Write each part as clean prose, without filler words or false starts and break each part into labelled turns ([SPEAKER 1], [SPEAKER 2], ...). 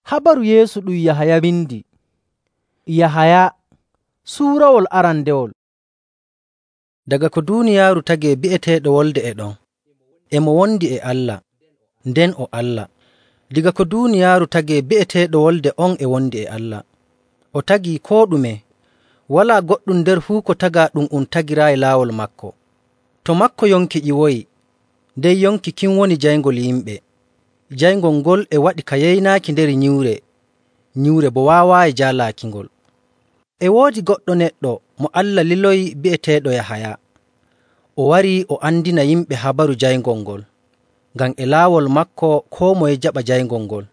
[SPEAKER 1] Habaru Yeesu ɗum Yahaya windi. Yahaya suurawol arandewol.
[SPEAKER 2] Daga ko duuniyaaru tagee bi'eteeɗo Wolde e ɗon, e mo wondi e Allah, nden o Allah. Diga ko duuniyaaru tagee bi'eteeɗo Wolde on e wondi e Allah. O tagii koo ɗume. Walaa goɗɗum nder fuu ko tagaa ɗum tagiraayi laawol maako. To maako yonki ƴiwoyi, nden yonki kin woni jayngol yimɓe. Jayngol ngol e waɗi ka yeynaaki nder nyiwre bo waawaayi jaalaakingol. E woodi goɗɗo neɗɗo mo Allah liloyi bi'eteeɗo Yahaya. O warii o andina yimɓe habaru jayngol ngol, ngam e laawol maako koo moye jaɓa jayngol ngol.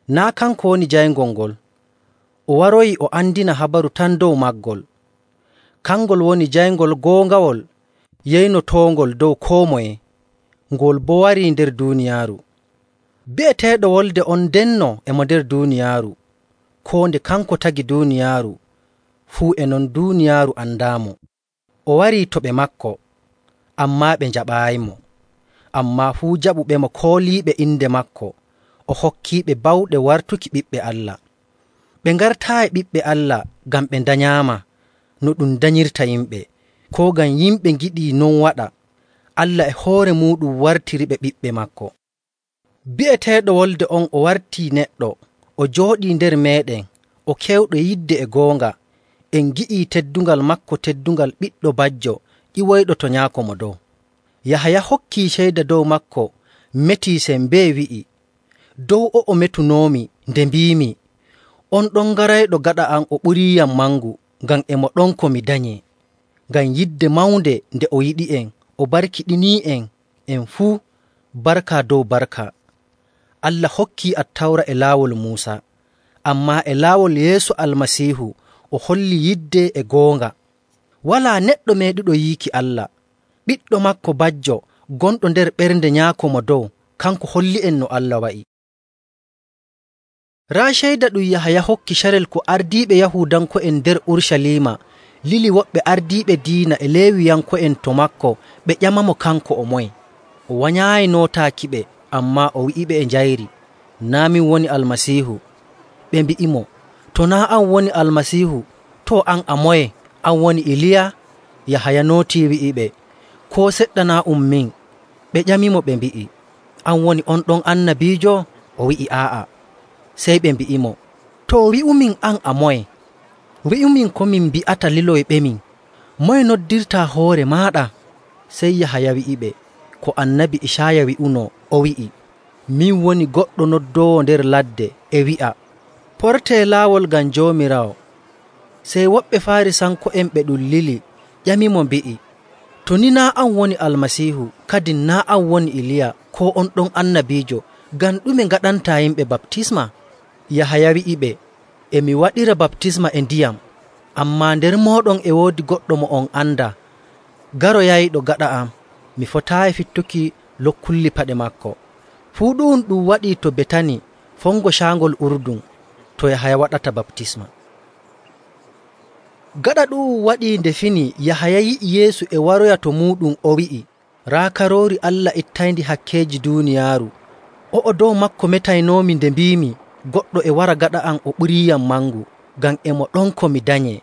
[SPEAKER 2] Naa' kanko woni jayngol ngol. O waroyi o andina habaru tan dow maagol. Kangol woni jayngol goongawol yeynotoongol dow koo moye, ngol boo warii nder duuniyaaru. Bi'eteeɗo Wolde on ndenno e mo nder duuniyaaru, koo nde kanko tagi duuniyaaru, fuu e non duuniyaaru andaamo. O warii to ɓe maako, ammaa ɓe njaɓaayimo. Ammaa fuu jaɓuɓemo kooliiɓe inde maako, o hokkiiɓe bawɗe wartuki ɓiɓɓe Allah. Ɓe ngartaayi ɓiɓɓe Allah ngam ɓe ndanyaama no ɗum danyirta yimɓe, koo ngam yimɓe ngiɗii non waɗa. Allah e hoore muuɗum wartiriɓe ɓiɓɓe maako. Bi'eteeɗo Wolde on o wartii neɗɗo, o jooɗii nder meeɗen, o kewɗo yidde e goonga. En ngi'ii teddungal maako, teddungal ɓiɗɗo bajjo ƴiwoyɗo to Nyaako Mo Dow. Yahaya hokkii ceyda dow maako, metii sembee wi'i, dow o'o metunoomi nde mbiimi, on ɗon garayɗo gaɗa am o ɓuriiyam mangu, ngam e mo ɗon ko mi danyee. Ngam yidde mawnde nde o yiɗi'en, o barkiɗinii'en en fuu barka dow barka. Allah hokkii Attawra e laawol Muusa, ammaa e laawol Yeesu Almasiihu o holli yidde e goonga. Walaa neɗɗo meeɗuɗo yiiki Allah. Ɓiɗɗo maako bajjo gonɗo nder ɓernde Nyaako Mo Dow, kanko holli'en no Allah wa'i. Raa ceyda ɗum Yahaya hokki carel ko ardiiɓe Yahuudanko'en nder Urucaliima lili woɓɓe ardiiɓe diina e Leewiyanko'en to maako ɓe ƴamamo kanko o moye. O wanyaayi nootaakiɓe, ammaa o wi'iɓe e njayri, naa' min woni Almasiihu. Ɓe mbi'imo, to naa' an woni Almasiihu, to an a moye? An woni Iliya? Yahaya nootii wi'iɓe, koo seɗɗa naa' min. Ɓe ƴamimo ɓe mbi'i, an woni on ɗon annabiijo? O wi'i aa'a. Sey ɓe mbi'imo, to wi'umin an a moye? Wi'umin ko min mbi'ata liloyɓemin. Moye noddirtaa hoore maaɗa? Sey Yahaya wi'iɓe, ko annabi Icaaya wi'uno, o wi'i, min woni goɗɗo noddoowo nder ladde e wi'a, portee laawol ngam Joomiraawo. Sey woɓɓe Faarisanko'en ɓe ɗum lili ƴamimo mbi'i, to ni naa' an woni Almasiihu, kadin naa' an woni Iliya koo on ɗon annabiijo, ngam ɗume ngaɗantaa yimɓe baptisma? Yahaya wi'iɓe, e mi waɗira baptisma e ndiyam, ammaa nder mooɗon e woodi goɗɗo mo on anda, garoyayɗo gaɗa am, mi fotaayi fittuki lokkulli paɗe maako. Fuu ɗum waɗii to Betani, fongo caangol Urdun, to Yahaya waɗata baptisma. Gaɗa ɗum waɗii nde fini, Yahaya yi'i Yeesu e waroya to muuɗum, o wi'i, raa Karoori Allah ittayndi hakkeeji duuniyaaru. O'o dow maako metaynoomi nde mbiimi, goɗɗo e wara gaɗa am o ɓuriiyam mangu, ngam e mo ɗon ko mi danyee.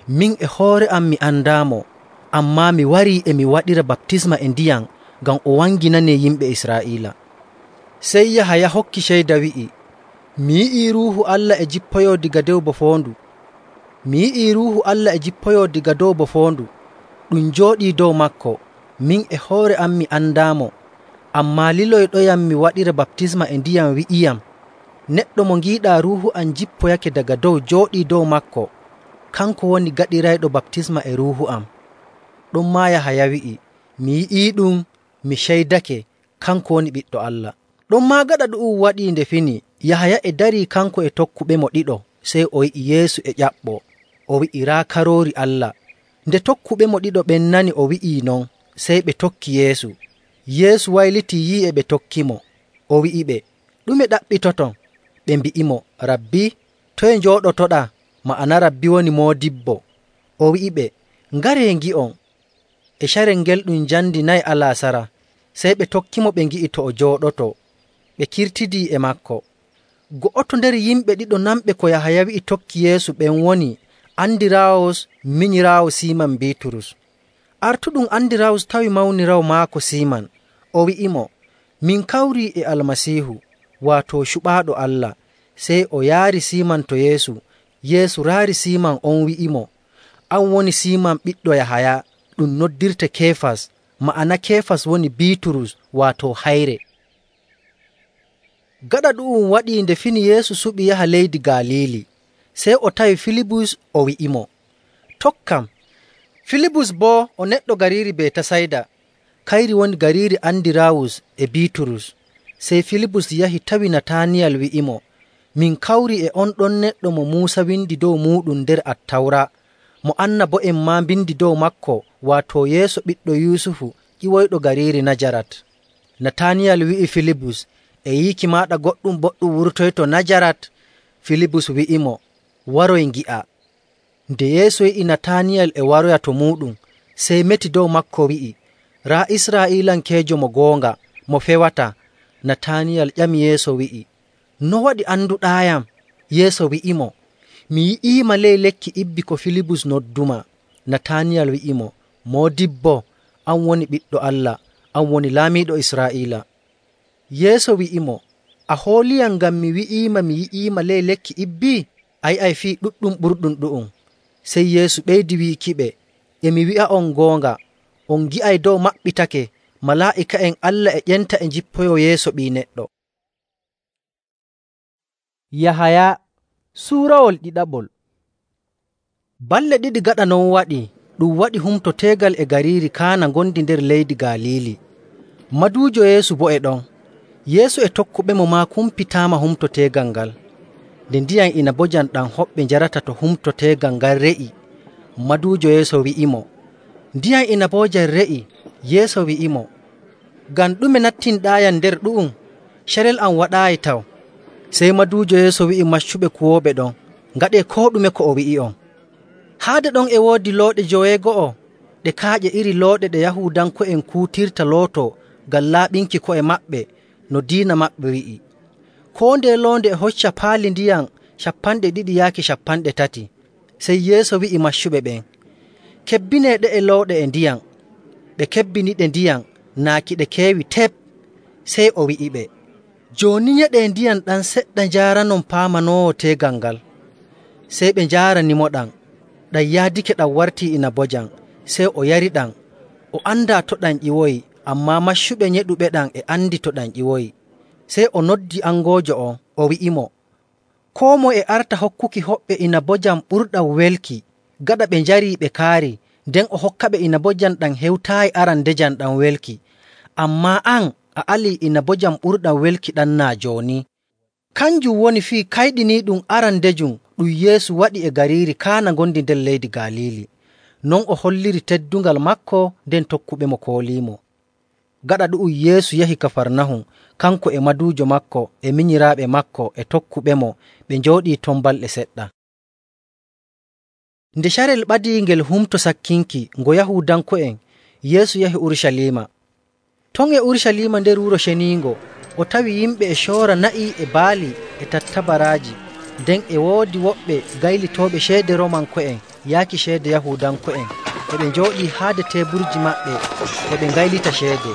[SPEAKER 2] Min e hoore am mi andaamo, ammaa mi warii e mi waɗira baptisma e ndiyam ngam o wanginanee yimɓe Israa'iila. Sey Yahaya hokki ceyda wi'i, mi yi'ii Ruuhu Allah e jippoyoo diga dow bo foondu. Mi yi'ii Ruuhu Allah e jippoyoo diga dow bo foondu, ɗum jooɗii dow maako. Min e hoore am mi andaamo, ammaa liloyɗoyam mi waɗira baptisma e ndiyam wi'iyam, neɗɗo mo ngiiɗaa Ruuhu am jippoyake daga dow jooɗii dow maako, kanko woni gaɗirayɗo baptisma e Ruuhu am. Ɗonmaa Yahaya wi'i, mi yi'iiɗum, mi ceydake, kanko woni Ɓiɗɗo Allah. Ɗonmaa gaɗa ɗum waɗii nde fini, Yahaya e darii kanko e tokkuɓemo ɗiɗo, sey o yi'i Yeesu e ƴaɓɓoo, o wi'i, raa Karoori Allah. Nde tokkuɓemo ɗiɗo ɓen nani o wi'ii non, sey ɓe tokki Yeesu. Yeesu waylitii yi'i e ɓe tokkimo, o wi'iɓe, ɗume ɗaɓɓitoton? Ɓe mbi'imo, Rabbi, toye njooɗotoɗaa? Ma'ana Rabbi woni Moodibbo. O wi'iɓe, ngaree ngi'on. E carel ngel ɗum njamndi 4 alasara, sey ɓe tokkimo ɓe ngi'i to o jooɗoto. Ɓe kirtidii e maako. Go'oto nder yimɓe ɗiɗo namɓe ko Yahaya wi'i tokki Yeesu ɓen woni Andiraawus minyiraawo Siiman Biiturus. Artuɗum Andiraawus tawi mawniraawo maako Siiman. O wi'imo, “Min kawrii e Almasiihu,” waato cuɓaaɗo Allah. Sey o yaari Siiman to Yeesu. Yeesu raari Siiman on wi'imo, “An woni Siiman ɓiɗɗo Yahaya, ɗum noddirte Keefas.” Ma'ana Keefas woni Biiturus, waato hayre. Gaɗa ɗu'um waɗii nde fini Yeesu suɓi yaha leydi Galiili. Sey o tawi Filibus o wi'imo, “Tokkam.” Filibus boo o neɗɗo gariiri Betasayda, kayri woni gariiri Andiraawus e Biiturus. Sey Filibus yahi tawi Nataniyal wi'imo, “Min kawri e on ɗon neɗɗo mo Muusa windi dow muuɗum nder Attawra, mo annabo'en maa mbindi dow maako, waato Yeesu ɓiɗɗo Yusufu ƴiwoyɗo gariiri Najarat.” Nataniyal wi'i Filibus, “E yiiki maaɗa goɗɗum boɗɗum wurtoyto Najarat?” Filibus wi'imo, “Waroy ngi'a.” Nde Yeesu yi'i Nataniyal e waroya to muuɗum, sey meti dow maako wi'i, “Raa Israa'iilankeejo mo goonga, mo fewata.” Nataniyal ƴami Yeesu wi'i, “No waɗi anduɗaayam?” Yeesu wi'imo, “Mi yi'iima ley lekki ibbi ko Filibus nodduma.” Nataniyal wi'imo, “Moodibbo, an woni Ɓiɗɗo Allah, an woni Laamiiɗo Israa'iila.” Yeesu wi'imo, “A hooliyam ngam mi wi'iima mi yi'iima ley lekki ibbi? A yi'ay fii ɗuɗɗum ɓurɗum ɗu'um.” Sey Yeesu ɓeydi wiikiɓe, “E mi wi'a'on goonga, on ngi'ay dow maɓɓitake, malaa'ika'en Allah e ƴenta e njippoyoo yeeso Ɓii Neɗɗo.”
[SPEAKER 1] Yahaya suurawol ɗiɗaɓol.
[SPEAKER 2] Balɗe ɗiɗi gaɗa non waɗi, ɗum waɗi humto teegal e gariiri Kaana ngondi nder leydi Galiili. Maduujo Yeesu boo e ɗon. Yeesu e tokkuɓemo maa kumpitaama humto teegal ngal. Nde ndiyam inabojam ɗam hoɓɓe njarata to humto teegal ngal re'i, maduujo Yeesu wi'imo, “Ndiyam inabojam re'i.” Yeesu wi'imo, “Ngam ɗume nattinɗaayam nder ɗu'um? Carel am waɗaayi taw.” Sey maduujo Yeesu wi'i maccuɓe kuwooɓe ɗon, “Ngaɗee koo ɗume ko o wi'i'on.” Haade ɗon e woodi looɗe 90 ɗe kaaƴe iri looɗe ɗe Yahuudanko'en kuutirta looto ngam laaɓinki ko'e maɓɓe no diina maɓɓe wi'i. Koo ndeye loonde e hocca paali ndiyam 200 yaaki 300. Sey Yeesu wi'i maccuɓe ɓen, “Kebbinee ɗe'e looɗe e ndiyam.” Ɓe kebbiniɗe ndiyam, naaki ɗe keewi tep. Sey o wi'iɓe, “Jooni nyeɗee ndiyam ɗam seɗɗa njaaranon paamanoowo teegal ngal.” Sey ɓe njaaranimo ɗam. Ɗam yaadake ɗam wartii inabojam. Sey o yariɗam. O andaa to ɗam ƴiwoyi, ammaa maccuɓe nyeɗuɓe ɗam e andi to ɗam ƴiwoyi. Sey o noddi angoojo on, o wi'imo, “Koo moye e arta hokkuki hoɓɓe inabojam ɓurɗam welki, gaɗa ɓe njarii ɓe kaari, nden o hokkaɓe inabojam ɗam hewtaayi arandejam ɗam welki. Ammaa an, a alii inabojam ɓurɗam welki ɗam naa jooni.” Kanjum woni fii kayɗiniiɗum arandejum ɗum Yeesu waɗi e gariiri Kaana ngondi nder leydi Galiili. Non o holliri teddungal maako, nden tokkuɓemo kooliimo. Gaɗa ɗu'um Yeesu yahi Kafarnahum, kanko e maduujo maako e minyiraaɓe maako e tokkuɓemo. Ɓe njooɗii ton balɗe seɗɗa. Nde carel ɓadii ngel humto sakkinki ngo Yahuudanko'en, Yeesu yahi Urucaliima. Ton e Urucaliima nder Wuro Ceniingo, o tawi yimɓe e coora na'i e baali e tattabaraaji. Nden e woodi woɓɓe gaylitooɓe ceede Roomanko'en yaaki ceede Yahuudanko'en, e ɓe njooɗii haade teeburji maɓɓe e ɓe ngaylita ceede.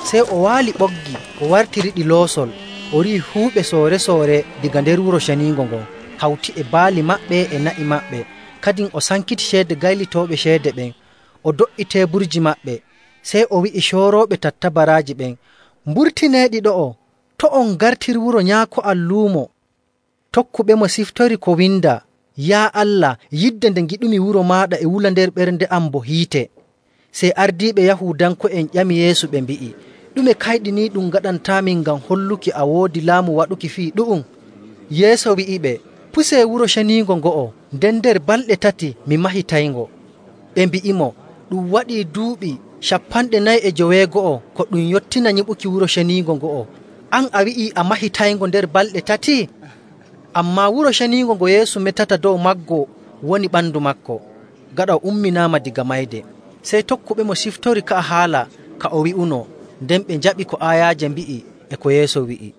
[SPEAKER 2] Sey o waali ɓoggi, o wartiriɗi loosol, o rihi huuɓe soore-soore diga nder Wuro Ceniingo ngon, hawti e baali maɓɓe e na'i maɓɓe. Kadin o sankiti ceede gaylitooɓe ceede ɓen, o do'i teeburji maɓɓe. Sey o wi'i coorooɓe tattabaraaji ɓen, “Mburtineeɗi ɗo'o, to' on ngartir wuro nyaako am luumo.” Tokkuɓemo siftori ko windaa, “Yaa Allah, yidde nde ngiɗumi wuro maaɗa e wula nder ɓernde am bo hiite.” Sey ardiiɓe Yahuudanko'en ƴami Yeesu ɓe mbi'i, “Ɗume kayɗiniiɗum ngaɗantaamin ngam holluki a woodi laamu waɗuki fii ɗu'um?” Yeesu wi'iɓe, “Pusee Wuro Ceniingo ngo'o, nden nder balɗe 3 mi mahitayngo.” Ɓe mbi'imo, “Ɗum waɗii duuɓi 490 ko ɗum yottina nyiɓuki Wuro Ceniingo ngo'o. An a wi'ii a mahitayngo nder balɗe 3?” Ammaa Wuro Ceniingo ngo Yeesu metata dow maggo woni ɓandu maako. Gaɗa o umminaama diga mayde, sey tokkuɓemo siftori ka haala ka o wi'uno, nden ɓe njaɓi ko aayaaje mbi'i e ko Yeesu wi'i.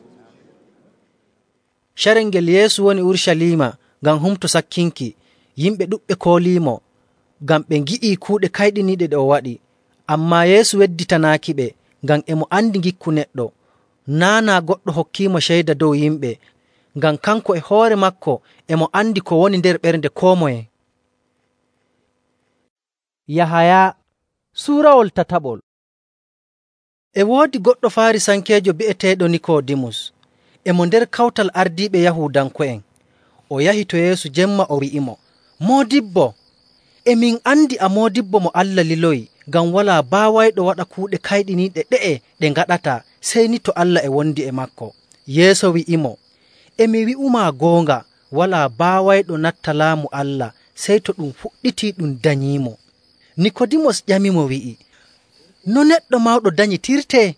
[SPEAKER 2] Carel ngel Yeesu woni Urucaliima ngam humto sakkinki, yimɓe ɗuɗɓe kooliimo ngam ɓe ngi'ii kuuɗe kayɗiniiɗe ɗe o waɗi. Ammaa Yeesu wedditanaakiɓe ngam e mo andi ngikku neɗɗo. Naa goɗɗo hokkiimo ceyda dow yimɓe, ngam kanko e hoore maako e mo andi ko woni nder ɓernde koo moye.
[SPEAKER 1] Yahaya suurawol tataɓol.
[SPEAKER 2] E woodi goɗɗo Faarisankeejo bi'eteeɗo Nikoodimus, e mo nder kawtal ardiiɓe Yahuudanko'en. O yahi to Yeesu jemma o wi'imo, “Moodibbo, e min andi a moodibbo mo Allah liloyi, ngam walaa baawayɗo waɗa kuuɗe kayɗiniiɗe ɗe'e ɗe ngaɗataa sey ni to Allah e wondi e maako.” Yeesu wi'imo, “E mi wi'umaa goonga, walaa baawayɗo natta laamu Allah sey to ɗum fuɗɗitii ɗum danyiimo.” Nikoodimus ƴamimo wi'i, “No neɗɗo mawɗo danyitirtee?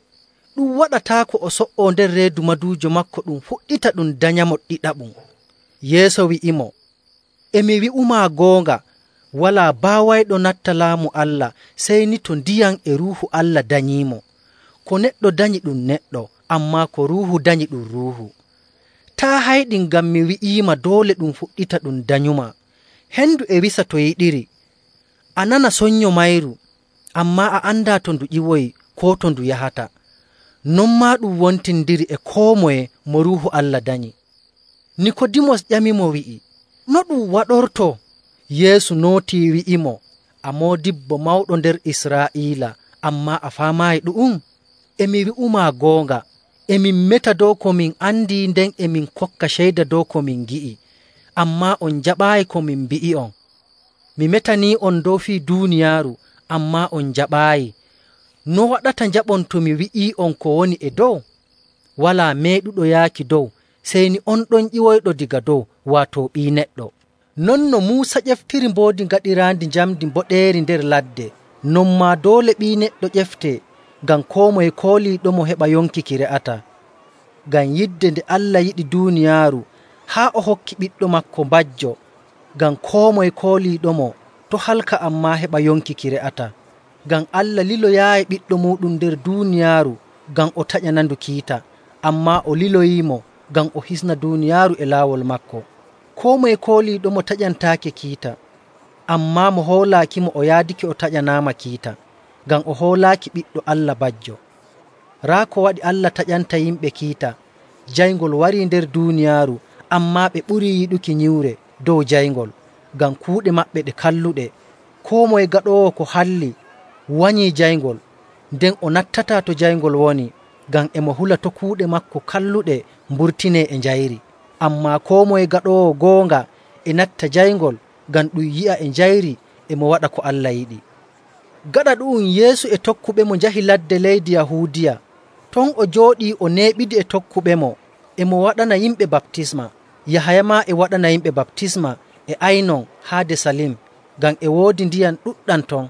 [SPEAKER 2] Ɗum waɗataako o so''oo nder reedu maduujo maako ɗum fuɗɗita ɗum danyamo ɗiɗaɓum.” Yeesu wi'imo, “E mi wi'umaa goonga, walaa baawayɗo natta laamu Allah sey ni to ndiyam e Ruuhu Allah danyiimo. Ko neɗɗo danyi ɗum neɗɗo, ammaa ko Ruuhu danyi ɗum Ruuhu. Taa' hayɗin ngam mi wi'iima doole ɗum fuɗɗita ɗum danyumaa. Hendu e wisa to yiɗiri. A nana sonnyo mayru, ammaa a andaa to ndu ƴiwoyi koo to ndu yahata. Non maa ɗum wontindiri e koo moye mo Ruuhu Allah danyi.” Nikoodimus ƴamimo wi'i, “No ɗum waɗortoo?” Yeesu nootii wi'imo, “A moodibbo mawɗo nder Israa'iila, ammaa a faamaayi ɗu'um? E mi wi'umaa goonga, e min meta dow ko min andi nden e min kokka ceyda dow ko min ngi'i, ammaa on njaɓaayi ko min mbi'i'on. Mi metanii'on dow fii duuniyaaru, ammaa on njaɓaayi. No waɗata njaɓon to mi wi'ii'on ko woni e dow? Walaa meeɗuɗo yaaki dow, sey ni on ɗon ƴiwoyɗo daga dow, waato Ɓii Neɗɗo. Non no Muusa ƴeftiri mboodi gaɗiraandi njamndi mboɗeeri nder ladde, non maa doole Ɓii Neɗɗo ƴeftee, ngam koo moye kooliiɗomo heɓa yonki ki re'ata. Ngam yidde nde Allah yiɗi duuniyaaru, haa o hokki Ɓiɗɗo maako mbajjo, ngam koo moye kooliiɗomo to' halka ammaa heɓa yonki ki re'ata. Ngam Allah liloyaayi Ɓiɗɗo muuɗum nder duuniyaaru ngam o taƴanandu kiita, ammaa o liloyiimo ngam o hisna duuniyaaru e laawol maako. Koo moye kooliiɗomo taƴantaake kiita, ammaa mo hoolaakimo o yaadake o taƴanaama kiita, ngam o hoolaaki Ɓiɗɗo Allah bajjo. Raa ko waɗi Allah taƴanta yimɓe kiita, jayngol warii nder duuniyaaru, ammaa ɓe ɓurii yiɗuki nyiwre dow jayngol, ngam kuuɗe maɓɓe ɗe kalluɗe. Koo moye gaɗoowo ko halli wanyii jayngol, nden o nattataa to jayngol woni, ngam e mo hula to kuuɗe maako kalluɗe mburtinee e njayri. Ammaa koo moye gaɗoowo goonga e natta jayngol, ngam ɗum yi'a e njayri e mo waɗa ko Allah yiɗi. Gaɗa ɗu'um Yeesu e tokkuɓemo njahi ladde leydi Yahuudiya. Ton o jooɗii o neeɓidi e tokkuɓemo, e mo waɗana yimɓe baptisma. Yahaya maa e waɗana yimɓe baptisma e Aynon haade Salim, ngam e woodi ndiyam ɗuɗɗam ton.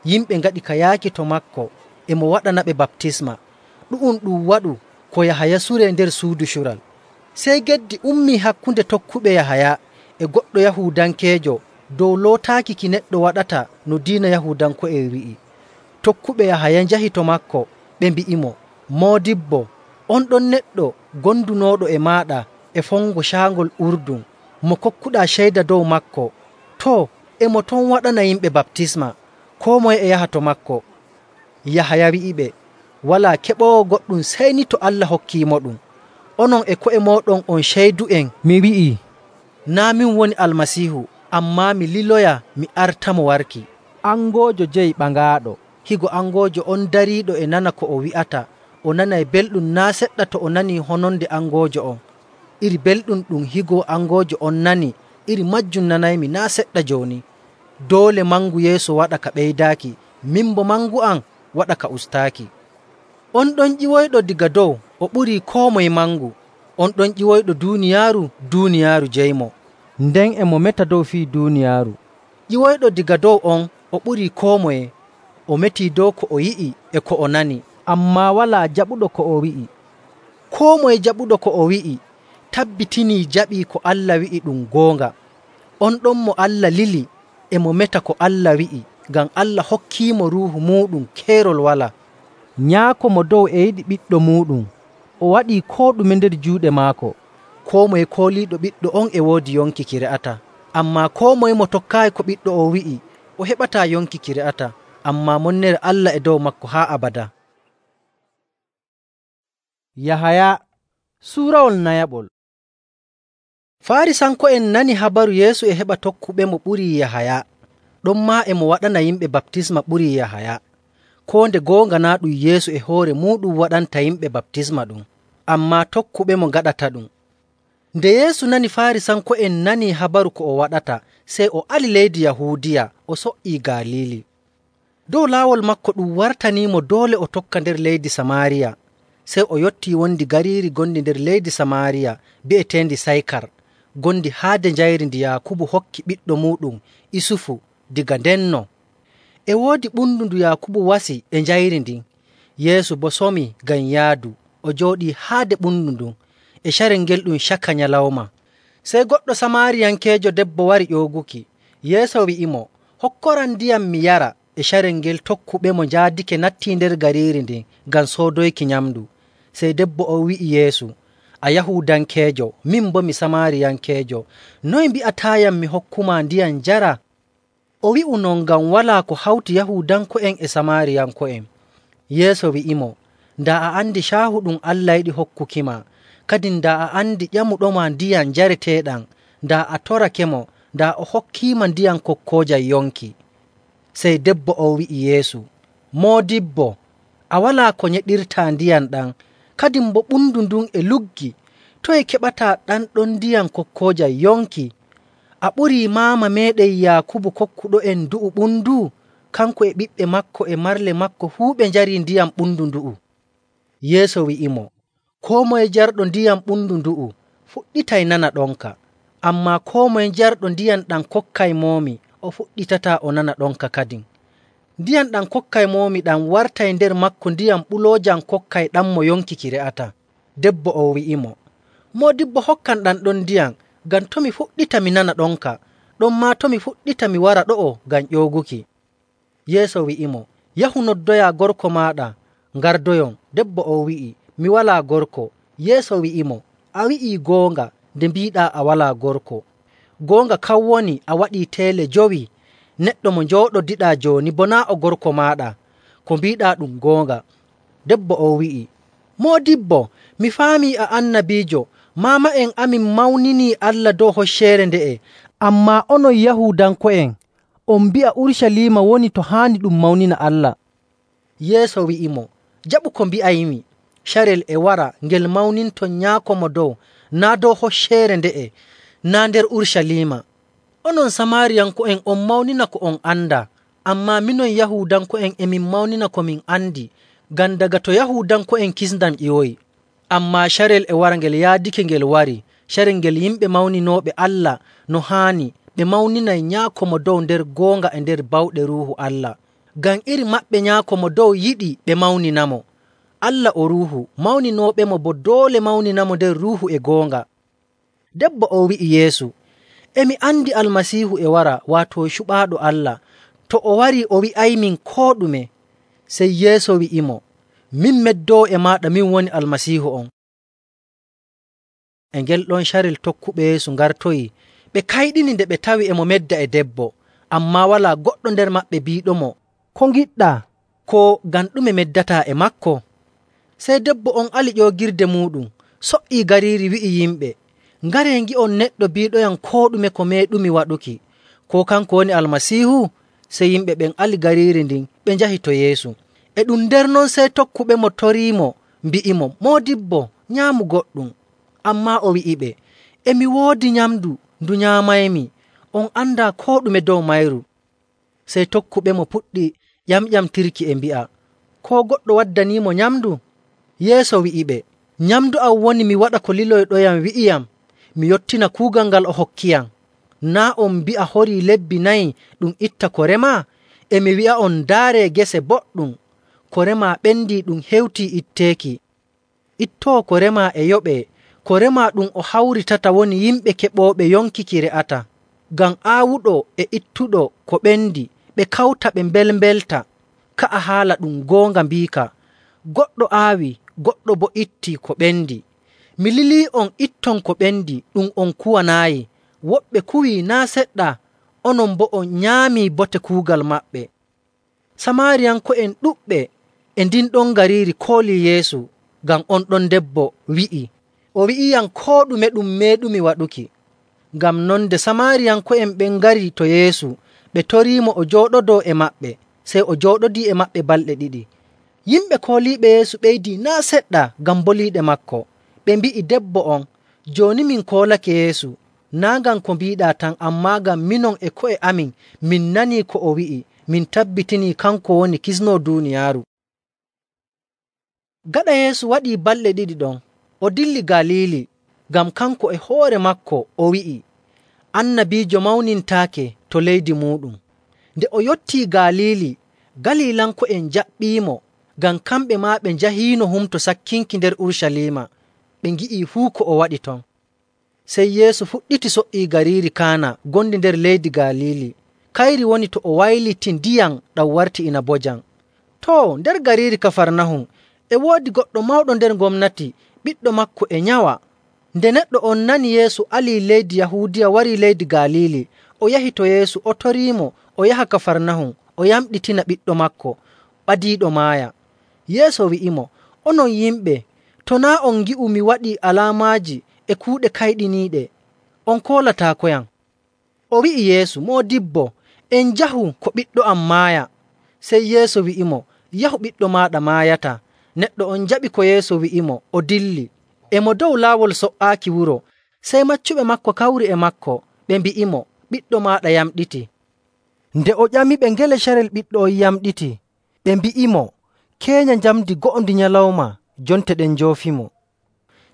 [SPEAKER 2] Yimɓe ngaɗi ka yaaki to maako, e mo waɗanaɓe baptisma. Ɗu'um ɗum waɗu ko Yahaya suree nder suudu cural. Sey geddi ummii hakkunde tokkuɓe Yahaya e goɗɗo Yahuudankeejo dow lootaaki ki neɗɗo waɗata no diina Yahuudanko'en wi'i. Tokkuɓe Yahaya njahi to maako, ɓe mbi'imo, “Moodibbo, on ɗon neɗɗo gondunooɗo e maaɗa e fongo caangol Urdun, mo kokkuɗaa ceyda dow maako. Too, e mo ton waɗana yimɓe baptisma, koo moye e yaha to maako.” Yahaya wi'iɓe, “Walaa keɓoowo goɗɗum sey ni to Allah hokkiimoɗum. Onon e ko'e mooɗon on ceydu'en mi wi'ii, naa' min woni Almasiihu, ammaa mi liloya mi artamo warki.”
[SPEAKER 1] Angoojo jeyi ɓangaaɗo.
[SPEAKER 2] Higo angoojo on dariiɗo e nana ko o wi'ata, o nanay belɗum naa' seɗɗa to o nanii hononde angoojo on. Iri belɗum ɗum higo angoojo on nani, iri majjum nanaymi naa' seɗɗa jooni. Doole mangu Yeesu waɗa ka ɓeydaaki, min bo mangu am waɗa ka ustaaki. On ɗon ƴiwoyɗo diga dow, o ɓurii koo moye mangu. On ɗon ƴiwoyɗo duuniyaaru, duuniyaaru jeymo.
[SPEAKER 1] Nden e mo meta dow fii duuniyaaru.
[SPEAKER 2] Ƴiwoyɗo diga dow on, o ɓurii koo moye. O metii dow ko o yi'i e ko o nani,
[SPEAKER 1] ammaa walaa jaɓuɗo ko o wi'i.
[SPEAKER 2] Koo moye jaɓuɗo ko o wi'i tabbitinii jaɓii ko Allah wi'i ɗum goonga. On ɗon mo Allah lili e mo meta ko Allah wi'i, ngam Allah hokkiimo Ruuhu muuɗum keerol walaa.
[SPEAKER 1] Nyaako mo dow e yiɗi Ɓiɗɗo muuɗum. O waɗii koo ɗume nder juuɗe maako.
[SPEAKER 2] koo moye kooliiɗo ɓiɗɗo on e woodi yonki ki re'ata. Ammaa koo moye mo tokkaayi ko ɓiɗɗo o wi'i, o heɓataa yonki ki re'ata, ammaa monnere Allah e dow maako haa abadaa.
[SPEAKER 1] Yahaya suurawol nayaɓol.
[SPEAKER 2] Faarisanko'en nani habaru Yeesu e heɓa tokkuɓemo ɓurii Yahaya, ɗonmaa e mo waɗana yimɓe baptisma ɓurii Yahaya. Koo nde goonga naa' ɗum Yeesu e hoore muuɗum waɗanta yimɓe baptisma ɗum, ammaa tokkuɓemo ngaɗataɗum. Nde Yeesu nani Faarisanko'en nanii habaru ko o waɗata, sey o ali leydi Yahuudiya o so''ii Galiili. Dow laawol maako ɗum wartaniimo doole o tokka nder leydi Samaariya. Sey o yottii wondi gariiri gondi nder leydi Samaariya bi'eteendi Saykar, gondi haade njayri ndi Yaakubu hokki ɓiɗɗo muuɗum Isufu diga ndenno. E woodi ɓundu ndu Yaakubu wasi e njayri ndin. Yeesu boo somi ngam yaadu, o jooɗii haade ɓundu ndun e carel ngel ɗum caka nyalawma. Sey goɗɗo Samaariyankeejo debbo wari ƴooguki. Yeesu wi'imo, “Hokkoram ndiyam mi yara.” E carel ngel tokkuɓemo njaadike nattii nder gariiri ndin ngam soodoyki nyamndu. Sey debbo o wi'i Yeesu, “A Yahuudankeejo, min boo mi Samaariyankeejo. Noye mbi'ataayam mi hokkumaa ndiyam njara?” O wi'u non ngam walaa ko hawti Yahuudanko'en e Samaariyanko'en. Yeesu wi'imo, “Daa a andi caahu ɗum Allah yiɗi hokkukima, kadin daa a andi ƴamuɗoma ndiyam njareteeɗam, daa a torakemo, daa o hokkiima ndiyam kokkoojam yonki.” Sey debbo o wi'i Yeesu, “Moodibbo, a walaa ko nyeɗirtaa ndiyam ɗam, kadin boo ɓundu ndun e luggi. Toye keɓataa ɗan ɗon ndiyam kokkoojam yonki? A ɓurii maama meeɗen Yaakubu kokkuɗo'en ndu'u ɓundu? Kanko e ɓiɓɓe maako e marle maako fuu ɓe njarii ndiyam ɓundu ndu'u.” Yeesu wi'imo, “Koo moye jarɗo ndiyam ɓundu ndu'u fuɗɗitay nana ɗonka, ammaa koo moye jarɗo ndiyam ɗam kokkaymomi o fuɗɗitataa o nana ɗonka kadin. Ndiyam ɗam kokkaymomi ɗam wartay nder maako ndiyam ɓuloojam kokkay ɗammo yonki ki re'ata.” Debbo o wi'imo, “Moodibbo, hokkam ɗam ɗon ndiyam, ngam to mi fuɗɗita mi nana ɗonka, ɗonmaa to mi fuɗɗita mi wara ɗo'o ngam ƴooguki.” Yeesu wi'imo, “Yahu noddoyaa gorko maaɗa, ngardoyon.” Debbo o wi'i, “Mi walaa gorko.” Yeesu wi'imo, “A wi'ii goonga nde mbiiɗaa a walaa gorko. Goonga kan woni a waɗii teele 5. Neɗɗo mo njooɗodiɗaa jooni boo naa' o gorko maaɗa. Ko mbiiɗaa ɗum goonga.” Debbo o wi'i, “Moodibbo, mi faamii a annabiijo. Maama'en amin mawninii Allah dow hocceere nde'e,
[SPEAKER 1] Ammaa onon Yahuudanko'en, on mbi'a Urucaliima woni to haani ɗum mawnina Allah.”
[SPEAKER 2] Yeesu wi'imo, “Jaɓu ko mbi'aymi. Carel e wara ngel mawninton Nyaako Mo Dow, naa' dow hocceere nde'e, naa' nder Urucaliima. Onon Samaariyanko'en on mawnina ko on andaa, ammaa minon Yahuudanko'en e min mawnina ko min andi, ngam daga to Yahuudanko'en kisndam ƴiwoyi. Ammaa carel e wara ngel yaadake ngel wari, carel ngel yimɓe mawninooɓe Allah no haani ɓe mawninay Nyaako Mo Dow nder goonga e nder bawɗe Ruuhu Allah. Ngam iri maɓɓe Nyaako Mo Dow yiɗi ɓe mawninamo. Allah o Ruuhu, mawninooɓemo boo doole mawninamo nder Ruuhu e goonga.” Debbo o wi'i Yeesu, “E mi andi Almasiihu e wara, waato cuɓaaɗo Allah. To o warii o wi'aymin koo ɗume.” Sey Yeesu wi'imo, “Min meddoowo e maaɗa, min woni Almasiihu on.” E ngel ɗon carel tokkuɓe Yeesu ngartoyi, ɓe kayɗini nde ɓe tawi e mo medda e debbo, ammaa walaa goɗɗo nder maɓɓe biiɗomo,
[SPEAKER 1] “Ko ngiɗɗaa?”
[SPEAKER 2] koo ngam ɗume meddataa e maako. Sey debbo on ali ƴoogirde muuɗum, so''ii gariiri wi'i yimɓe, “Ngaree ngi'on neɗɗo biiɗoyam koo ɗume ko meeɗumi waɗuki. Koo kanko woni Almasiihu?” Sey yimɓe ɓen ali gariiri ndin ɓe njahi to Yeesu. E ɗum nder non sey tokkuɓemo toriimo, mbi'imo, “Moodibbo, nyaamu goɗɗum.” Ammaa o wi'iɓe, “E mi woodi nyamndu ndu nyaamaymi, on andaa koo ɗume dow mayru.” Sey tokkuɓemo puɗɗi ƴamƴamtirki e mbi'a, “Koo goɗɗo waddaniimo nyamndu?” Yeesu wi'iɓe, “Nyamndu am woni mi waɗa ko liloyɗoyam wi'iyam, mi yottina kuugal ngal o hokkiyam. Naa' on mbi'a horii lebbi 4 ɗum itta ko remaa? E mi wi'a'on, ndaaree gese boɗɗum. Ko remaa ɓendii ɗum hewtii itteeki. Ittoowo ko remaa e yoɓee. Ko remaa ɗum o hawritata woni yimɓe keɓooɓe yonki ki re'ata. Ngam aawuɗo e ittuɗo ko ɓendi, ɓe kawta ɓe mbelmbelta. Ka'a haala ɗum goonga mbiika, goɗɗo aawi, goɗɗo boo ittii ko ɓendi. Mi lilii'on itton ko ɓendi ɗum on kuwanaayi. Woɓɓe kuwii naa' seɗɗa, onon boo on nyaamii bote kuugal maɓɓe.” Samaariyanko'en ɗuɗɓe e ndin ɗon gariiri koolii Yeesu ngam on ɗon debbo wi'i, “O wi'iyam koo ɗume ɗum meeɗumi waɗuki.” Ngam non nde Samaariyanko'en ɓen ngari to Yeesu, ɓe toriimo o jooɗodoo e maɓɓe. Sey o jooɗodii e maɓɓe balɗe ɗiɗi. Yimɓe kooliiɓe Yeesu ɓeydii naa' seɗɗa ngam boliiɗe maako. Ɓe mbi'i debbo on, “Jooni min koolake Yeesu, naa' ngam ko mbiiɗaa tan, ammaa ngam minon e ko'e amin min nanii ko o wi'i, min tabbitinii kanko woni Kisnoo duuniyaaru.” Gaɗa Yeesu waɗii balɗe ɗiɗi ɗon, o dilli Galiili, ngam kanko e hoore maako o wi'i, annabiijo mawnintaake to leydi muuɗum. Nde o yottii Galiili, Galiilanko'en njaɓɓiimo, ngam kamɓe maa ɓe njahiino Humto Sakkinki nder Urucaliima, ɓe ngi'ii fuu ko o waɗi ton. Sey Yeesu fuɗɗiti so''ii gariiri Kaana gondi nder leydi Galiili. Kayri woni to o wayliti ndiyam ɗam warti inabojam. Too, nder gariiri Kafarnahum e woodi goɗɗo mawɗo nder gomnati, ɓiɗɗo maako e nyawa. Nde neɗɗo on nani Yeesu alii leydi Yahuudiya warii leydi Galiili, o yahi to Yeesu o toriimo o yaha Kafarnahum o yamɗitina ɓiɗɗo maako ɓadiiɗo maaya. Yeesu wi'imo, “Onon yimɓe, to naa' on ngi'u mi waɗii alaamaaji e kuuɗe kayɗiniiɗe, on koolataakoyam.” O wi'i Yeesu, “Moodibbo, en njahu ko ɓiɗɗo am maaya.” Sey Yeesu wi'imo, “Yahu, ɓiɗɗo maaɗa maayataa.” Neɗɗo on jaɓi ko Yeesu wi'imo, o dilli. E mo dow laawol so''aaki wuro, sey maccuɓe maako kawri e maako, ɓe mbi'imo, “Ɓiɗɗo maaɗa yamɗitii.” Nde o ƴamiɓe ngele carel ɓiɗɗo on yamɗitii, ɓe mbi'imo, “Keenya njamndi go'ondi nyalawma, jonte ɗen njoofimo.”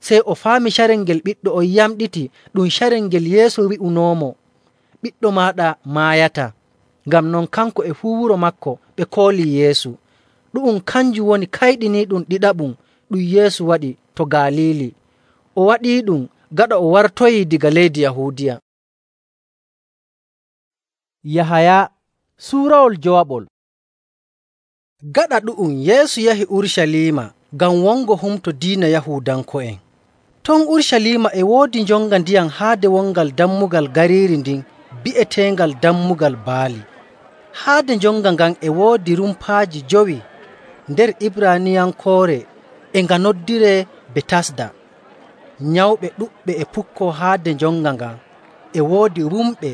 [SPEAKER 2] Sey o faami carel ngel ɓiɗɗo on yamɗiti ɗum carel ngel Yeesu wi'unoomo, “Ɓiɗɗo maaɗa maayataa.” Ngam non kanko e fuu wuro maako ɓe koolii Yeesu. Ɗu'um kanjum woni kayɗiniiɗum ɗiɗaɓum ɗum Yeesu waɗi to Galiili. O waɗiiɗum gaɗa o wartoyii daga leydi Yahuudiya.
[SPEAKER 1] Yahaya suurawol jowaɓol.
[SPEAKER 2] Gaɗa ɗu'um Yeesu yahi Urucaliima ngam wongo humto diina Yahuudanko'en. Ton Urucaliima e woodi njonga ndiyam haade wongal dammugal gariiri ndin bi'eteengal Dammugal Baali. Haade njonga ngan e woodi rumpaaji 5 nder Ibraaniyankoore e nga noddiree Betasda. Nyawɓe ɗuɗɓe e pukkoo haade njonga ngan. E woodi wumɓe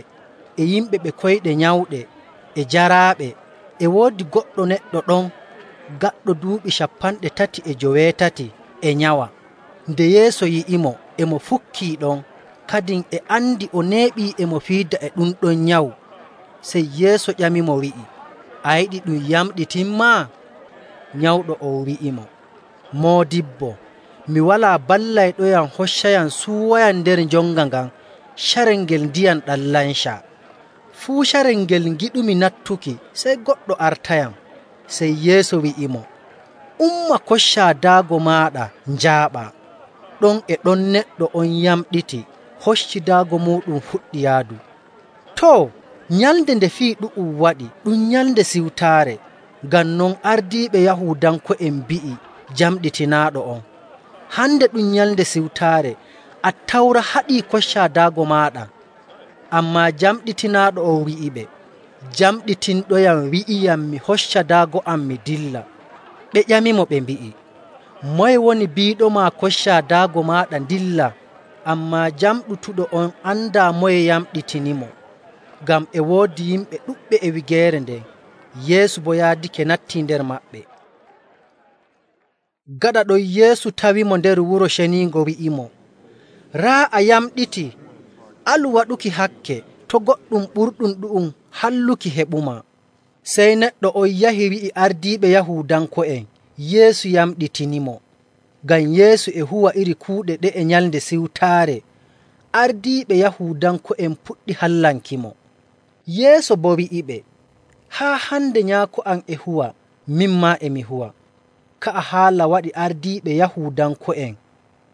[SPEAKER 2] e yimɓe ɓe koyɗe nyawɗe e jaraaɓe. E woodi goɗɗo neɗɗo ɗon gaɗɗo duuɓi 38 e nyawa. Nde Yeesu yi'imo, e mo fukkii ɗon, kadin e andi o neeɓii e mo fiida e ɗum ɗon nyawu. Sey Yeesu ƴamimo wi'i, “A yiɗi ɗum yamɗitinmaa?” Nyawɗo on wi'imo, “Moodibbo, mi walaa ballayɗoyam hoccayam suuwayam nder njonga ngan carel ngel ndiyam ɗam lancaa. Fuu carel ngel ngiɗumi nattuki, sey goɗɗo artayam.” Sey Yeesu wi'imo, “Umma, koccaa daago maaɗa njaaɓaa.” Ɗon e ɗon neɗɗo on yamɗiti, hocci daago muuɗum fuɗɗi yaadu. Too, nyalnde nde fii ɗu'um waɗi ɗum Nyalnde Siwtaare. Ngam non ardiiɓe Yahuudanko'en mbi'i jamɗitinaaɗo on, “Hande ɗum Nyalnde Siwtaare, Attawra haɗii koccaa daago maaɗa.” Ammaa jamɗitinaaɗo on wi'iɓe, “Jamɗitinɗoyam wi'iyam mi hocca daago am mi dilla.” Ɓe ƴamimo ɓe mbi'i, “Moye woni biiɗoma koccaa daago maaɗa dilla?” Ammaa jamɗutuɗo on andaa moye yamɗitinimo, ngam e woodi yimɓe ɗuɗɓe e wigeere nden. Yeesu boo yaadake nattii nder maɓɓe. Gaɗa ɗon Yeesu tawimo nder Wuro Ceniingo wi'imo, “Raa a yamɗitii, alu waɗuki hakke, to' goɗɗum ɓurɗum ɗu'um halluki heɓumaa.” Sey neɗɗo on yahi wi'i ardiiɓe Yahuudanko'en Yeesu yamɗitinimo. Ngam Yeesu e huwa iri kuuɗe ɗe'e Nyalnde Siwtaare, ardiiɓe Yahuudanko'en puɗɗi hallankimo. Yeesu boo wi'iɓe, “Haa hande Nyaako am e huwa, min maa e mi huwa.” Ka'a haala waɗi ardiiɓe Yahuudanko'en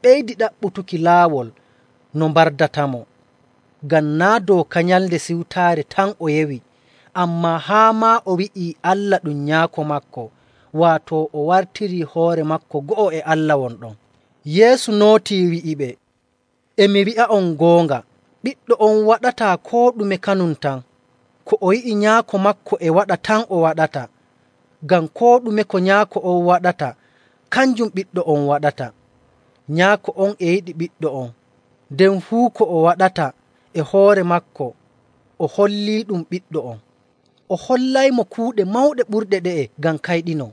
[SPEAKER 2] ɓeydi ɗaɓɓutuki laawol no mbardatamo. Ngam naa' dooka Nyalnde Siwtaare tan o yewi, ammaa haa maa o wi'ii Allah ɗum Nyaako maako, waato o wartirii hoore maako go'o e Allah won ɗon. Yeesu nootii wi'iɓe, “E mi wi'a'on goonga, ɓiɗɗo on waɗataa koo ɗume kanum tan. Ko o yi'i nyaako maako e waɗa tan o waɗata. Ngam koo ɗume ko nyaako on waɗata, kanjum ɓiɗɗo on waɗata. Nyaako on e yiɗi ɓiɗɗo on, nden fuu ko o waɗata e hoore maako o holliiɗum ɓiɗɗo on. O hollaymo kuuɗe mawɗe ɓurɗe ɗe'e ngam kayɗinoo.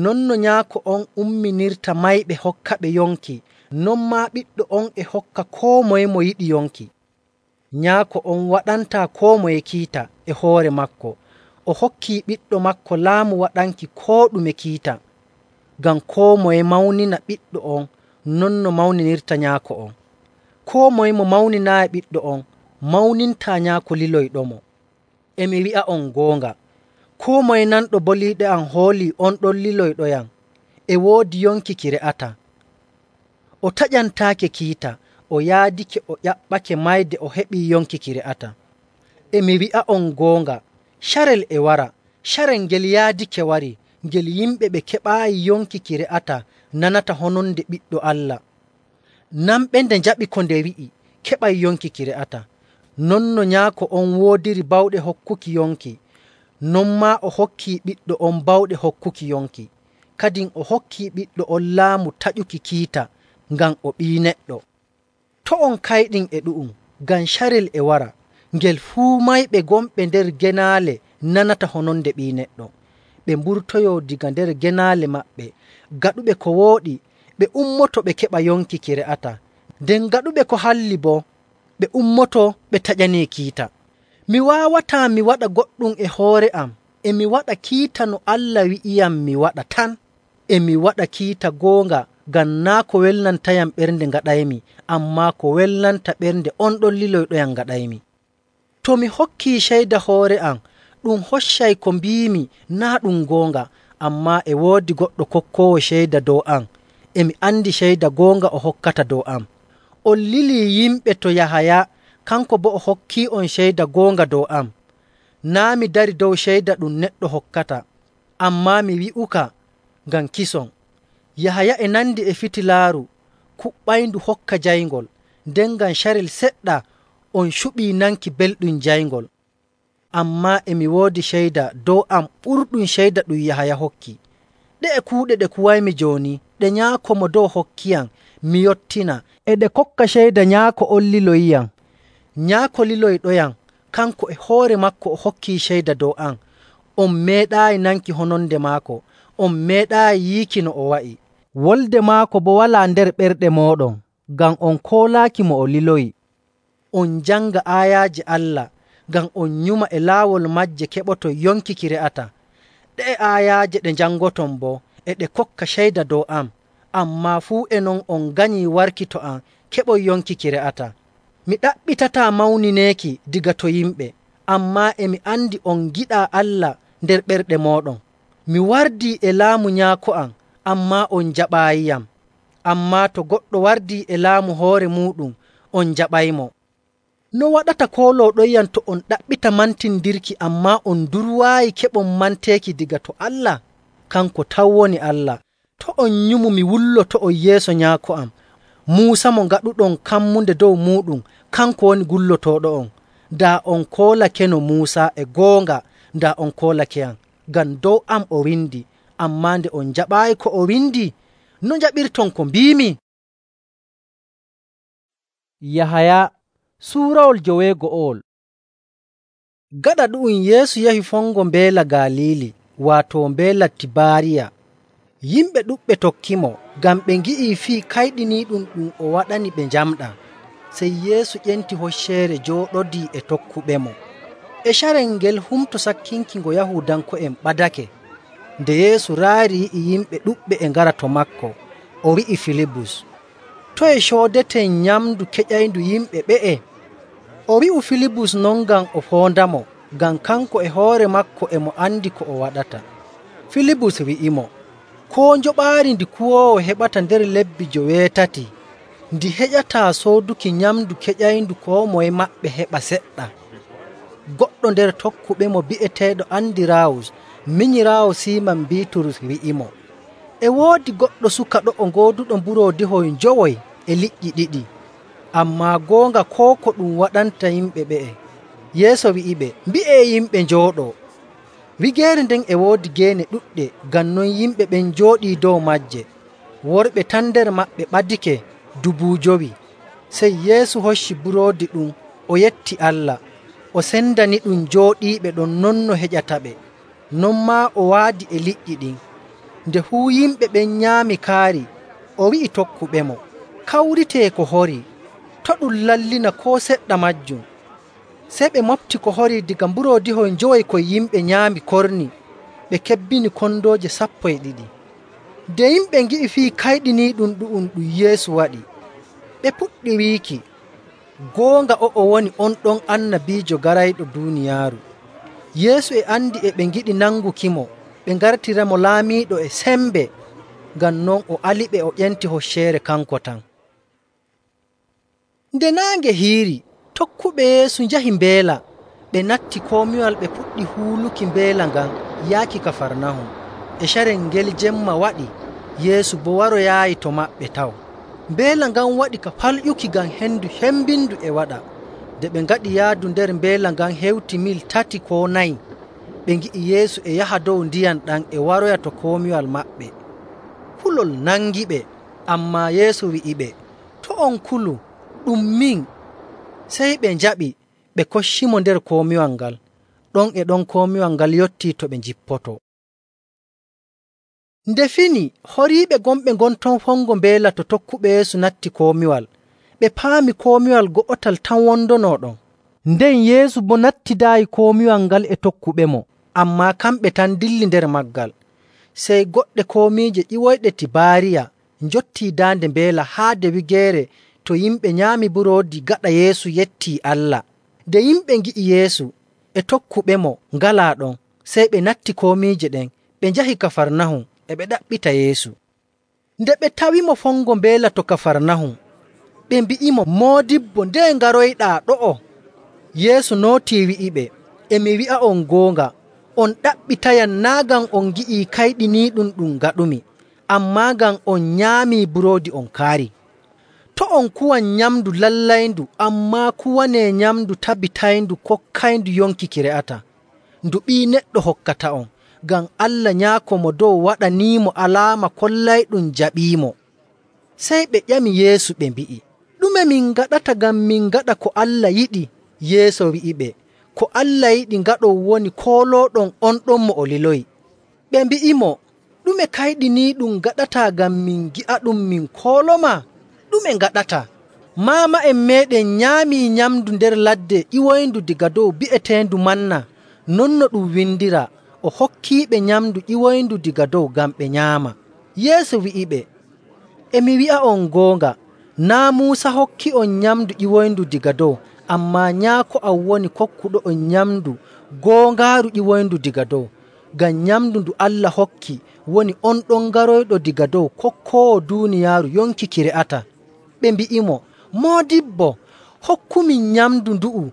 [SPEAKER 2] Non no nyaako on umminirta mayɓe hokkaɓe yonki, non maa ɓiɗɗo on e hokka koo moye mo yiɗi yonki. Nyaako on waɗantaa koo moye kiita e hoore maako. O hokkii ɓiɗɗo maako laamu waɗanki koo ɗume kiita, ngam koo moye mawnina ɓiɗɗo on non no mawninirta nyaako on. Koo moye mo mawninaayi ɓiɗɗo on, mawnintaa nyaako liloyɗomo. E mi wi'a'on goonga, koo moye nanɗo boliiɗe am hoolii on ɗon liloyɗoyam e woodi yonki ki re'ataa. O taƴantaake kiita, o yaadike o ƴaɓɓake mayde o heɓii yonki ki re'ataa. E mi wi'a'on goonga, carel e wara, carel ngel yaadike wari, ngel yimɓe ɓe keɓaayi yonki ki re'ataa nanata hononde Ɓiɗɗo Allah. Nanɓe nde njaɓi ko nde wi'i, keɓay yonki ki re'ataa. Non no nyaako on woodiri bawɗe hokkuki yonki, non maa o hokkii ɓiɗɗo on bawɗe hokkuki yonki. Kadin o hokkii ɓiɗɗo on laamu taƴuki kiita, ngam o Ɓii Neɗɗo. To' on kayɗin e ɗu'um, ngam carel e wara, ngel fuu mayɓe gonɓe nder genaale nanata hononde Ɓii Neɗɗo. Ɓe mburtoyoo daga nder genaale maɓɓe, gaɗuɓe ko wooɗi, ɓe ummoto ɓe keɓa yonki ki re'ataa. Nden gaɗuɓe ko halli boo, ɓe ummoto ɓe taƴanii kiita. Mi waawataa mi waɗa goɗɗum e hoore am, e mi waɗa kiita no Allah wi'iyam mi waɗa tan. E mi waɗa kiita goonga, ngam naa' ko welnantayam ɓernde ngaɗaymi, ammaa ko welnanta ɓernde on ɗon liloyɗoyam ngaɗaymi. To mi hokkii ceyda hoore am, ɗum hoccay ko mbiimi naa' ɗum goonga, ammaa e woodi goɗɗo kokkoowo ceyda dow am, e mi andi ceyda goonga o hokkata dow am. On lilii yimɓe to Yahaya, kanko boo o hokkii'on ceyda goonga dow am. Naa' mi dari dow ceyda ɗum neɗɗo hokkata, ammaa mi wi'uka ngam kison. Yahaya e nandi e fitilaaru kuɓɓayndu hokka jayngol, nden ngam carel seɗɗa on cuɓii nanki belɗum jayngol. Ammaa e mi woodi ceyda dow am ɓurɗum ceyda ɗum Yahaya hokki. Ɗe'e kuuɗe ɗe kuwaymi jooni, ɗe Nyaako mo dow hokkiyam, mi yottina, e ɗe kokka ceyda Nyaako on liloyiyam. Nyaako liloyɗoyam, kanko e hoore maako o hokkii ceyda dow am. On meeɗaayi nanki hononde maako, on meeɗaayi yiiki no o wa'i. Wolde maako boo walaa nder ɓerɗe mooɗon, ngam on koolaaki mo o liloyi. On njanga aayaaje Allah, ngam on nyuma e laawol maaje keɓoton yonki ki re'ataa. Ɗe'e aayaaje ɗe njangoton boo e ɗe kokka ceyda dow am, ammaa fuu e non on nganyii warki to am keɓon yonki ki re'ataa. Mi ɗaɓɓitataa mawnineeki diga to yimɓe, ammaa e mi andi on ngiɗaa Allah nder ɓerɗe mooɗon. Mi wardii e laamu Nyaako am, ammaa on njaɓaayiyam. Ammaa to goɗɗo wardii e laamu hoore muuɗum, on njaɓaymo. No waɗata koolooɗoyyam to on ɗaɓɓita mantindirki, ammaa on durwaayi keɓon manteeki diga to Allah? Kanko tan woni Allah. To on nyumu mi wulloto'on yeeso Nyaako am. Muusa mo ngaɗuɗon kammunde dow muuɗum, kanko woni gullotooɗo'on. Daa on koolakeno Muusa e goonga, daa on koolakeyam, ngam dow am o windi, ammaa nde on njaɓaayi ko o windi, no njaɓirton ko mbiimi? Yahaya suurawol 9. Gaɗa ɗu'um Yeesu yahi fongo mbeela Galiili, waato mbeela Tibaariya. Yimɓe ɗuɗɓe tokkimo, ngam ɓe ngi'ii fii kayɗiniiɗum ɗum o waɗani ɓe njamɗa. Sey Yeesu ƴenti hocceere jooɗodii e tokkuɓemo. E carel ngel humto sakkinki ngo Yahuudanko'en ɓadake. Nde Yeesu raari yi'i yimɓe ɗuɗɓe e ngara to maako, o wi'i Filibus, “Toye coodeten nyamndu keƴayndu yimɓe ɓe'e?” O wi'u Filibus non ngam o foondamo, ngam kanko e hoore maako e mo andi ko o waɗata. Filibus wi'imo, “Koo njoɓaari ndi kuwoowo heɓata nder lebbi 8 ndi heƴataa sooduki nyamndu keƴayndu koo moye maɓɓe heɓa seɗɗa.” Goɗɗo nder tokkuɓemo bi'eteeɗo Andiraawus, minyiraawo Siiman Biiturus wi'imo, E woodi goɗɗo suka ɗo'o gooduɗo mburoodihoy 9 e liƴƴi 2, ammaa goonga koo ko ɗum waɗanta yimɓe ɓe'e. Yeesu wi'iɓe, “Mbi'ee yimɓe njooɗoo.” Wigeere nden e woodi geene ɗuɗɗe, ngam non yimɓe ɓen njooɗii dow maaje. Worɓe tan nder maɓɓe ɓadike 5,000. Sey Yeesu hocci buroodi ɗum, o yetti Allah, o sendaniɗum jooɗiiɓe ɗon non no heƴataɓe. Non maa o waadi e liƴƴi ɗin. Nde fuu yimɓe ɓen nyaami kaari, o wi'i tokkuɓemo, “Kawritee ko horii, to' ɗum lallina koo seɗɗa maajum.” Sey ɓe mofti ko horii daga mburoodihoy 5 koy yimɓe nyaami korni, ɓe kebbini kondooje 12. Nde yimɓe ngi'i fii kayɗiniiɗum ɗu'um ɗum Yeesu waɗi, ɓe puɗɗi wiiki, “Goonga o'o woni on ɗon annabiijo garayɗo duuniyaaru.” Yeesu e andi e ɓe ngiɗi nangukimo ɓe ngartiramo laamiiɗo e sembe, ngam non o aliɓe o ƴenti hocceere kanko tan. Nde naange hiiri, tokkuɓe Yeesu njahi mbeela. Ɓe natti komiwal ɓe puɗɗi huuluki mbeela ngan yaaki Kafarnahum. E carel ngel jemma waɗi, Yeesu boo waroyaayi to maɓɓe taw. Mbeela ngan waɗi ka falƴuki ngam hendu hembindu e waɗa. Nde ɓe ngaɗi yaadu nder mbeela ngan hewti mil 3 koo 4, ɓe ngi'i Yeesu e yaha dow ndiyam ɗam e waroya to komiwal maɓɓe. Kulol nangiɓe, ammaa Yeesu wi'iɓe, “To' on kulu, ɗum min.” Sey ɓe njaɓi, ɓe koccimo nder komiwal ngal. Ɗon e ɗon komiwal ngal yottii to ɓe njippoto. Nde fini, horiiɓe gonɓe ngonton fongo mbeela to tokkuɓe Yeesu natti komiwal. Ɓe paami komiwal go'otal tan wondonoo ɗon. Nden Yeesu boo nattidaayi komiwal ngal e tokkuɓemo, ammaa kamɓe tan dilli nder maggal. Sey goɗɗe komiije ƴiwoyɗe Tibaariya njottii daande mbeela haade wigeere to yimɓe nyaami buroodi gaɗa Yeesu yettii Allah. Nde yimɓe ngi'i Yeesu e tokkuɓemo ngalaa ɗon, sey ɓe natti komiije ɗen, ɓe njahi Kafarnahum e ɓe ɗaɓɓita Yeesu. Nde ɓe tawimo fongo mbeela to Kafarnahum, ɓe mbi'imo, “Moodibbo, nde ngaroyɗaa ɗo'o?” Yeesu nootii wi'iɓe, “E mi wi'a'on goonga, on ɗaɓɓitayam naa' ngam on ngi'ii kayɗiniiɗum ɗum ngaɗumi, ammaa ngam on nyaamii buroodi on kaari. To' on kuwan nyamndu lallayndu, ammaa kuwanee nyamndu tabitayndu kokkayndu yonki ki re'ata, ndu Ɓii Neɗɗo hokkata'on, ngam Allah Nyaako Mo Dow waɗaniimo alaama kollayɗum jaɓiimo.” Sey ɓe ƴami Yeesu ɓe mbi'i, “Ɗume min ngaɗata ngam min ngaɗa ko Allah yiɗi?” Yeesu wi'iɓe, “Ko Allah yiɗi ngaɗon woni koolooɗon on ɗon mo o liloyi.” Ɓe mbi'imo, “Ɗume kayɗiniiɗum ngaɗataa ngam min gi'aɗum min kooloma? Ɗume ngaɗataa? Maama'en meeɗen nyaamii nyamndu nder ladde ƴiwoyndu daga dow bi'eteendu manna, non no ɗum windiraa, o hokkiiɓe nyamndu ƴiwoyndu daga dow ngam ɓe nyaama.” Yeesu wi'iɓe, “E mi wi'a'on goonga, naa' Muusa hokki'on nyamndu ƴiwoyndu daga dow, ammaa Nyaako am woni kokkuɗo'on nyamndu goongaaru ƴiwoyndu daga dow. Ngam nyamndu ndu Allah hokki woni on ɗon garoyɗo daga dow kokkoowo duuniyaaru yonki ki re'ata.” Ɓe mbi'imo, “Moodibbo, hokkumin nyamndu ndu'u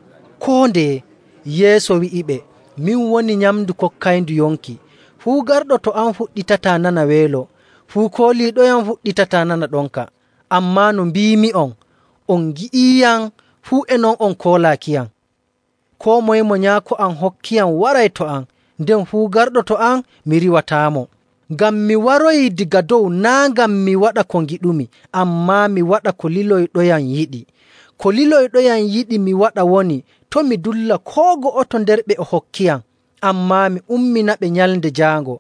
[SPEAKER 2] koo ndeye.” Yeesu wi'iɓe, “Min woni nyamndu kokkayndu yonki. Fuu garɗo to am fuɗɗitataa nana weelo, fuu kooliiɗoyam fuɗɗitataa nana ɗonka. Ammaa no mbiimi'on, on ngi'iiyam, fuu e non on koolaakiyam. Koo moye mo Nyaako am hokkiyam waray to am, nden fuu garɗo to am mi riwataamo. Ngam mi waroyii daga dow naa' ngam mi waɗa ko ngiɗumi, ammaa mi waɗa ko liloyɗoyam yiɗi. Ko liloyɗoyam yiɗi mi waɗa woni to' mi dulla koo go'oto nder ɓe o hokkiyam, ammaa mi umminaɓe nyalnde jaango.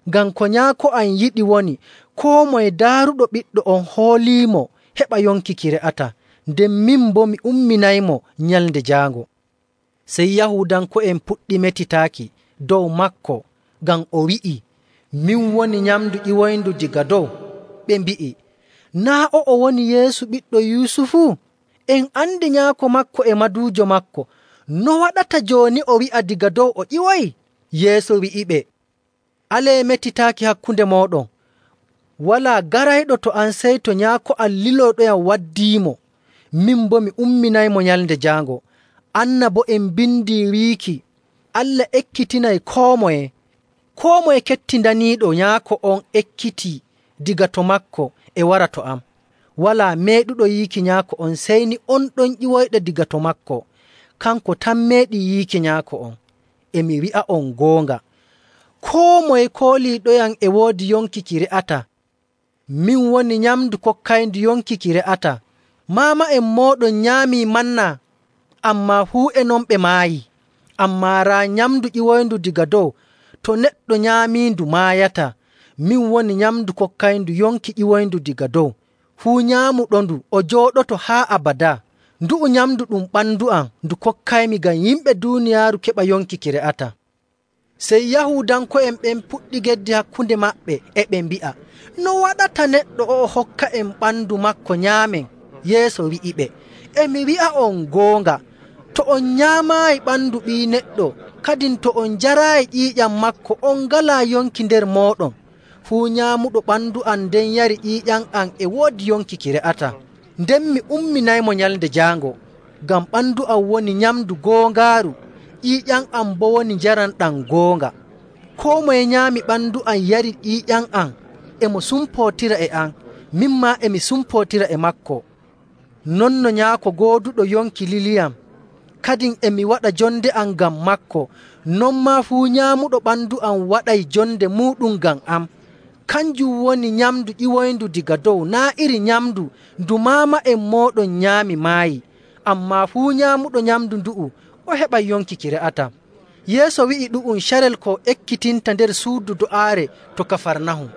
[SPEAKER 2] Ngam ko Nyaako am yiɗi woni koo moye daaruɗo Ɓiɗɗo on hooliimo heɓa yonki ki re'ata, nden min boo mi umminaymo nyalnde jaango.” Sey Yahuudanko'en puɗɗi metitaaki dow maako ngam o wi'i, “Min woni nyamndu ƴiwoyndu daga dow.” Ɓe mbi'i, “Naa' o'o woni Yeesu ɓiɗɗo Yusufu? En andi nyaako maako e maduujo maako. No waɗata jooni o wi'a daga dow o ƴiwoyi?” Yeesu wi'iɓe, “Alee metitaaki hakkunde mooɗon. Walaa garayɗo to am sey to Nyaako am liloyɗoyam waddiimo, min boo mi umminaymo nyalnde jaango. Annaba'en en mbindii wiiki, Allah ekkitinay koo moye kettindaniiɗo Nyaako on ekkitii diga to maako e wara to am. Walaa meeɗuɗo yiiki nyaako on sey ni on ɗon ƴiwoyɗo diga to maako. Kanko tan meeɗi yiiki nyaako on. E mi wi'a'on goonga, koo moye kooliiɗoyam e woodi yonki ki re'ata. Min woni nyamndu kokkayndu yonki ki re'ata. Maama'en mooɗon nyaamii manna, ammaa fuu e non ɓe maayi. Ammaa raa nyamndu ƴiwoyndu diga dow, to neɗɗo nyaamiindu maayata. Min woni nyamndu kokkayndu yonki ƴiwoyndu diga dow. Fuu nyaamuɗondu o jooɗoto haa abadaa. Ndu'u nyamndu ɗum ɓandu am ndu kokkaymi ngam yimɓe duuniyaaru keɓa yonki ki re'ata. Sey Yahuudanko'en ɓen puɗɗi geddi hakkunde maɓɓe, e ɓe mbi'a, no waɗata neɗɗo o'o hokka en ɓandu maako nyaamen? Yeesu wi'iɓe, e mi wi'a'on goonga, to on nyaamaayi ɓandu Ɓii Neɗɗo, kadin to on njaraayi ƴiiƴam maako, on ngalaa yonki nder mooɗon. Fuu nyaamuɗo ɓandu am nden yari ƴiiƴam am e woodi yonki ki re'ata. Nden mi umminaymo nyalnde jaango, ngam ɓandu am woni nyamndu goongaaru, ƴiiƴam am boo woni njaram ɗam goonga. Koo moye nyaami ɓandu am yari ƴiiƴam am, e mo sumpootira e am, min maa e mi sumpootira e maako. Non no Nyaako gooduɗo yonki liliyam, kadin e mi waɗa jonde am ngam maako, non maa fuu nyaamuɗo ɓandu am waɗay jonde muuɗum ngam am. Kanjum woni nyamndu ƴiwoyndu diga dow, naa' iri nyamndu ndu maama'en mooɗon nyaami maayi. Ammaa fuu nyaamuɗo nyamndu ndu'u o heɓay yonki ki re'ata. Yeesu wi'i ɗu'um carel ko ekkitinta nder suudu do'aare to Kafarnahum.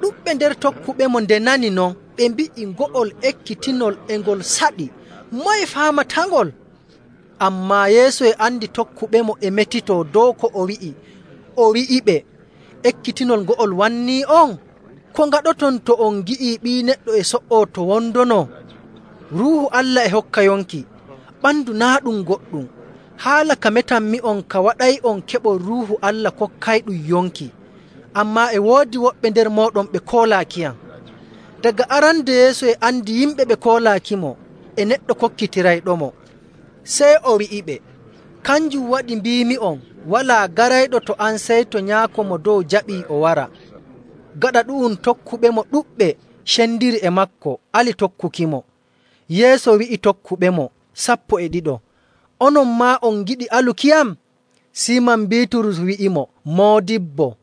[SPEAKER 2] Ɗuɗɓe nder tokkuɓemo nde nani non, ɓe mbi'i ngo'ol ekkitinol e ngol saɗi. Moye faamatangol? Ammaa Yeesu e andi tokkuɓemo e metitoo dow ko o wi'i. O wi'iɓe, ekkitinol ngo'ol wannii on? Ko ngaɗoton to on ngi'ii Ɓii Neɗɗo e so''oo to wondono? Ruuhu Allah e hokka yonki, ɓandu naa' ɗum goɗɗum. Haala ka metanmi'on ka waɗay'on keɓon Ruuhu Allah kokkayɗum yonki. Ammaa e woodi woɓɓe nder mooɗon ɓe koolaakiyam. Daga arande Yeesu e andi yimɓe ɓe koolaakimo, e neɗɗo kokkitirayɗomo. Sey o wi'iɓe, kanjum waɗi mbiimi'on, walaa garayɗo to an sey to Nyaako mo dow jaɓii o wara. Gaɗa ɗu'um tokkuɓemo ɗuɗɓe cendiri e maako, ali tokkukimo. Yeesu wi'i tokkuɓemo 12, onon maa on ngiɗi alukiyam? Siiman Biiturus wi'imo, Moodibbo,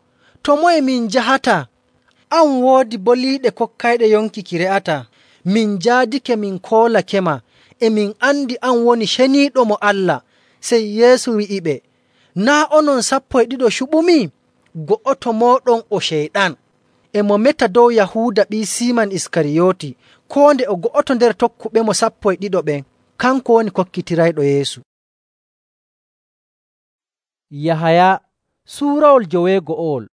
[SPEAKER 2] to moye min njahata? An woodi boliiɗe kokkayɗe yonki ki re'ata. Min njaadike min koolakema, e min andi an woni ceniiɗo mo Allah. Sey Yeesu wi'iɓe, naa' onon 12 cuɓumi? Go'oto mooɗon o Ceyɗan. E mo meta dow Yahuuda ɓii Siiman Iskariyooti, koo nde o go'oto nder tokkuɓemo 12 ɓen, kanko woni kokkitirayɗo Yeesu.
[SPEAKER 1] Yahaya suurawol 9.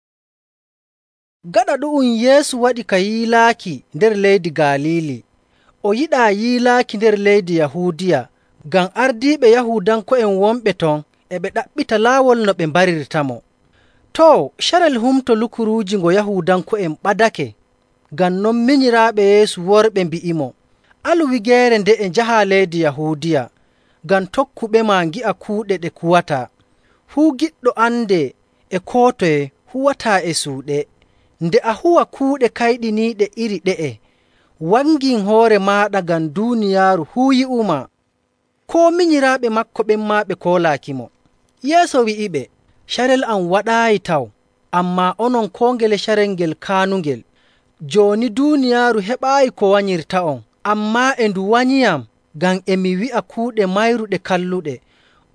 [SPEAKER 2] Gaɗa ɗu'um Yeesu waɗi ka yiilaaki nder leydi Galiili. O yiɗaa yiilaaki nder leydi Yahuudiya, ngam ardiiɓe Yahuudanko'en wonɓe ton e ɓe ɗaɓɓita laawol no ɓe mbarirtamo. Too, carel humto lukuruuji ngo Yahuudanko'en ɓadake. Ngam non minyiraaɓe Yeesu worɓe mbi'imo, alu wigeere nde'e njahaa leydi Yahuudiya, ngam tokkuɓema ngi'a kuuɗe ɗe kuwataa. Fuu giɗɗo ande e koo toye huwataa e suuɗe. Nde a huwa kuuɗe kayɗiniiɗe iri ɗe'e, wangin hoore maaɗa ngam duuniyaaru fuu yi'uma. Koo minyiraaɓe maako ɓen maa ɓe koolaakimo. Yeesu wi'iɓe, carel am waɗaayi taw, ammaa onon koo ngele carel ngel kaanungel. Jooni duuniyaaru heɓaayi ko wanyirta'on, ammaa e ndu wanyiyam, ngam e mi wi'a kuuɗe mayruɗe kalluɗe.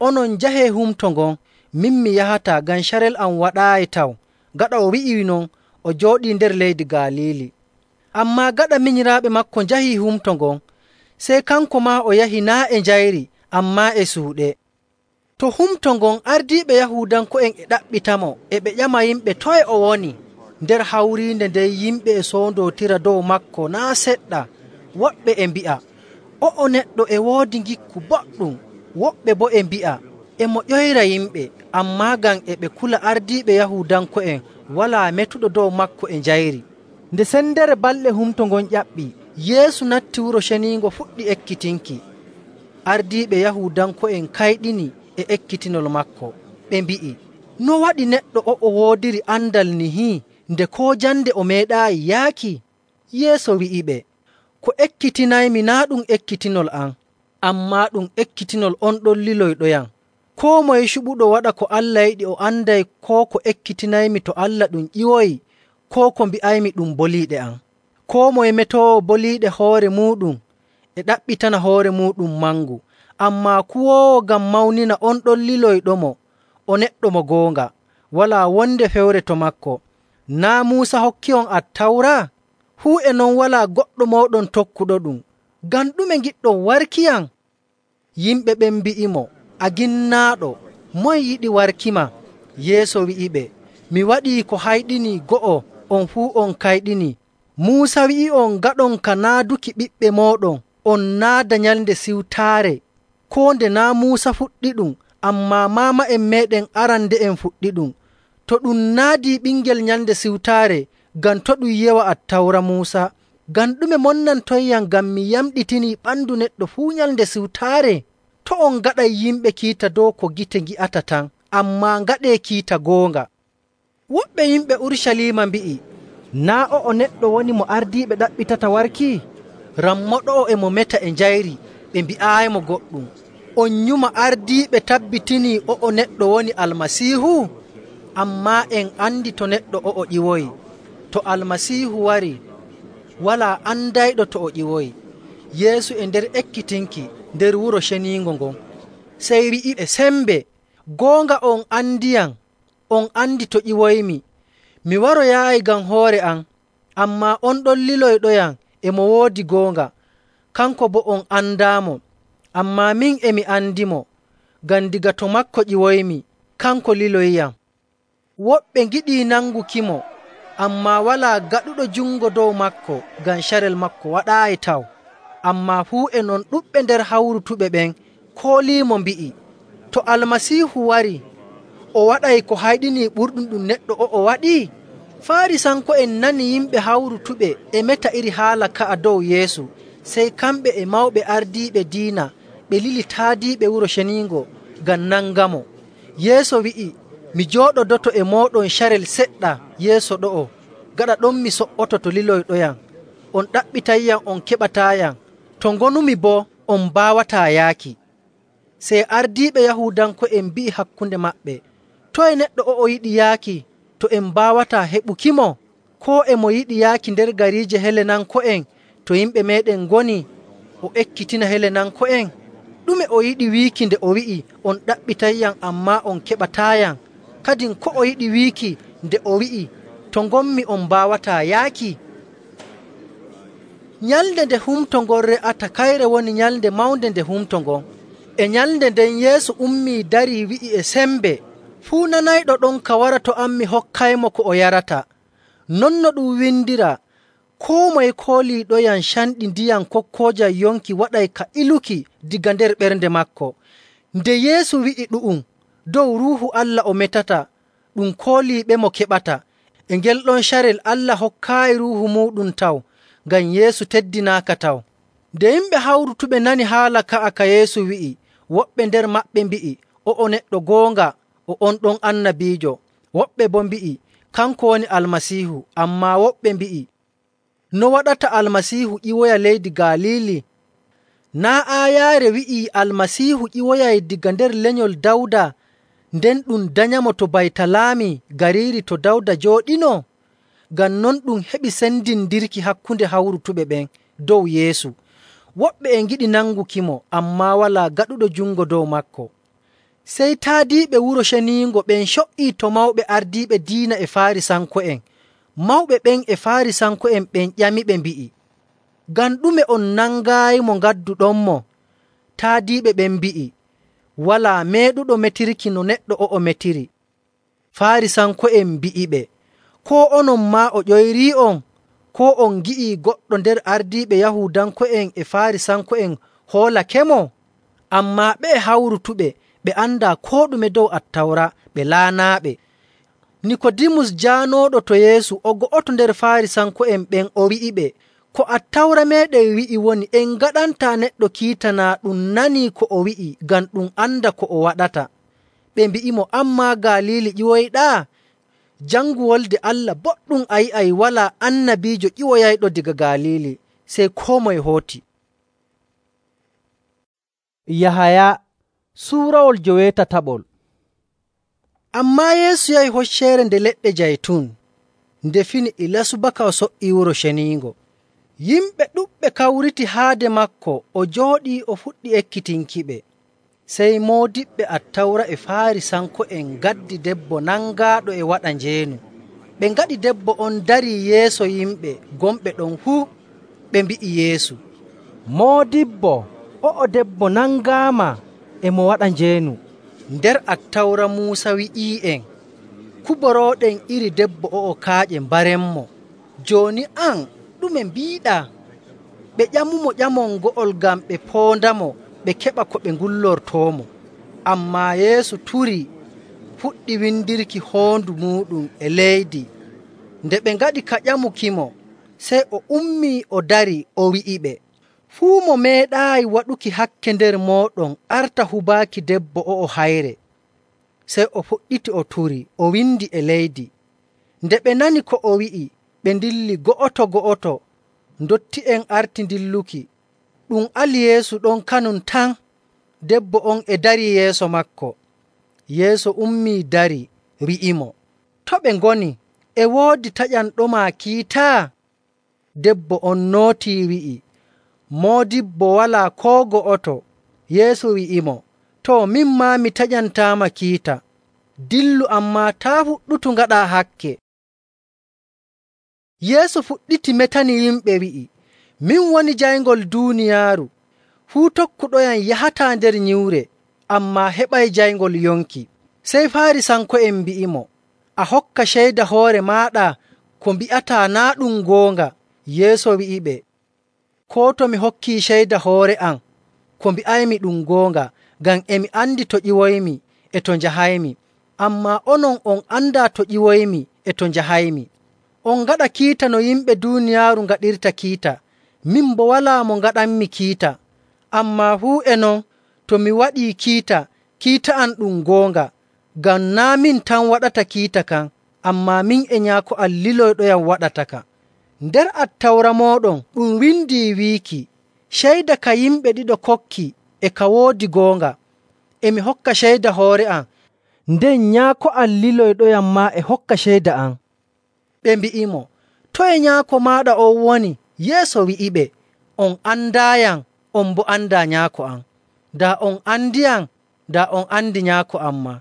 [SPEAKER 2] Onon njahee humto ngon, min mi yahataa, ngam carel am waɗaayi taw. Gaɗa o wi'i non, o jooɗii nder leydi Galiili. Ammaa gaɗa minyiraaɓe maako njahii humto ngon, sey kanko maa o yahi naa' e njayri, ammaa e suuɗe. To humto ngon ardiiɓe Yahuudanko'en e ɗaɓɓitamo, e ɓe ƴama yimɓe toye o woni. Nder hawriinde nden yimɓe e soondootira dow maako naa' seɗɗa. Woɓɓe e mbi'a, o'o neɗɗo e woodi ngikku boɗɗum. Woɓɓe boo e mbi'a, e mo ƴoyra yimɓe. Ammaa ngam e ɓe kula ardiiɓe Yahuudanko'en, walaa metuɗo dow maako e njayri.
[SPEAKER 1] Nde sendere balɗe humto ngon ƴaɓɓii,
[SPEAKER 2] Yeesu natti Wuro Ceniingo fuɗɗi ekkitinki. Ardiiɓe Yahuudanko'en kayɗini e ekkitinol maako. Ɓe mbi'i, no waɗi neɗɗo o'o woodiri andal nihi, nde koo jande o meeɗaayi yaaki? Yeesu wi'iɓe, ko ekkitinaymi naa' ɗum ekkitinol am, ammaa ɗum ekkitinol on ɗon liloyɗoyam. Koo moye cuɓuɗo waɗa ko Allah yiɗi o anday koo ko ekkitinaymi to Allah ɗum ƴiwoyi, koo ko mbi'aymi ɗum boliiɗe am. Koo moye metoowo boliiɗe hoore muuɗum e ɗaɓɓitana hoore muuɗum mangu, ammaa kuwoowo ngam mawnina on ɗon liloyɗomo o neɗɗo mo goonga, walaa wonde fewre to maako. Naa' Muusa hokki'on Attawra? Fuu e non walaa goɗɗo mooɗon tokkuɗoɗum. Ngam ɗume ngiɗɗon warkiyam?” Yimɓe ɓen mbi'imo, “A ginnaaɗo, moye yiɗi warkima?” Yeesu wi'iɓe, “Mi waɗii ko hayɗinii go'o, on fuu on kayɗinii. Muusa wi'i'on ngaɗon ka naaduki ɓiɓɓe mooɗon, on naada Nyalnde Siwtaare, koo nde naa' Muusa fuɗɗiɗum, ammaa maama'en meeɗen arande'en fuɗɗiɗum. To ɗum naadii ɓingel Nyalnde Siwtaare, ngam to ɗum yewa Attawra Muusa? Ngam ɗume monnantoyyam ngam mi yamɗitinii ɓandu neɗɗo fuu Nyalnde Siwtaare? To' on ngaɗay yimɓe kiita dow ko gite ngi'ata tan, ammaa ngaɗee kiita goonga.” Woɓɓe yimɓe Urucaliima mbi'i, “Naa' o'o neɗɗo woni mo ardiiɓe ɗaɓɓitata warki? Rammoɗo'o e mo meta e njayri, ɓe mbi'aayimo goɗɗum. On nyuma ardiiɓe tabbitinii o'o neɗɗo woni Almasiihu? Ammaa en andi to neɗɗo o'o ƴiwoyi. To Almasiihu warii, walaa andayɗo to o ƴiwoyi.” Yeesu e nder ekkitinki nder Wuro Ceniingo ngon, sey wi'iɓe sembe, “Goonga on andiyam, on andi to ƴiwoymi. Mi waroyaayi ngam hoore am, ammaa on ɗon liloyɗoyam e mo woodi goonga. Kanko boo on andaamo, ammaa min e mi andimo, ngam daga to maako ƴiwoymi, kanko liloyiyam.” Woɓɓe ngiɗii nangukimo, ammaa walaa gaɗuɗo jungo dow maako ngam carel maako waɗaayi taw. Ammaa fuu e non ɗuɗɓe nder hawrutuɓe ɓen kooliimo mbi'i, “To Almasiihu warii, o waɗay ko hayɗinii ɓurɗum ɗum neɗɗo o'o waɗi?” Faarisanko'en nani yimɓe hawrutuɓe e meta iri haala ka'a dow Yeesu, sey kamɓe e mawɓe ardiiɓe diina ɓe lili taadiiɓe Wuro Ceniingo ngam nangamo. Yeesu wi'i, “Mi jooɗodoto e mooɗon carel seɗɗa yeeso ɗo'o, gaɗa ɗon mi so''oto to liloyɗoyam. On ɗaɓɓitayyam, on keɓataayam. To ngonumi boo, on mbaawataa yaaki.” Sey ardiiɓe Yahuudanko'en mbi'i hakkunde maɓɓe, “Toye neɗɗo o'o yiɗi yaaki to en mbaawataa heɓukimo? Koo e mo yiɗi yaaki nder gariije Helenanko'en to yimɓe meeɗen ngoni, o ekkitina Helenanko'en? Ɗume o yiɗi wiiki nde o wi'i, ‘On ɗaɓɓitayyam, ammaa on keɓataayam?’ Kadin ko o yiɗi wiiki nde o wi'i, ‘To ngonmi on mbaawataa yaaki?’” Nyalnde nde humto ngon re'ata kayre woni nyalnde mawnde nde humto ngon. E nyalnde nden Yeesu ummii darii wi'i e sembe, “Fuu nanayɗo ɗonka wara to am mi hokkaymo ko o yarata. Non no ɗum windiraa, koo moye kooliiɗoyam canɗi ndiyam kokkoojam yonki waɗay ka iluki daga nder ɓernde maako.” Nde Yeesu wi'i ɗu'um, dow Ruuhu Allah o metata, ɗum kooliiɓemo keɓata. E ngel ɗon carel Allah hokkaayi Ruuhu muuɗum taw, ngam Yeesu teddinaaka taw. Nde yimɓe hawrutuɓe nani haala ka'a ka Yeesu wi'i, woɓɓe nder maɓɓe mbi'i, “O'o neɗɗo goonga, o on ɗon annabiijo.” Woɓɓe boo mbi'i, “Kanko woni Almasiihu.” Ammaa woɓɓe mbi'i, “No waɗata Almasiihu ƴiwoya leydi Galiili? Naa' aayaare wi'ii Almasiihu ƴiwoyay daga nder lenyol Dawda, nden ɗum danyamo to Baytalaami, gariiri to Dawda jooɗino?” Ngam non ɗum heɓi sendindirki hakkunde hawrutuɓe ɓen dow Yeesu. Woɓɓe e ngiɗi nangukimo, ammaa walaa gaɗuɗo jungo dow maako. Sey taadiiɓe Wuro Ceniingo ɓen co''ii to mawɓe ardiiɓe diina e Faarisanko'en. Mawɓe ɓen e Faarisanko'en ɓen ƴamiɓe mbi'i, “Ngam ɗume on nangaayimo ngadduɗonmo?” Taadiiɓe ɓen mbi'i, “Walaa meeɗuɗo metirki no neɗɗo o'o metiri.” Faarisanko'en mbi'iɓe, “Koo onon maa o ƴoyrii'on? Koo on ngi'ii goɗɗo nder ardiiɓe Yahuudanko'en e Faarisanko'en hoolakemo?” Ammaa ɓe'e hawrutuɓe ɓe andaa koo ɗume dow Attawra, ɓe laanaaɓe. Nikoodimus jaanooɗo to Yeesu o go'oto nder Faarisanko'en ɓen o wi'iɓe, “Ko Attawra meeɗen wi'i woni en ngaɗantaa neɗɗo kiita naa ɗum nanii ko o wi'i ngam ɗum anda ko o waɗata.” Ɓe mbi'imo, “An maa Galiili ƴiwoyɗaa? Jangu Wolde Allah boɗɗum a yi'ay walaa annabiijo ƴiwoyayɗo daga Galiili, sey koo moye hooti.
[SPEAKER 1] Yahaya suurawol 17.
[SPEAKER 2] Ammaa Yeesu yahi Hocceere Nde Leɗɗe Jaytun nde fini ilaa subaka o so''ii Wuro Ceniingo. Yimɓe ɗuɗɓe kawriti haade maako o jooɗii o fuɗɗi ekkitinkiɓe. Sey moodiɓɓe Attawra e Faarisanko'en ngaddi debbo nangaaɗo e waɗa njeenu. Ɓe ngaɗi debbo on darii yeeso yimɓe gonɓe ɗon fuu. Ɓe mbi'i Yeesu,
[SPEAKER 1] Moodibbo, o'o debbo nangaama e mo waɗa njeenu.
[SPEAKER 2] Nder Attawra Muusa wi'ii'en, kuborooɗen iri debbo o'o kaaƴe mbarenmo. Jooni an ɗume mbiiɗaa? Ɓe ƴamumo ƴamol ngo'ol ngam ɓe poondamo ɓe keɓa ko ɓe ngullortoomo. Ammaa Yeesu turii, fuɗɗi windirki hoondu muuɗum e leydi. Nde ɓe ngaɗi ka ƴamukimo, sey o ummii o darii o wi'iɓe, fuu mo meeɗaayi waɗuki hakke nder mooɗon arta hubaaki debbo o'o hayre. Sey o fuɗɗiti o turii, o windi e leydi. Nde ɓe nani ko o wi'i, ɓe ndilli go'oto. Ndotti'en arti dilluki. Ɗum ali Yeesu ɗon kanum tan, debbo on e darii yeeso maako. Yeesu ummii darii, wi'imo, to ɓe ngoni? E woodi taƴanɗoma kiita? Debbo on nootii wi'i, Moodibbo, walaa koo go'oto. Yeesu wi'imo, too min maa mi taƴantaama kiita. Dillu, ammaa taa fuɗɗutu ngaɗaa hakke. Yeesu fuɗɗiti metani yimɓe wi'i, min woni jayngol duuniyaaru. Fuu tokkuɗoyam yahataa nder nyiwre, ammaa heɓay jayngol yonki. Sey Faarisanko'en mbi'imo, a hokka ceyda hoore maaɗa ko mbi'ataa naa ɗum goonga. Yeesu wi'iɓe, koo to mi hokkii ceyda hoore am ko mbi'aymi ɗum goonga, ngam emi andi to ƴiwoymi e to njahaymi. Ammaa onon on andaa to ƴiwoymi e to njahaymi. On ngaɗa kiita no yimɓe duuniyaaru ngaɗirta kiita. Min boo walaa mo ngaɗanmi kiita. Ammaa fuu e non, to mi waɗii kiita, kiita am ɗum goonga, ngam naa' min tan waɗata kiita kan, ammaa min e Nyaako am liloyɗoyam waɗata ka. Nder Attawra mooɗon ɗum windii wiiki, ceyda ka yimɓe ɗiɗo kokki e ka woodi goonga. Emi hokka ceyda hoore am,
[SPEAKER 1] nden Nyaako am liloyɗoyam maa e hokka ceyda am.
[SPEAKER 2] Ɓe mbi'imo, toye Nyaako maaɗa on woni? Yeesu wi'iɓe, on andaayam, on boo andaa Nyaako am. Daa on andiyam, daa on andi Nyaako am maa.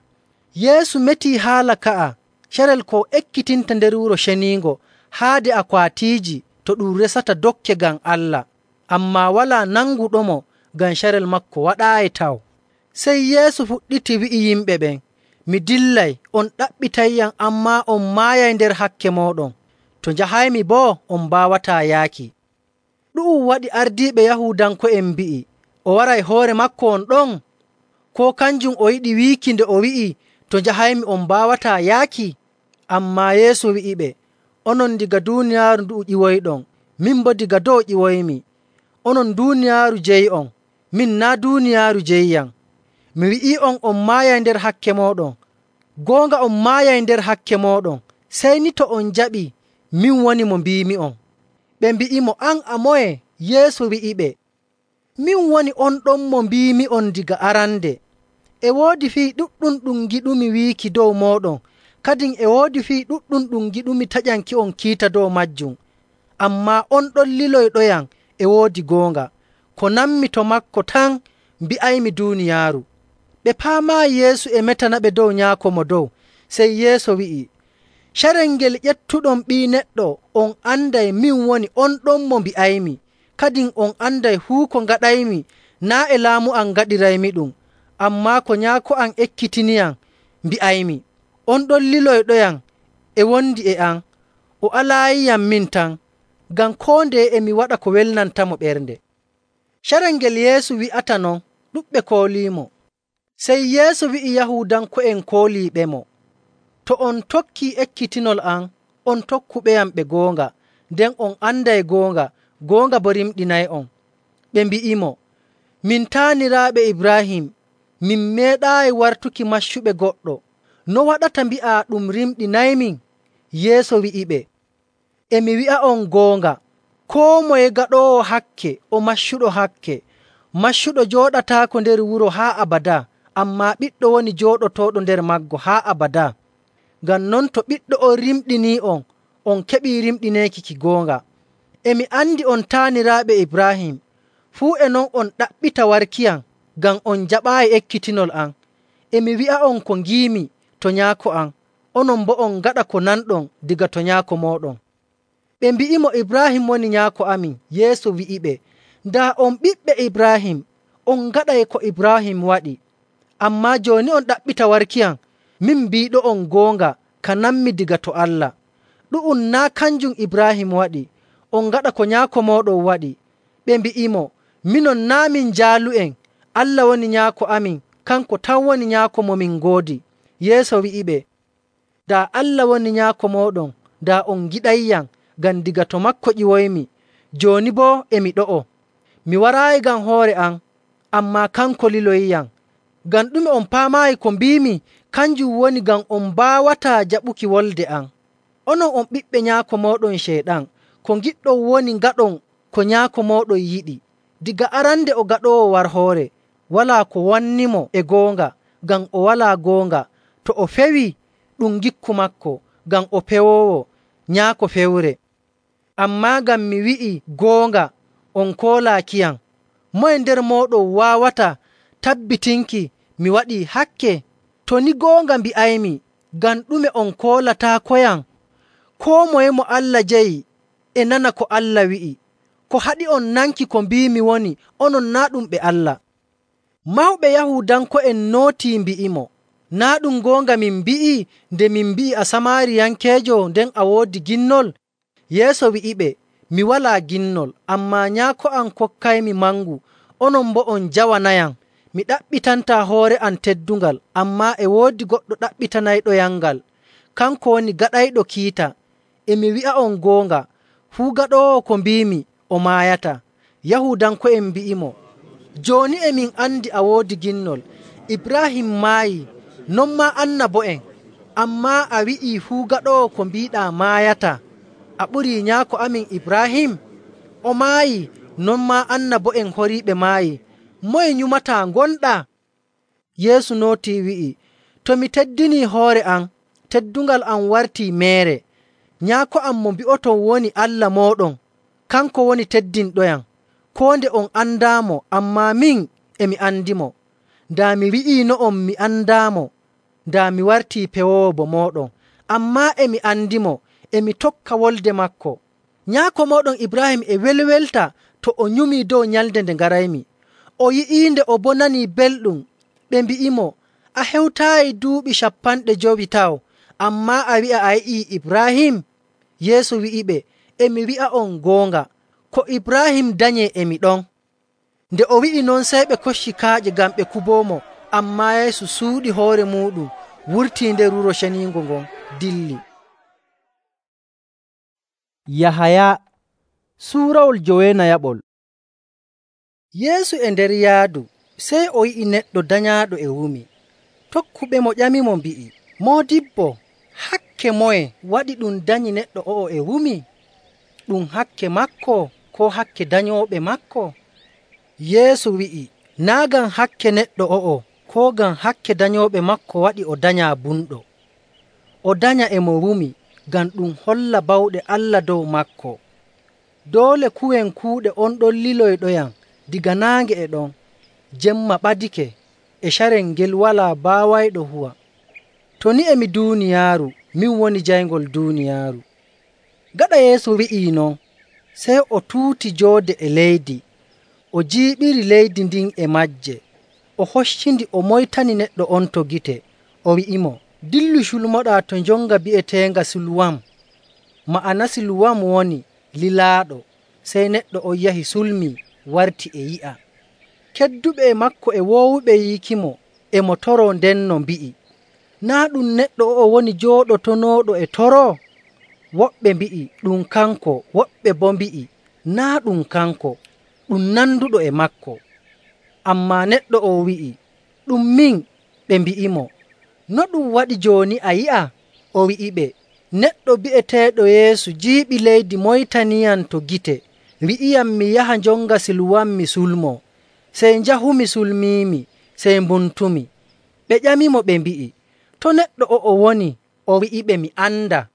[SPEAKER 2] Yeesu metii haala ka'a carel ko ekkitinta nder Wuro Ceniingo haade akwaatiiji to ɗum resata dokke ngam Allah, ammaa walaa nanguɗomo ngam carel maako waɗaayi taw. Sey Yeesu fuɗɗiti wi'i yimɓe ɓen, mi dillay, on ɗaɓɓitayyam, ammaa on maayay nder hakke mooɗon. To njahaymi boo on mbaawataa yaaki. Ɗu'um waɗi ardiiɓe Yahuudanko'en mbi'i, o waray hoore maako on ɗon? Koo kanjum o yiɗi wiiki nde o wi'i, to njahaymi on mbaawataa yaaki? Ammaa Yeesu wi'iɓe, onon diga duuniyaaru ndu'u ƴiwoyɗon, min boo diga dow ƴiwoymi. Onon duuniyaaru jeyi'on, min naa' duuniyaaru jeyiyam. Mi wi'ii'on on maayay nder hakke mooɗon. Goonga on maayay nder hakke mooɗon, sey ni to on njaɓii, min woni mo mbiimi'on. Ɓe mbi'imo, an a moye? Yeesu wi'iɓe, min woni on ɗon mo mbiimi'on diga arande. E woodi fii ɗuɗɗum ɗum ngiɗumi wiiki dow mooɗon, kadin e woodi fii ɗuɗɗum ɗum ngiɗumi taƴanki'on kiita dow majjum. Ammaa on ɗon liloyɗoyam e woodi goonga. Ko nammi to maako tan mbi'aymi duuniyaaru. Ɓe paamaayi Yeesu e metanaɓe dow Nyaako mo dow. Sey Yeesu wi'i, carel ngel ƴettuɗon Ɓii Neɗɗo, on anday min woni on ɗon mo mbi'aymi, kadin on anday fuu ko ngaɗaymi naa' e laamu am ngaɗiraymi ɗum, ammaa ko Nyaako am ekkitiniyam mbi'aymi. On ɗon liloyɗoyam e wondi e am, o alaayiyam min tan, ngam koo ndeye emi waɗa ko welnantamo ɓernde. Carel ngel Yeesu wi'ata non, ɗuɗɓe kooliimo. Sey Yeesu wi'i Yahuudanko'en kooliiɓemo, to on tokkii ekkitinol am, on tokkuɓeyam ɓe goonga, nden on anday goonga, goonga boo rimɗinay'on. Ɓe mbi'imo, min taaniraaɓe Ibraahim, min meeɗaayi wartuki maccuɓe goɗɗo. No waɗata mbi'aa ɗum rimɗinaymin?
[SPEAKER 1] Yeesu wi'iɓe, “E mi wi'a'on goonga, koo moye gaɗoowo hakke o maccuɗo hakke. Maccuɗo jooɗataako nder wuro haa abadaa, ammaa ɓiɗɗo woni jooɗotooɗo nder maggo haa abadaa. Ngam non to ɓiɗɗo on rimɗinii'on, on keɓii rimɗineeki ki goonga. E mi andi on taaniraaɓe Ibraahim, fuu e non on ɗaɓɓita warkiyam ngam on jaɓaayi ekkitinol am. E mi wi'a'on ko ngiimi to Nyaako am, onon boo on ngaɗa ko nanɗon daga to nyaako mooɗon.” Ɓe mbi'imo, “Ibraahim woni nyaako amin.” Yeesu wi'iɓe, “Daa on ɓiɓɓe Ibraahim, on ngaɗay ko Ibraahim waɗi. Ammaa jooni on ɗaɓɓita warkiyam. Min mbiiɗo'on goonga ka nanmi daga to Allah. Ɗu'um naa' kanjum Ibraahim waɗi. On ngaɗa ko nyaako mooɗon waɗi.” Ɓe mbi'imo, “Minon naa' min jaalu'en. Allah woni nyaako amin, kanko tan woni nyaako mo min ngoodi.” Yeesu wi'iɓe, “Daa Allah woni nyaako mooɗon, daa on ngiɗayyam, ngam daga to maako ƴiwoymi. Jooni boo e mi ɗo'o. Mi waraayi ngam hoore am, ammaa kanko liloyiyam. Ngam ɗume on paamaayi ko mbiimi? Kanjum woni ngam on mbaawataa jaɓuki wolde am. Onon on ɓiɓɓe nyaako mooɗon Ceyɗan. Ko ngiɗɗon woni ngaɗon ko nyaako mooɗon yiɗi. Daga arande o gaɗoowo warhoore, walaa ko wannimo e goonga, ngam o walaa goonga. To o fewii, ɗum ngikku maako, ngam o pewoowo nyaako fewre. Ammaa ngam mi wi'ii goonga, on koolaakiyam. Moye nder mooɗon waawata tabbitinki mi waɗii hakke? To ni goonga mbi'aymi, ngam ɗume on koolataakoyam? Koo moye mo Allah jeyi e nana ko Allah wi'i. Ko haɗi on nanki ko mbiimi woni onon naa' ɗum ɓe Allah.” Mawɓe Yahuudanko'en nootii mbi'imo, “Naa' ɗum goonga min mbi'ii nde min mbi'i a Samaariyankeejo nden a woodi ginnol?” Yeesu wi'iɓe, “Mi walaa ginnol, ammaa Nyaako am kokkaymi mangu, onon boo on njawanayam. Mi ɗaɓɓitantaa hoore am teddungal, ammaa e woodi goɗɗo ɗaɓɓitanayɗoyam ngal. Kanko woni gaɗayɗo kiita. E mi wi'a'on goonga, fuu gaɗoowo ko mbiimi o maayataa.” Yahuudanko'en mbi'imo, “Jooni e min andi a woodi ginnol. Ibraahim maayii, non maa annabo'en. Ammaa a wi'ii fuu gaɗoowo ko mbiiɗaa maayataa. A ɓurii nyaako amin Ibraahim? O maayii, non maa annabo'en horiiɓe maayii. Moye nyumataa ngonɗaa?” Yeesu nootii wi'i, “To mi teddinii hoore am, teddungal am wartii meere. Nyaako am mo mbi'oton woni Allah mooɗon, kanko woni teddinɗoyam. Koo nde on andaamo, ammaa min e mi andimo. Daa mi wi'iino'on mi andaamo, daa mi wartii pewoowo bo mooɗon. Ammaa e mi andimo, e mi tokka wolde maako. Nyaako mooɗon Ibraahim e welwelta to o nyumii dow nyalnde nde ngaraymi. O yi'iinde o boo nanii belɗum. Ɓe mbi'imo, ‘A hewtaayi duuɓi 50 taw, ammaa a wi'a a yi'ii Ibraahim?’ Yeesu wi'iɓe, “E mi wi'a'on goonga, ko Ibraahim danyee e mi ɗon.” Nde o wi'i non, sey ɓe kocci kaaƴe ngam ɓe kuboomo. Ammaa Yeesu suuɗi hoore muuɗum, wurtii nder Wuro Ceniingo ngon, dilli. Yahaya suurawol 9. Yeesu e nder yaadu, sey o yi'i neɗɗo danyaaɗo e wumi. Tokkuɓemo ƴamimo mbi'i, “Moodibbo, hakke moye waɗi ɗum danyi neɗɗo o'o e wumi? Ɗum hakke maako koo hakke danyooɓe maako?” Yeesu wi'i, “Naa' ngam hakke neɗɗo o'o koo ngam hakke danyooɓe maako waɗi o danyaa bumɗo. O danya e mo wumi ngam ɗum holla bawɗe Allah dow maako. Doole kuwen kuuɗe on ɗon liloyɗoyam diga naange e ɗon. Jemma ɓadike, e carel ngel walaa baawayɗo huwa. To ni e mi duuniyaaru, min woni jayngol duuniyaaru.” Gaɗa Yeesu wi'ii non, sey o tuuti joode e leydi, o jiiɓiri leydi ndin e maaje. O hoccindi o moytani neɗɗo on to gite, o wi'imo, “Dillu culmoɗaa to njonga bi'eteenga Siluwam.” Ma'ana Siluwam woni lilaaɗo. Sey neɗɗo on yahi sulmii, warti e yi'a. Kedduɓe e maako e woowuɓe yiikimo, e mo toroo ndenno mbi'i, “Naa' ɗum neɗɗo o'o woni jooɗotonooɗo e toroo?” Woɓɓe mbi'i, “Ɗum kanko.” Woɓɓe boo mbi'i, “Naa' ɗum kanko, ɗum nanduɗo e maako.” Ammaa neɗɗo o wi'i, “Ɗum min.” Ɓe mbi'imo, “No ɗum waɗi jooni a yi'a?” O wi'iɓe, Neɗɗo bi'eteeɗo Yeesu jiiɓi leydi moytaniyam to gite, wi'iyam mi yaha njonga Siluwam mi sulmoo. Sey njahumi sulmiimi, sey mbuntumi. Ɓe ƴamimo ɓe mbi'i, “To neɗɗo o'o woni?” O wi'iɓe, “Mi andaa.”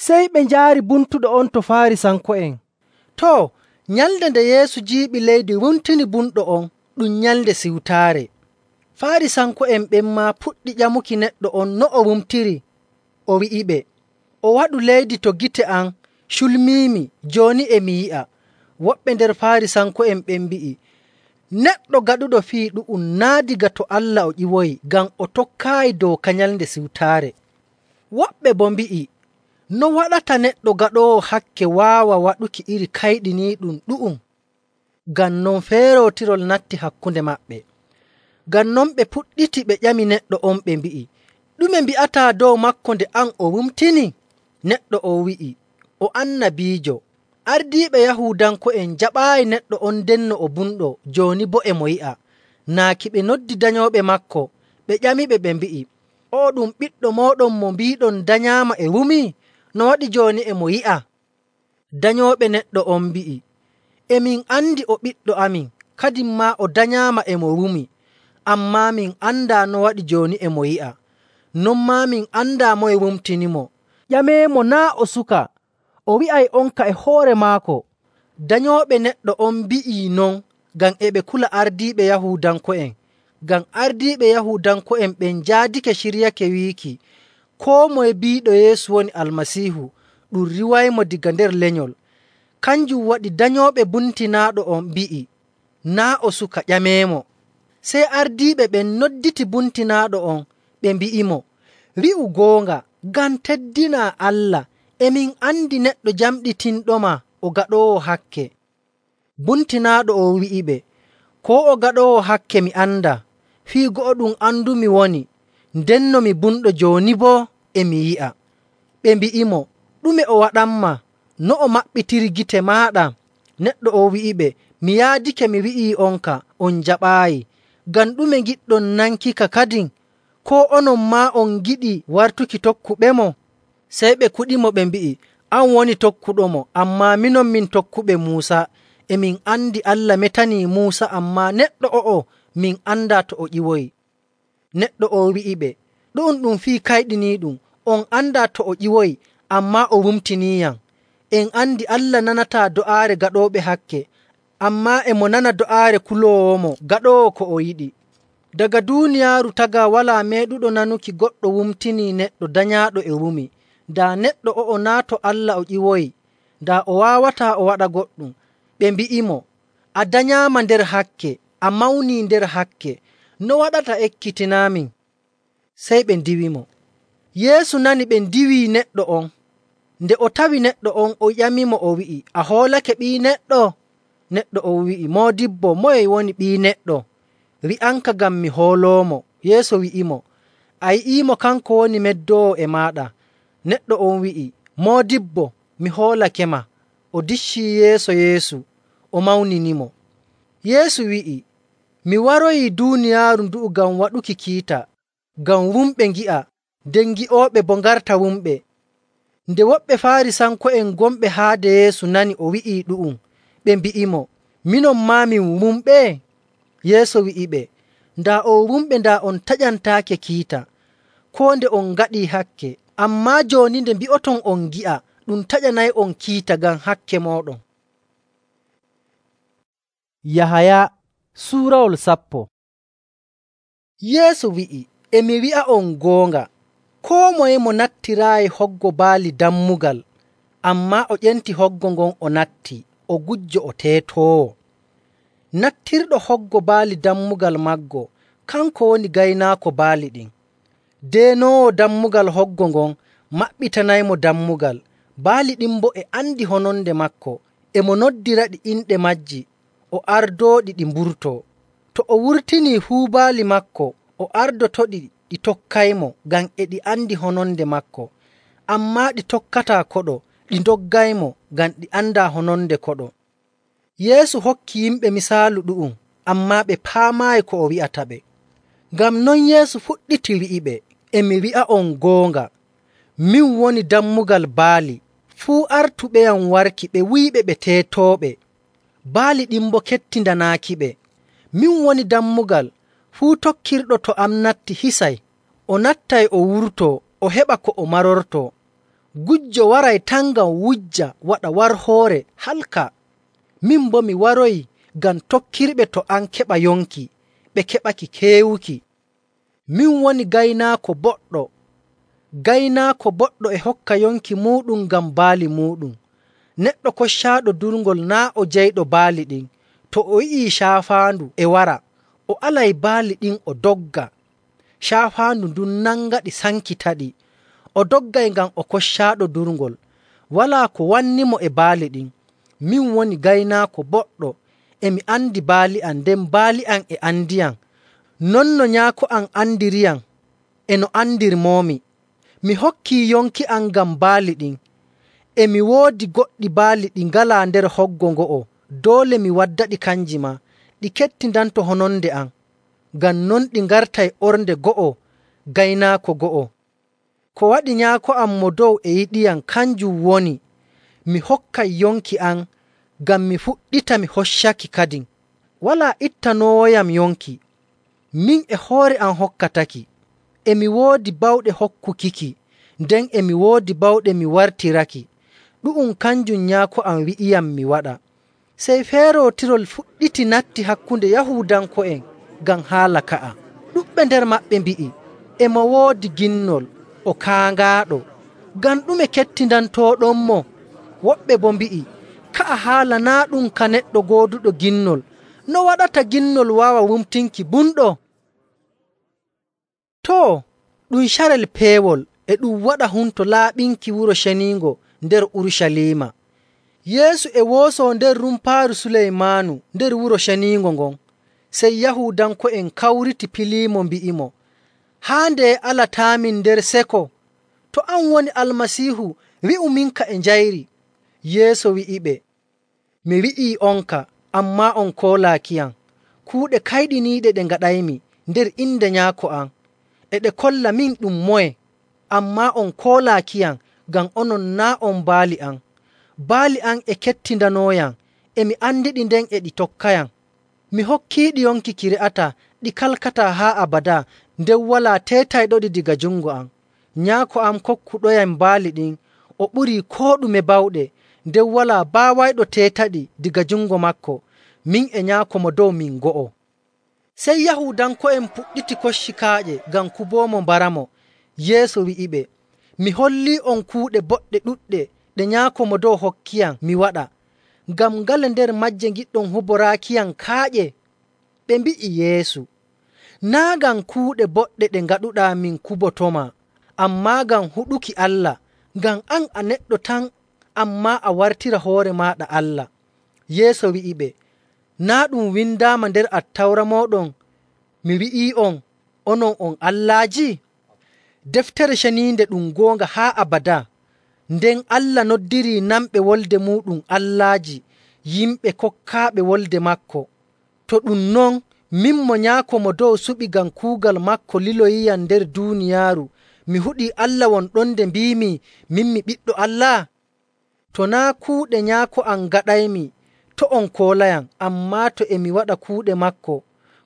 [SPEAKER 1] Sey ɓe njaari buntuɗo on to Faarisanko'en. Too, nyalnde nde Yeesu jiiɓi leydi wumtini bunɗo on, ɗum Nyalnde Siwtaare. Faarisanko'en ɓen maa puɗɗi ƴamuki neɗɗo on no o wumtiri. O wi'iɓe, “O waɗu leydi to gite am, culmiimi, jooni e mi yi'a.” Woɓɓe nder Faarisanko'en ɓen mbi'i, “Neɗɗo gaɗuɗo fii ɗu'um naa' daga to Allah o ƴiwoyi, ngam o tokkaayi dooka Nyalnde Siwtaare.” Woɓɓe boo mbi'i, “No waɗata neɗɗo gaɗoowo hakke waawa waɗuki iri kayɗiniiɗum ɗu'um?” Ngam non feerootirol natti hakkunde maɓɓe. Ngam non ɓe puɗɗiti ɓe ƴami neɗɗo on ɓe mbi'i, “Ɗume mbi'ataa dow maako nde an o wumtini?” Neɗɗo on wi'i, “O annabiijo.” Ardiiɓe Yahuudanko'en jaɓaayi neɗɗo on ndenno o bumɗo, jooni boo e mo yi'a. Naaki ɓe noddi danyooɓe maako, ɓe ƴamiɓe ɓe mbi'i, “O'o ɗum ɓiɗɗo mooɗon mo mbiiɗon danyaama e wumii? No waɗi jooni e mo yi'a?” Danyooɓe neɗɗo on mbi'i, “E min andi o ɓiɗɗo amin, kadin maa o danyaama e mo wumi. Ammaa min andaa no waɗi jooni e mo yi'a. Non maa min andaa moye wumtinimo. Ƴameemo naa' o suka, o wi'ay onka e hoore maako.” Danyooɓe neɗɗo on mbi'ii non ngam e ɓe kula ardiiɓe Yahuudanko'en. Ngam ardiiɓe Yahuudanko'en ɓen njaadake ciryake wiiki koo moye biiɗo Yeesu woni Almasiihu ɗum riiwaymo daga nder lenyol. Kanjum waɗi danyooɓe buntinaaɗo on mbi'i, “Naa' o suka, ƴameemo.” Sey ardiiɓe ɓen nodditi buntinaaɗo on, ɓe mbi'imo, “Wi'u goonga, ngam teddinaa Allah, e min andi neɗɗo jamɗitinɗoma o gaɗoowo hakke.” Buntinaaɗo on wi'iɓe, “Koo o gaɗoowo hakke mi andaa. Fii go'o ɗum andumi woni, ndenno mi bumɗo, jooni boo e mi yi'a.” Ɓe mbi'imo, “Ɗume o waɗanmaa? No o maɓɓitiri gite maaɗa?” Neɗɗo on wi'iɓe, “Mi yaadake mi wi'ii'onka, on njaɓaayi. Ngam ɗume ngiɗɗon nankika kadin? Koo onon maa on ngiɗi wartuki tokkuɓemo?” Sey ɓe kuɗimo ɓe mbi'i, “An woni tokkuɗomo, ammaa minon min tokkuɓe Muusa. E min andi Allah metanii Muusa, ammaa neɗɗo o'o min andaa to o ƴiwoyi.” Neɗɗo on wi'iɓe, “Ɗu'um ɗum fii kayɗiniiɗum. On andaa to o ƴiwoyi, ammaa o wumtiniiyam. En andi Allah nanataa do'aare gaɗooɓe hakke, ammaa e mo nana do'aare kuloowomo gaɗoowo ko o yiɗi.” Daga duuniyaaru tagaa walaa meeɗuɗo nanuki goɗɗo wumtinii neɗɗo danyaaɗo e wumi. Daa neɗɗo o'o naa' to Allah o ƴiwoyi, daa o waawataa o waɗa goɗɗum. Ɓe mbi'imo, “A danyaama nder hakke, a mawnii nder hakke. No waɗata ekkitinaamin?” Sey ɓe ndiwimo. Yeesu nani ɓe ndiwii neɗɗo on. Nde o tawi neɗɗo on, o ƴamimo o wi'i, “A hoolake Ɓii Neɗɗo?” Neɗɗo on wi'i, “Moodibbo, moye woni Ɓii Neɗɗo? Wi'anka ngam mi hooloomo.” Yeesu wi'imo, “A yi'iimo, kanko woni meddoowo e maaɗa.” Neɗɗo on wi'i, “Moodibbo, mi hoolakema.” O diccii yeeso Yeesu, o mawninimo. Yeesu wi'i, “Mi waroyii duuniyaaru ndu'u ngam waɗuki kiita, ngam wumɓe ngi'a, nden gi'ooɓe boo ngarta wumɓe.” Nde woɓɓe Faarisanko'en gonɓe haade Yeesu nani o wi'ii ɗu'um, ɓe mbi'imo, “Minon maa min wumɓe?” Yeesu wi'iɓe, “Daa on wumɓe, daa on taƴantaake kiita, koo nde on ngaɗii hakke. Ammaa jooni nde mbi'oton on ngi'a, ɗum taƴanay'on kiita ngam hakke mooɗon.” Yahaya suurawol 10. Yeesu wi'i, “E mi wi'a'on goonga, koo moye mo nattiraayi hoggo baali dammugal, ammaa o ƴenti hoggo ngon o natti, o gujjo o teetoowo. Nattirɗo hoggo baali dammugal maggo, kanko woni gaynaako baali ɗin. Deenoowo dammugal hoggo ngon maɓɓitanaymo dammugal. Baali ɗin boo e andi hononde maako, e mo noddiraɗi inɗe majji, o ardooɗi ɗi mburtoo. To o wurtinii fuu baali maako, o ardotoɗi ɗi tokkaymo, ngam e ɗi andi hononde maako. Ammaa ɗi tokkataa koɗo, ɗi ndoggaymo, ngam ɗi andaa hononde koɗo.” Yeesu hokki yimɓe misaalu ɗu'um, ammaa ɓe paamaayi ko o wi'ataɓe. Ngam non Yeesu fuɗɗiti wi'iɓe, “E mi wi'a'on goonga, Min woni dammugal baali. Fuu artuɓeyam warki ɓe wi'iɓe ɓe teetooɓe, baali ɗin boo kettindanaakiɓe. Min woni dammugal. Fuu tokkirɗo to am natti hisay, o nattay o wurtoo, o heɓa ko o marortoo. Gujjo waray tan ngam wujja waɗa warhoore halka. Min boo mi waroyi ngam tokkirɓe to am keɓa yonki, ɓe keɓaki keewuki. Min woni gaynaako boɗɗo. Gaynaako boɗɗo e hokka yonki muuɗum ngam baali muuɗum. Neɗɗo koccaaɗo durngol naa' o jeyɗo baali ɗin. To o yi'ii caafaandu e wara, o alay baali ɗin o dogga. Caafaandu ndun nangaɗi sankitaɗi. O doggay ngam o koccaaɗo durngol. Walaa ko wannimo e baali ɗin. Min woni gaynaako boɗɗo. E mi andi baali am, nden baali am e andiyam. Non no Nyaako am andiriyam e no andirmoomi. Mi hokkii yonki am ngam baali ɗin. E mi woodi goɗɗi baali ɗi ngalaa nder hoggo ngo'o. Doole mi waddaɗi kanji maa, ɗi kettindanto hononde am. Ngam non ɗi ngartay ornde go'o, gaynaako go'o. Ko waɗi Nyaako am mo dow e yiɗiyam kanjum woni, mi hokkay yonki am ngam mi fuɗɗita mi hoccaki kadin. Walaa ittanoowoyam yonki, min e hoore am hokkataki. E mi woodi bawɗe hokkukiki, nden e mi woodi bawɗe mi wartiraki. Ɗu'um kanjum Nyaako am wi'iyam mi waɗa. Sey feerootirol fuɗɗiti natti hakkunde Yahuudanko'en ngam haala ka'a. Ɗuɗɓe nder maɓɓe mbi'i, e mo woodi ginnol, o kaangaaɗo. Ngam ɗume kettindantooɗonmo? Woɓɓe boo mbi'i, ka'a haala naa' ɗum ka neɗɗo gooduɗo ginnol. No waɗata ginnol waawa wumtinki bumɗo? Too, ɗum carel peewol e ɗum waɗa humto laaɓinki Wuro Ceniingo nder Urucaliima. Yeesu e woosoo nder rumpaaru Suleymaanu nder Wuro Ceniingo ngon. Sey Yahuudanko'en kawriti piliimo mbi'imo, haa ndeye alataamin nder seko? To an woni Almasiihu, wi'u minka e njayri. Yeesu wi'iɓe, mi wi'ii onka, ammaa on koolaakiyam. Kuuɗe kayɗiniiɗe ɗe ngaɗaymi nder inde Nyaako am, e ɗe kolla min ɗum moye, ammaa on koolaakiyam ngam onon naa' on baali am. Baali am e kettindanooyam, e mi andiɗi nden e ɗi tokkayam. Mi hokkiiɗi yonki ki re'ataa, ɗi kalkataa haa abadaa, nden walaa teetayɗoɗi daga jungo am. Nyaako am kokkuɗoyam baali ɗin, o ɓurii koo ɗume bawɗe, nden walaa baawayɗo teetaɗi daga jungo maako. Min e Nyaako mo dow min go'o. Sey Yahuudanko'en puɗɗiti kocci kaaƴe ngam kuboomo mbaramo. Yeesu wi'iɓe, mi hollii'on kuuɗe boɗɗe ɗuɗɗe ɗe Nyaako mo dow hokkiyam mi waɗa. Ngam ngale nder majje ngiɗɗon huboraakiyam kaaƴe? Ɓe mbi'i Yeesu, naa' ngam kuuɗe boɗɗe ɗe ngaɗuɗaa min kubotoma, ammaa ngam huɗuki Allah. Ngam an a neɗɗo tan, ammaa a wartira hoore maaɗa Allah. Yeesu wi'iɓe, naa' ɗum windaama nder Attawra mooɗon, mi wi'ii'on, onon on allaaji? Deftere Ceniinde ɗum goonga haa abadaa. Nden Allah noddirii namɓe wolde muuɗum allaaji, yimɓe kokkaaɓe wolde maako. To ɗum non, min mo Nyaako mo dow suɓi ngam kuugal maako liloyiyam nder duuniyaaru, mi huɗii Allah won ɗon nde mbiimi min mi ɓiɗɗo Allah? To naa' kuuɗe Nyaako am ngaɗaymi, to on koolayam, ammaa to e mi waɗa kuuɗe maako,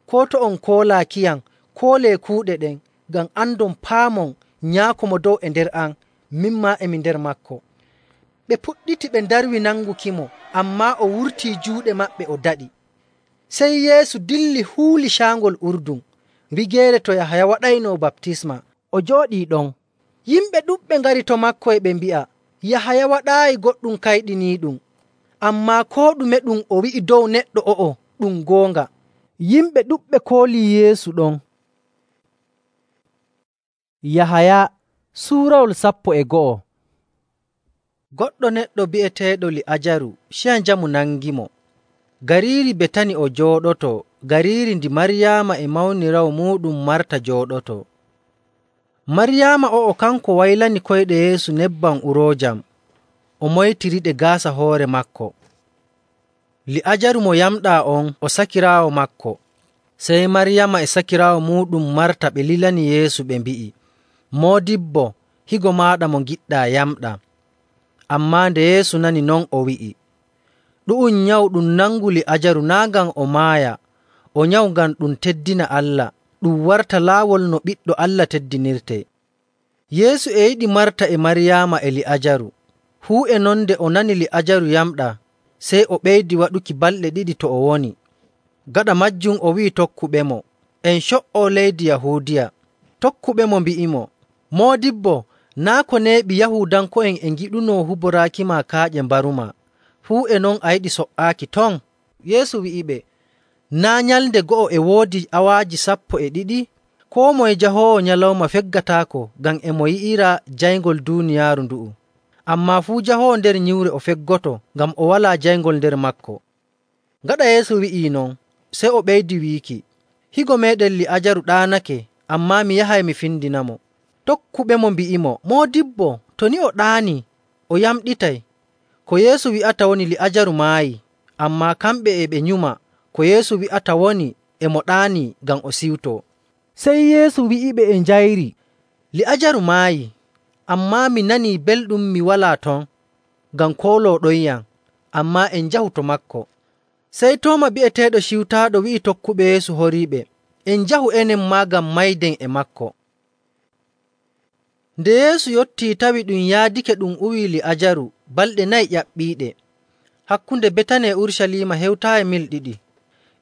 [SPEAKER 1] koo to on koolaakiyam, koolee kuuɗe ɗen, ngam andon paamon Nyaako mo dow e nder am, min maa emi nder maako. Ɓe puɗɗiti ɓe ndarwi nangukimo, ammaa o wurtii juuɗe maɓɓe o daɗi. Sey Yeesu dilli huuli caangol Urdun, wigeere to Yahaya waɗaynoo baptisma. O jooɗii ɗon. Yimɓe ɗuɗɓe ngari to maako e ɓe mbi'a, Yahaya waɗaayi goɗɗum kayɗiniiɗum, ammaa koo ɗume ɗum o wi'i dow neɗɗo o'o ɗum goonga. Yimɓe ɗuɗɓe koolii Yeesu ɗon. Yahaya suurawol 11. Goɗɗo neɗɗo bi'eteeɗo Li'ajaru ciya njamu nangimo. Gariiri Betani o jooɗoto, gariiri ndi Maryaama e mawniraawo muuɗum Marta jooɗoto. Maryaama o'o kanko waylani koyɗe Yeesu nebbam uroojam, o moytiriɗe gaasa hoore maako. Li'ajaru mo yamɗaa on o sakiraawo maako. Sey Maryaama e sakiraawo muuɗum Marta ɓe lilani Yeesu ɓe mbi'i, Moodibbo,
[SPEAKER 2] higo maaɗa mo ngiɗɗaa yamɗaa. Ammaa nde Yeesu nani non, o wi'i, ɗu'um nyawu ɗum nangu Li'aajaru naa' ngam o maaya, o nyawu ngam ɗum teddina Allah, ɗum warta laawol no Ɓiɗɗo Allah teddinirtee. Yeesu e yiɗi Marta e Maryaama e Li'aajaru. Fuu e non nde o nani Li'aajaru yamɗaa, sey o ɓeydi waɗuki balɗe 2 to o woni. Gaɗa majjum o wi'i tokkuɓemo, en co''oo leydi Yahuudiya. Tokkuɓemo mbi'imo, Moodibbo, naa' ko neeɓi Yahuudanko'en e ngiɗunoo huboraakima kaaƴe mbarumaa. Fuu e non a yiɗi so''aaki ton? Yeesu wi'iɓe, naa' nyalnde go'o e woodi awaaji 12? Koo moye jahoowo nyalawma feggataako ngam e mo yi'ira jayngol duuniyaaru ndu'u. Ammaa fuu jahoowo nder nyiwre o feggoto ngam o walaa jayngol nder maako. Gaɗa Yeesu wi'ii non, sey o ɓeydi wiiki, higo meeɗen Li'aajaru ɗaanake, ammaa mi yahay mi findinamo. Tokkuɓemo mbi'imo, Moodibbo, to ni o ɗaanii, o yamɗitay. Ko Yeesu wi'ata woni Li'aajaru maayii, ammaa kamɓe e ɓe nyuma ko Yeesu wi'ata woni e mo ɗaanii ngam o siwtoo. Sey Yeesu wi'iɓe e njayri, Li'aajaru maayii, ammaa mi nanii belɗum mi walaa ton ngam koolooɗonyam, ammaa en njahu to maako. Sey Tooma bi'eteeɗo Ciwtaaɗo wi'i tokkuɓe Yeesu horiiɓe, en njahu enen maa ngam mayden e maako. Nde Yeesu yottii tawi ɗum yaadake ɗum uwii Li'aajaru balɗe 4 ƴaɓɓiiɗe. Hakkunde Betani e Urucaliima hewtaayi mil 2.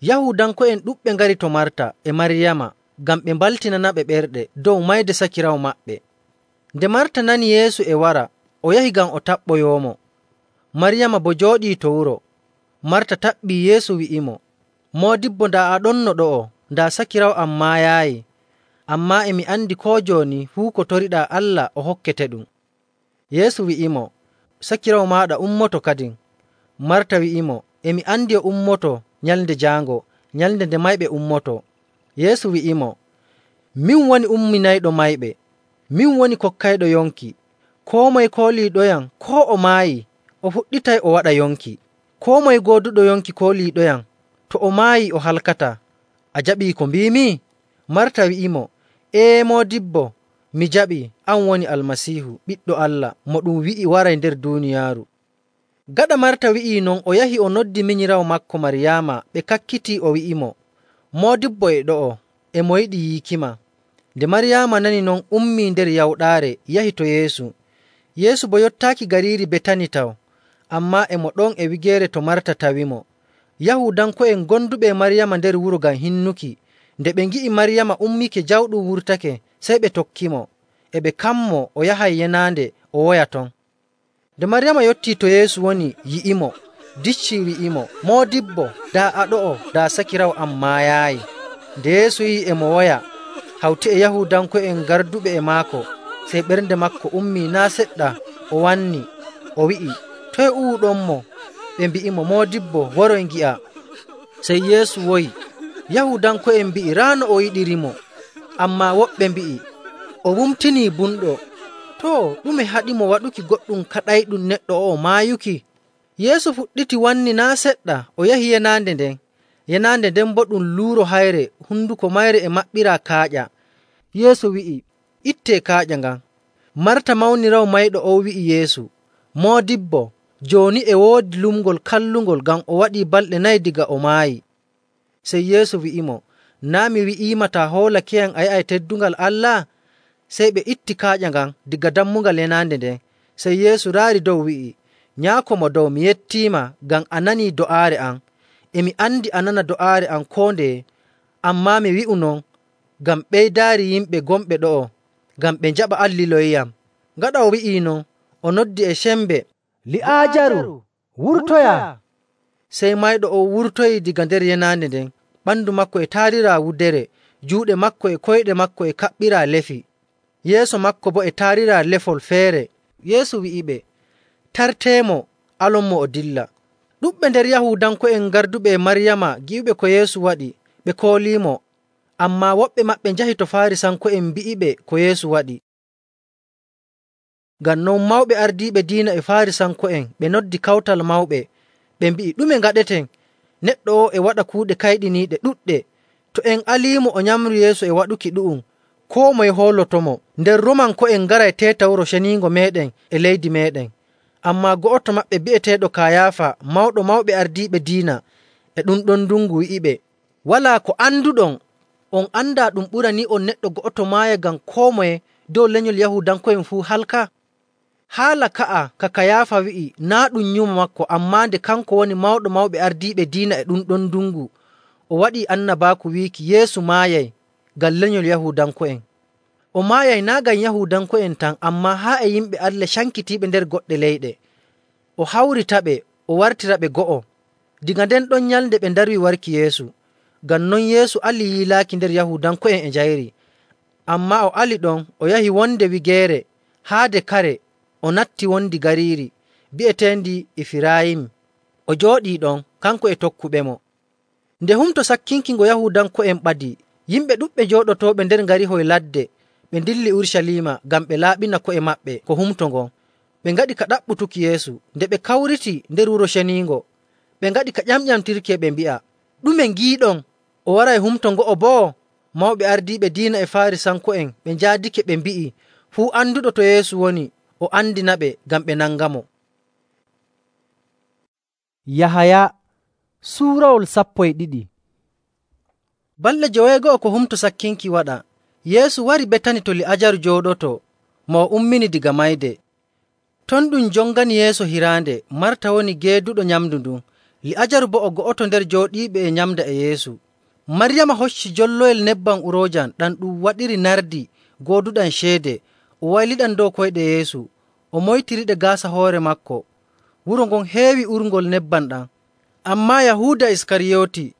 [SPEAKER 2] Yahuudanko'en ɗuɗɓe ngari to Marta e Maryaama ngam ɓe mbaltinanaɓe ɓerɗe dow mayde sakiraawo maɓɓe. Nde Marta nani Yeesu e wara, o yahi ngam o taɓɓoyoomo. Maryaama boo jooɗii to wuro. Marta taɓɓii Yeesu wi'imo, Moodibbo, daa a ɗonno ɗo'o, daa sakiraawo am maayaayi. Ammaa e mi andi koo jooni fuu ko toriɗaa Allah o hokketeɗum. Yeesu wi'imo, sakiraawo maaɗa ummoto kadin. Marta wi'imo, e mi andi o ummoto nyalnde jaango, nyalnde nde mayɓe ummoto. Yeesu wi'imo, min woni umminayɗo mayɓe, min woni kokkayɗo yonki. Koo moye kooliiɗoyam koo o maayi, o fuɗɗitay o waɗa yonki. Koo moye gooduɗo yonki kooliiɗoyam, to o maayi o halkataa. A jaɓii ko mbiimi? Marta wi'imo, Ee Moodibbo, mi jaɓii, an woni Almasiihu, Ɓiɗɗo Allah, mo ɗum wi'i waray nder duuniyaaru. Gaɗa Marta wi'ii non, o yahi o noddi minyiraawo maako Maryaama, ɓe kakkitii o wi'imo, Moodibbo e ɗo'o, e mo yiɗi yiikima. Nde Maryaama nani non, ummii nder yawɗaare yahi to Yeesu. Yeesu boo yottaaki gariiri Betani taw, ammaa e mo ɗon e wigeere to Marta tawimo. Yahuudanko'en gonduɓe e Maryaama nder wuro ngam hinnuki, nde ɓe ngi'i Maryaama ummike jawɗum wurtake, sey ɓe tokkimo, e ɓe kammo o yahay yenaande o woya ton. Nde Maryaama yottii to Yeesu woni yi'imo, diccii wi'imo, Moodibbo, daa a ɗo'o, daa sakiraawo am maayaayi. Nde Yeesu yi'i e mo woya, hawti e Yahuudanko'en garduɓe e maako, sey ɓernde maako ummii naa' seɗɗa, o wanni, o wi'i, toye uwuɗonmo? Ɓe mbi'imo, Moodibbo, woroy ngi'a. Sey Yeesu woyi. Yahuudanko'en mbi'i raa no o yiɗirimo, ammaa woɓɓe mbi'i, o wumtinii bumɗo. Too, ɗume haɗimo waɗuki goɗɗum kaɗayɗum neɗɗo o'o maayuki? Yeesu fuɗɗiti wanni naa' seɗɗa, o yahi yenaande nden. Yenaande nden boo ɗum luuro hayre, hunduko mayre e maɓɓiraa kaaƴa. Yeesu wi'i, ittee kaaƴa ngan. Marta mawniraawo mayɗo on wi'i Yeesu, Moodibbo, jooni e woodi lumngol kallungol ngam o waɗii balɗe 4 diga o maayi. Sey Yeesu wi'imo, naa' mi wi'iima taa hoolakeyam a yi'ay teddungal Allah? Sey ɓe itti kaaƴa ngan diga dammugal yenaande nden. Sey Yeesu raari dow wi'i, Nyaako mo dow, mi yettiima ngam a nanii do'aare am. E mi andi a nana do'aare am koo ndeye, ammaa mi wi'u non ngam ɓeydaari yimɓe gonɓe ɗo'o, ngam ɓe njaɓa an liloyiyam. Gaɗa o wi'ii non, o noddi e sembe, Li'aajaru, wurtoya! Sey mayɗo on wurtoyii diga nder yenaande nden, ɓandu maako e taariraa wudere, juuɗe maako e koyɗe maako e kaɓɓiraa lefi, yeeso maako boo e taariraa lefol feere. Yeesu wi'iɓe, tarteemo, alonmo o dilla. Ɗuɗɓe nder Yahuudanko'en garduɓe e Maryaama gi'uɓe ko Yeesu waɗi, ɓe kooliimo, ammaa woɓɓe maɓɓe njahi to Faarisanko'en mbi'iɓe ko Yeesu waɗi. Ngam non mawɓe ardiiɓe diina e Faarisanko'en ɓe noddi kawtal mawɓe, ɓe mbi'i, ɗume ngaɗeten? Neɗɗo o e waɗa kuuɗe kayɗiniiɗe ɗuɗɗe. To en aliimo o nyamru yeeso e waɗuki ɗu'um,
[SPEAKER 1] koo moye hoolotomo. Nder Romanko'en ngaray teeta Wuro Ceniingo meeɗen e leydi meeɗen. Ammaa go'oto maɓɓe bi'eteeɗo Kayaafa, mawɗo mawɓe ardiiɓe diina, e ɗum ɗon ndungu wi'iɓe, “Walaa ko anduɗon. On andaa ɗum ɓuranii on neɗɗo go'oto maaya ngam koo moye dow lenyol Yahuudanko'en fuu halka?” Haala ka'a ka Kayaafa wi'i naa' ɗum nyumo maako, ammaa nde kanko woni mawɗo mawɓe ardiiɓe diina e ɗum ɗon ndungu, o waɗii annabaaku wiiki Yeesu maayay ngam lenyol Yahuudanko'en. O maayay naa' ngam Yahuudanko'en tan, ammaa haa e yimɓe Allah cankitiiɓe nder goɗɗe leyɗe. O hawritaɓe, o wartiraɓe go'o. Daga nden ɗon nyalnde ɓe ndarwi warki Yeesu. Ngam non Yeesu ali yiilaaki nder Yahuudanko'en e njayri. Ammaa o ali ɗon, o yahi wonde wigeere haade kare, o natti wondi gariiri bi'eteendi Ifirayim. O jooɗii ɗon, kanko e tokkuɓemo. Nde Humto Sakkinki ngo Yahuudanko'en ɓadii, yimɓe ɗuɗɓe jooɗotooɓe nder ngarihoy ladde ɓe ndilli Urucaliima ngam ɓe laaɓina ko'e maɓɓe ko humto ngon. Ɓe ngaɗi ka ɗaɓɓutuki Yeesu. Nde ɓe kawriti nder Wuro Ceniingo, ɓe ngaɗi ka ƴamƴamtirki e ɓe mbi'a, “Ɗume ngiiɗon? O waray humto ngo'o boo?” Mawɓe ardiiɓe diina e Faarisanko'en ɓe njaadike ɓe mbi'i fuu anduɗo to Yeesu woni o andinaɓe ngam ɓe nangamo.
[SPEAKER 2] Yahaya suurawol 12.
[SPEAKER 1] Balɗe 9 ko Humto Sakkinki waɗa, Yeesu wari Betani to Li'aajaru jooɗoto mo o ummini diga mayde. Ton ɗum jongani yeeso hiraande. Marta woni geeduɗo nyamndu ndun. Li'aajaru boo o go'oto nder jooɗiiɓe e nyamda e Yeesu. Maryama hocci jolloyel nebbam uroojam ɗam ɗum waɗiri nardi gooduɗam ceede, o wayliɗam dow koyɗe Yeesu, o moytiriɗe gaasa hoore maako. Wuro ngon heewi urngol nebbam ɗam. Ammaa Yahuuda Iskariyooti,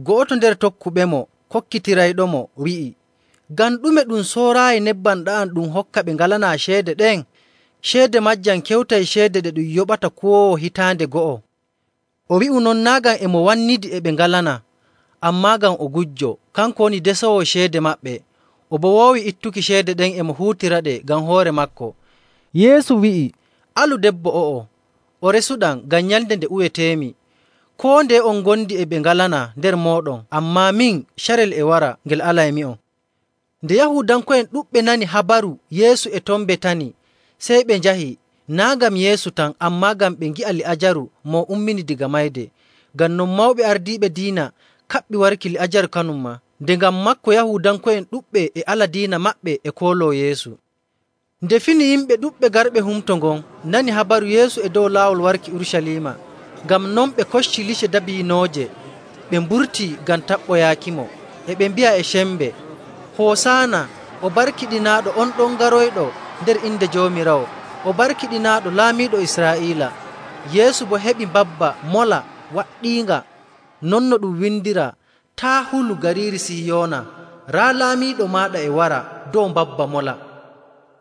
[SPEAKER 1] go'oto nder tokkuɓemo, kokkitirayɗomo, wi'i, “Ngam ɗume ɗum sooraayi nebbam ɗa'am ɗum hokka ɓe ngalanaa ceede ɗen? Ceede majjam kewtay ceede ɗe ɗum yoɓata kuwoowo hitaande go'o.” O wi'u non naa' ngam e mo wannidi e ɓe ngalanaa, ammaa ngam o gujjo. Kanko woni desoowo ceede maɓɓe. O boo woowi ittuki ceede ɗen e mo huutiraɗe ngam hoore maako.
[SPEAKER 2] Yeesu wi'i,
[SPEAKER 1] “Alu debbo o'o, o resuɗam ngam nyalnde nde uweteemi. Koo ndeye on ngondi e ɓe ngalanaa nder mooɗon, ammaa min carel e wara ngel alaymi'on.” Nde Yahuudanko'en ɗuɗɓe nani habaru Yeesu e ton Betani, sey ɓe njahi, naa' ngam Yeesu tan, ammaa ngam ɓe ngi'a Li'aajaru mo ummini diga mayde. Ngam non mawɓe ardiiɓe diina kaɓɓi warki Li'aajaru kanum maa. Nde ngam maako Yahuudanko'en ɗuɗɓe e ala diina maɓɓe e kooloo Yeesu. Nde fini yimɓe ɗuɗɓe garɓe humto ngon nani habaru Yeesu e dow laawol warki Urucaliima. Ngam non ɓe kocci lice dabiinooje, ɓe mburtii ngam taɓɓoyaakimo, e ɓe mbi'a e cembe, “Hoosaana! O barkiɗinaaɗo on ɗon garoyɗo nder inde Joomiraawo! O barkiɗinaaɗo Laamiiɗo Israa'iila!” Yeesu boo heɓi mbabba mola waɗɗiinga, non no ɗum windiraa, “Taa hulu gariiri Siyoona, raa laamiiɗo maaɗa e wara dow mbabba mola.”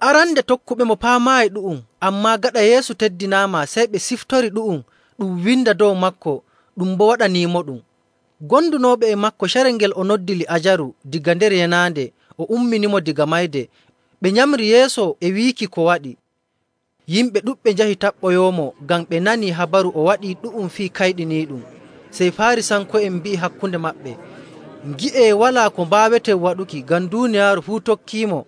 [SPEAKER 1] Arande tokkuɓemo paamaayi ɗu'um, ammaa gaɗa Yeesu teddinaama, sey ɓe siftori ɗu'um ɗum winda dow maako, ɗum boo waɗaniimoɗum. Gondunooɓe e maako carel ngel o noddi Li'aajaru diga nder yenaande, o umminimo diga mayde. Ɓe nyamri yeeso e wiiki ko waɗi. Yimɓe ɗuɗɓe njahi taɓɓoyoomo ngam ɓe nanii habaru o waɗii ɗu'um fii kayɗiniiɗum. Sey Faarisanko'en mbi'i hakkunde maɓɓe, “Ngi'ee, walaa ko mbaaweten waɗuki ngam duuniyaaru fuu tokkiimo.”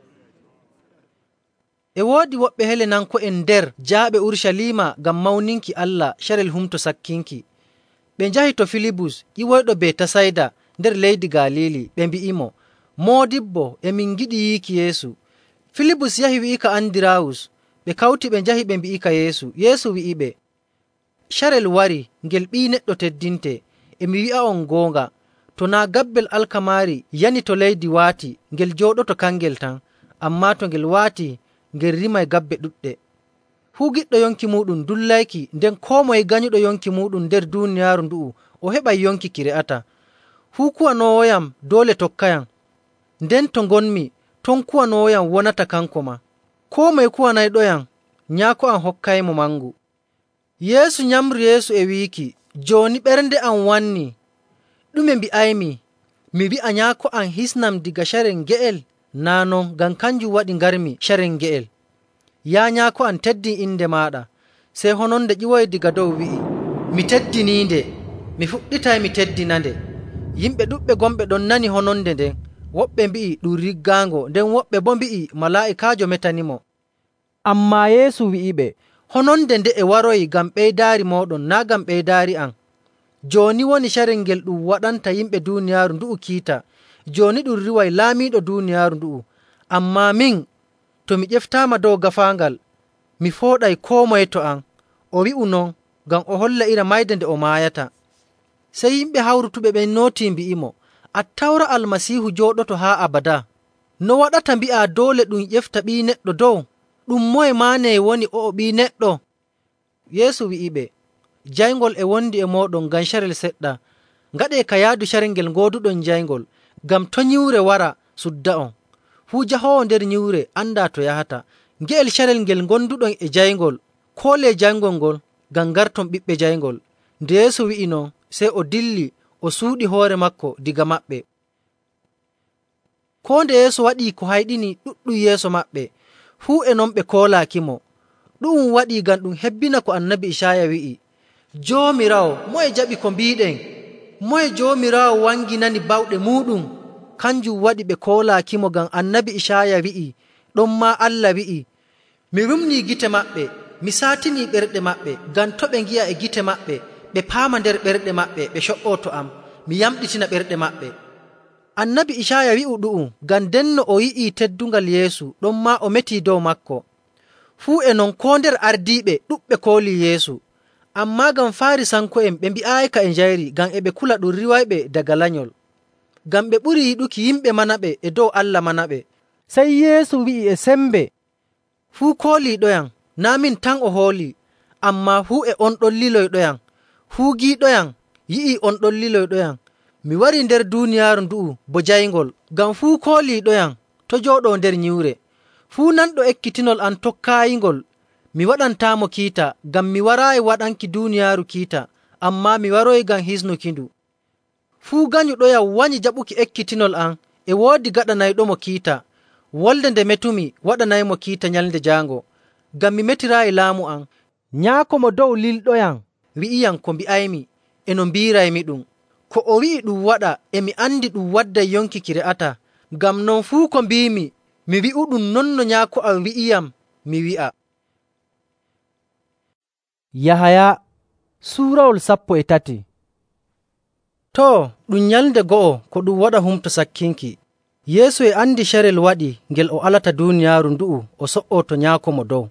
[SPEAKER 1] E woodi woɓɓe Helenanko'en nder jaaɓe Urucaliima ngam mawninki Allah carel Humto Sakkinki. Ɓe njahi to Filibus, ƴiwoyɗo Betasayda nder leydi Galiili, ɓe mbi'imo, “Moodibbo, emin ngiɗi yiiki Yeesu.” Filibus yahi wi'ika Andiraawus. Ɓe kawti ɓe njahi ɓe mbi'ika Yeesu. Yeesu wi'iɓe, “Carel warii ngel Ɓii Neɗɗo teddinte. E mi wi'a'on goonga, to naa' gabbel alkamaari yani to leydi waati, ngel jooɗoto kangel tan, ammaa to ngel waatii, ngel rimay gabbe ɗuɗɗe. Fuu giɗɗo yonki muuɗum dullayki, nden koo moye ganyuɗo yonki muuɗum nder duuniyaaru ndu'u o heɓay yonki ki re'ata. Fuu kuwanoowoyam doole tokkayam, nden to ngonmi ton kuwanoowoyam wonata kanko maa. Koo moye kuwanayɗoyam, Nyaako am hokkaymo mangu.” Yeesu nyamri Yeesu e wiiki, “Jooni ɓernde am wannii. Ɗume mbi'aymi? Mi wi'a Nyaako am hisnam diga carel nge'el? Naa' non, ngam kanjum waɗi ngarmi carel nge'el. Yaa Nyaako am, teddin inde maaɗa.” Sey hononde ƴiwoyi diga dow wi'i, “Mi teddiniinde, mi fuɗɗitay mi teddinande.” Yimɓe ɗuɗɓe gonɓe ɗon nani hononde nden. Woɓɓe mbi'i ɗum riggaango, nden woɓɓe boo mbi'i malaa'ikaajo metanimo. Ammaa Yeesu wi'iɓe, hononde nde'e waroyi ngam ɓeydaari mooɗon, naa' ngam ɓeydaari am. Jooni woni carel ngel ɗum waɗanta yimɓe duuniyaaru ndu'u kiita. Jooni ɗum riiway laamiiɗo duuniyaaru ndu'u. Ammaa min, to mi ƴeftaama dow gaafaangal, mi fooɗay koo moye to am. O wi'u non ngam o holla iri mayde nde o maayata. Sey yimɓe hawrutuɓe ɓen nootii mbi'imo, Attawra Almasiihu jooɗoto haa abadaa. No waɗata mbi'aa doole ɗum ƴefta Ɓii Neɗɗo dow? Ɗum moye maane woni o'o Ɓii Neɗɗo? Yeesu wi'iɓe, jayngol e wondi e mooɗon ngam carel seɗɗa. Ngaɗee ka yaadu carel ngel ngooduɗon jayngol, ngam to' nyiwre wara sudda'on. Fuu jahoowo nder nyiwre andaa to yahata. Nge'el carel ngel ngonduɗon e jayngol, koolee jayngol ngol ngam ngarton ɓiɓɓe jayngol. Nde Yeesu wi'i non, sey o dilli o suuɗi hoore maako daga maɓɓe. Koo nde Yeesu waɗii ko hayɗini ɗuɗɗum yeeso maɓɓe, fuu e non ɓe koolaakimo. Ɗu'um waɗii ngam ɗum hebbina ko Annabi Icaaya wi'i, Joomiraawo, moye jaɓi ko mbiiɗen? Moye Joomiraawo wanginani bawɗe muuɗum? Kanjum waɗi ɓe koolaakimo ngam Annabi Icaaya wi'i, ɗonmaa Allah wi'i, mi rumnii gite maɓɓe, mi saatinii ɓerɗe maɓɓe, ngam to' ɓe ngi'a e gite maɓɓe, ɓe paama nder ɓerɗe maɓɓe, ɓe co''oo to am, mi yamɗitina ɓerɗe maɓɓe. Annabi Icaaya wi'u ɗu'um ngam ndenno o yi'ii teddungal Yeesu, ɗonmaa o metii dow maako. Fuu e non koo nder ardiiɓe ɗuɗɓe koolii Yeesu. Ammaa ngam Faarisanko'en ɓe mbi'aayika e njayri ngam e ɓe kula ɗum riiwayɓe daga lanyol. Ngam ɓe ɓurii yiɗuki yimɓe manaɓe e dow Allah manaɓe. Sey Yeesu wi'i e sembe, fuu kooliiɗoyam, naa' min tan o hoolii, ammaa fuu e on ɗon liloyɗoyam. Fuu giiɗoyam yi'ii on ɗon liloyɗoyam. Mi warii nder duuniyaaru ndu'u bo jayngol, ngam fuu kooliiɗoyam to' jooɗoo nder nyiwre. Fuu nanɗo ekkitinol am tokkaayingol, mi waɗantaamo kiita, ngam mi waraayi waɗanki duuniyaaru kiita, ammaa mi waroyi ngam hisnukindu. Fuu ganyuɗoyam wanyi jaɓuki ekkitinol am, e woodi gaɗanayɗomo kiita. Wolde nde metumi waɗanaymo kiita nyalnde jaango, ngam mi metiraayi laamu am. Nyaako mo dow lilɗoyam wi'iyam ko mbi'aymi, e no mbiiraymi ɗum. Ko o wi'i ɗum waɗa, e mi andi ɗum wadday yonki ki re'ataa. Ngam non fuu ko mbiimi, mi wi'uɗum non no Nyaako am wi'iyam mi wi'a. Yahaya suurawol 13. Too, ɗum nyalnde go'o ko ɗum waɗa Humto Sakkinki. Yeesu e andi carel waɗi ngel o alata duuniyaaru ndu'u o so''oo to Nyaako mo dow.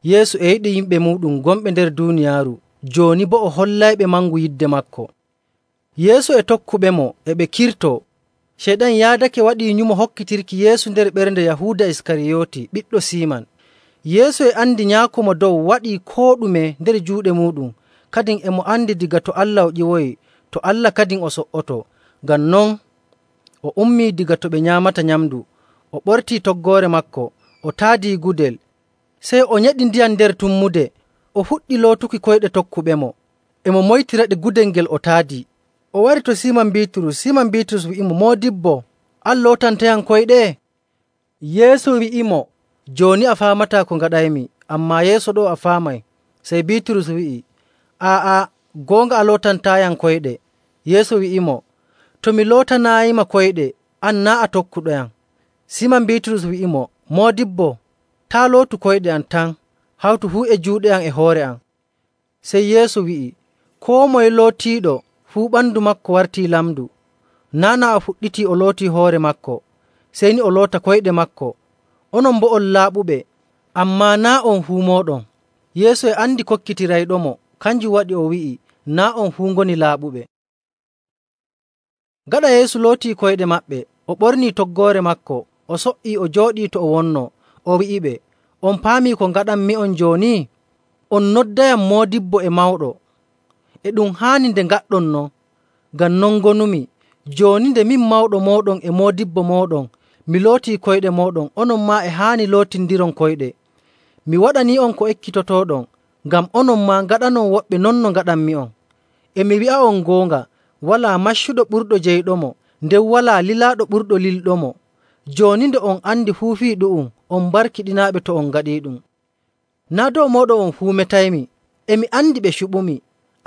[SPEAKER 1] Yeesu e yiɗi yimɓe muuɗum gonɓe nder duuniyaaru, jooni boo o hollayɓe mangu yidde maako. Yeesu e tokkuɓemo e ɓe kirtoo. Ceyɗan yaadake waɗii nyumo hokkitirki Yeesu nder ɓernde Yahuuda Iskariyooti, ɓiɗɗo Siiman. Yeesu e andi Nyaako mo dow waɗii koo ɗume nder juuɗe muuɗum, kadin e mo andi diga to Allah o ƴiwoyi, to Allah kadin o so''oto. Ngam non o ummii diga to ɓe nyaamata nyamndu, o ɓortii toggoore maako, o taadii gudel, sey o nyeɗi ndiyam nder tummude, o fuɗɗi lootuki koyɗe tokkuɓemo, e mo moytiraɗe gudel ngel o taadii. O wari to Siiman Biiturus. Siiman Biiturus wi'imo, Moodibbo, an lootantayam koyɗe? Yeesu wi'imo, jooni a faamataa ko ngaɗaymi, ammaa yeeso ɗo a faamay. Sey Biiturus wi'i, aa'a, goonga a lootantaayam koyɗe. Yeesu wi'imo, to mi lootanaayima koyɗe, an naa' a tokkuɗoyam. Siiman Biiturus wi'imo, Moodibbo, taa lootu koyɗe am tan, hawtu fuu e juuɗe am e hoore am. Sey Yeesu wi'i, koo moye lootiiɗo fuu ɓandu maako wartii lamdu. Naana o fuɗɗitii o lootii hoore maako, sey ni o loota koyɗe maako. Onon boo on laaɓuɓe, ammaa naa' on fuu mooɗon. Yeesu e andi kokkitirayɗomo, kanjum waɗi o wi'i, naa' on fuu ngoni laaɓuɓe. Gaɗa Yeesu lootii koyɗe maɓɓe, o ɓornii toggoore maako, o so''ii o jooɗii to o wonnoo. O wi'iɓe, on paamii ko ngaɗanmi'on jooni? On noddayam Moodibbo e Mawɗo. E ɗum haani nde ngaɗɗon non, ngam non ngonumi. Jooni nde min Mawɗo mooɗon e Moodibbo mooɗon mi lootii koyɗe mooɗon, onon maa e haani lootindiron koyɗe. Mi waɗanii'on ko ekkitotooɗon, ngam onon maa ngaɗanon woɓɓe non no ngaɗanmi'on. E mi wi'a'on goonga, walaa maccuɗo ɓurɗo jeyɗomo, nden walaa lilaaɗo ɓurɗo lilɗomo. Jooni nde on andi fuu fii ɗu'um, on barkiɗinaaɓe to on ngaɗiiɗum. Naa' dow mooɗon on fuu metaymi, e mi andi ɓe cuɓumi.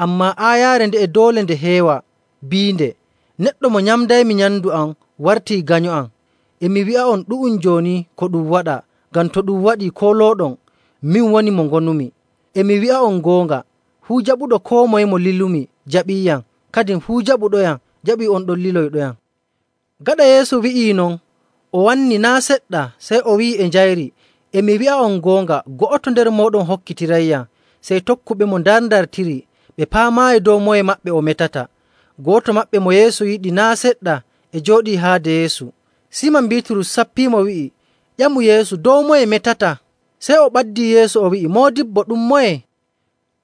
[SPEAKER 1] Ammaa aayaare nde e doole nde heewa, biinde, neɗɗo mo nyamdaymi nyamndu am wartii ganyo am. E mi wi'a'on ɗu'um jooni ko ɗum waɗa, ngam to ɗum waɗii koolooɗon, min woni mo ngonumi. E mi wi'a'on goonga, fuu jaɓuɗo koo moye mo lilumi jaɓiiyam, kadin fuu jaɓuɗoyam jaɓii on ɗon liloyɗoyam.” Gaɗa Yeesu wi'ii non, o wanni naa' seɗɗa, sey o wi'i e njayri, “E mi wi'a'on goonga, go'oto nder mooɗon hokkitirayyam.” Sey tokkuɓemo ndarndartiri, ɓe paamaayi dow moye maɓɓe o metata. Gooto maɓɓe mo Yeesu yiɗi naa' seɗɗa e jooɗii haade Yeesu. Siiman Biiturus sappiimo wi'i, “Ƴamu Yeesu, dow moye metata?” Sey o ɓaddii Yeesu o wi'i, “Moodibbo, ɗum moye?”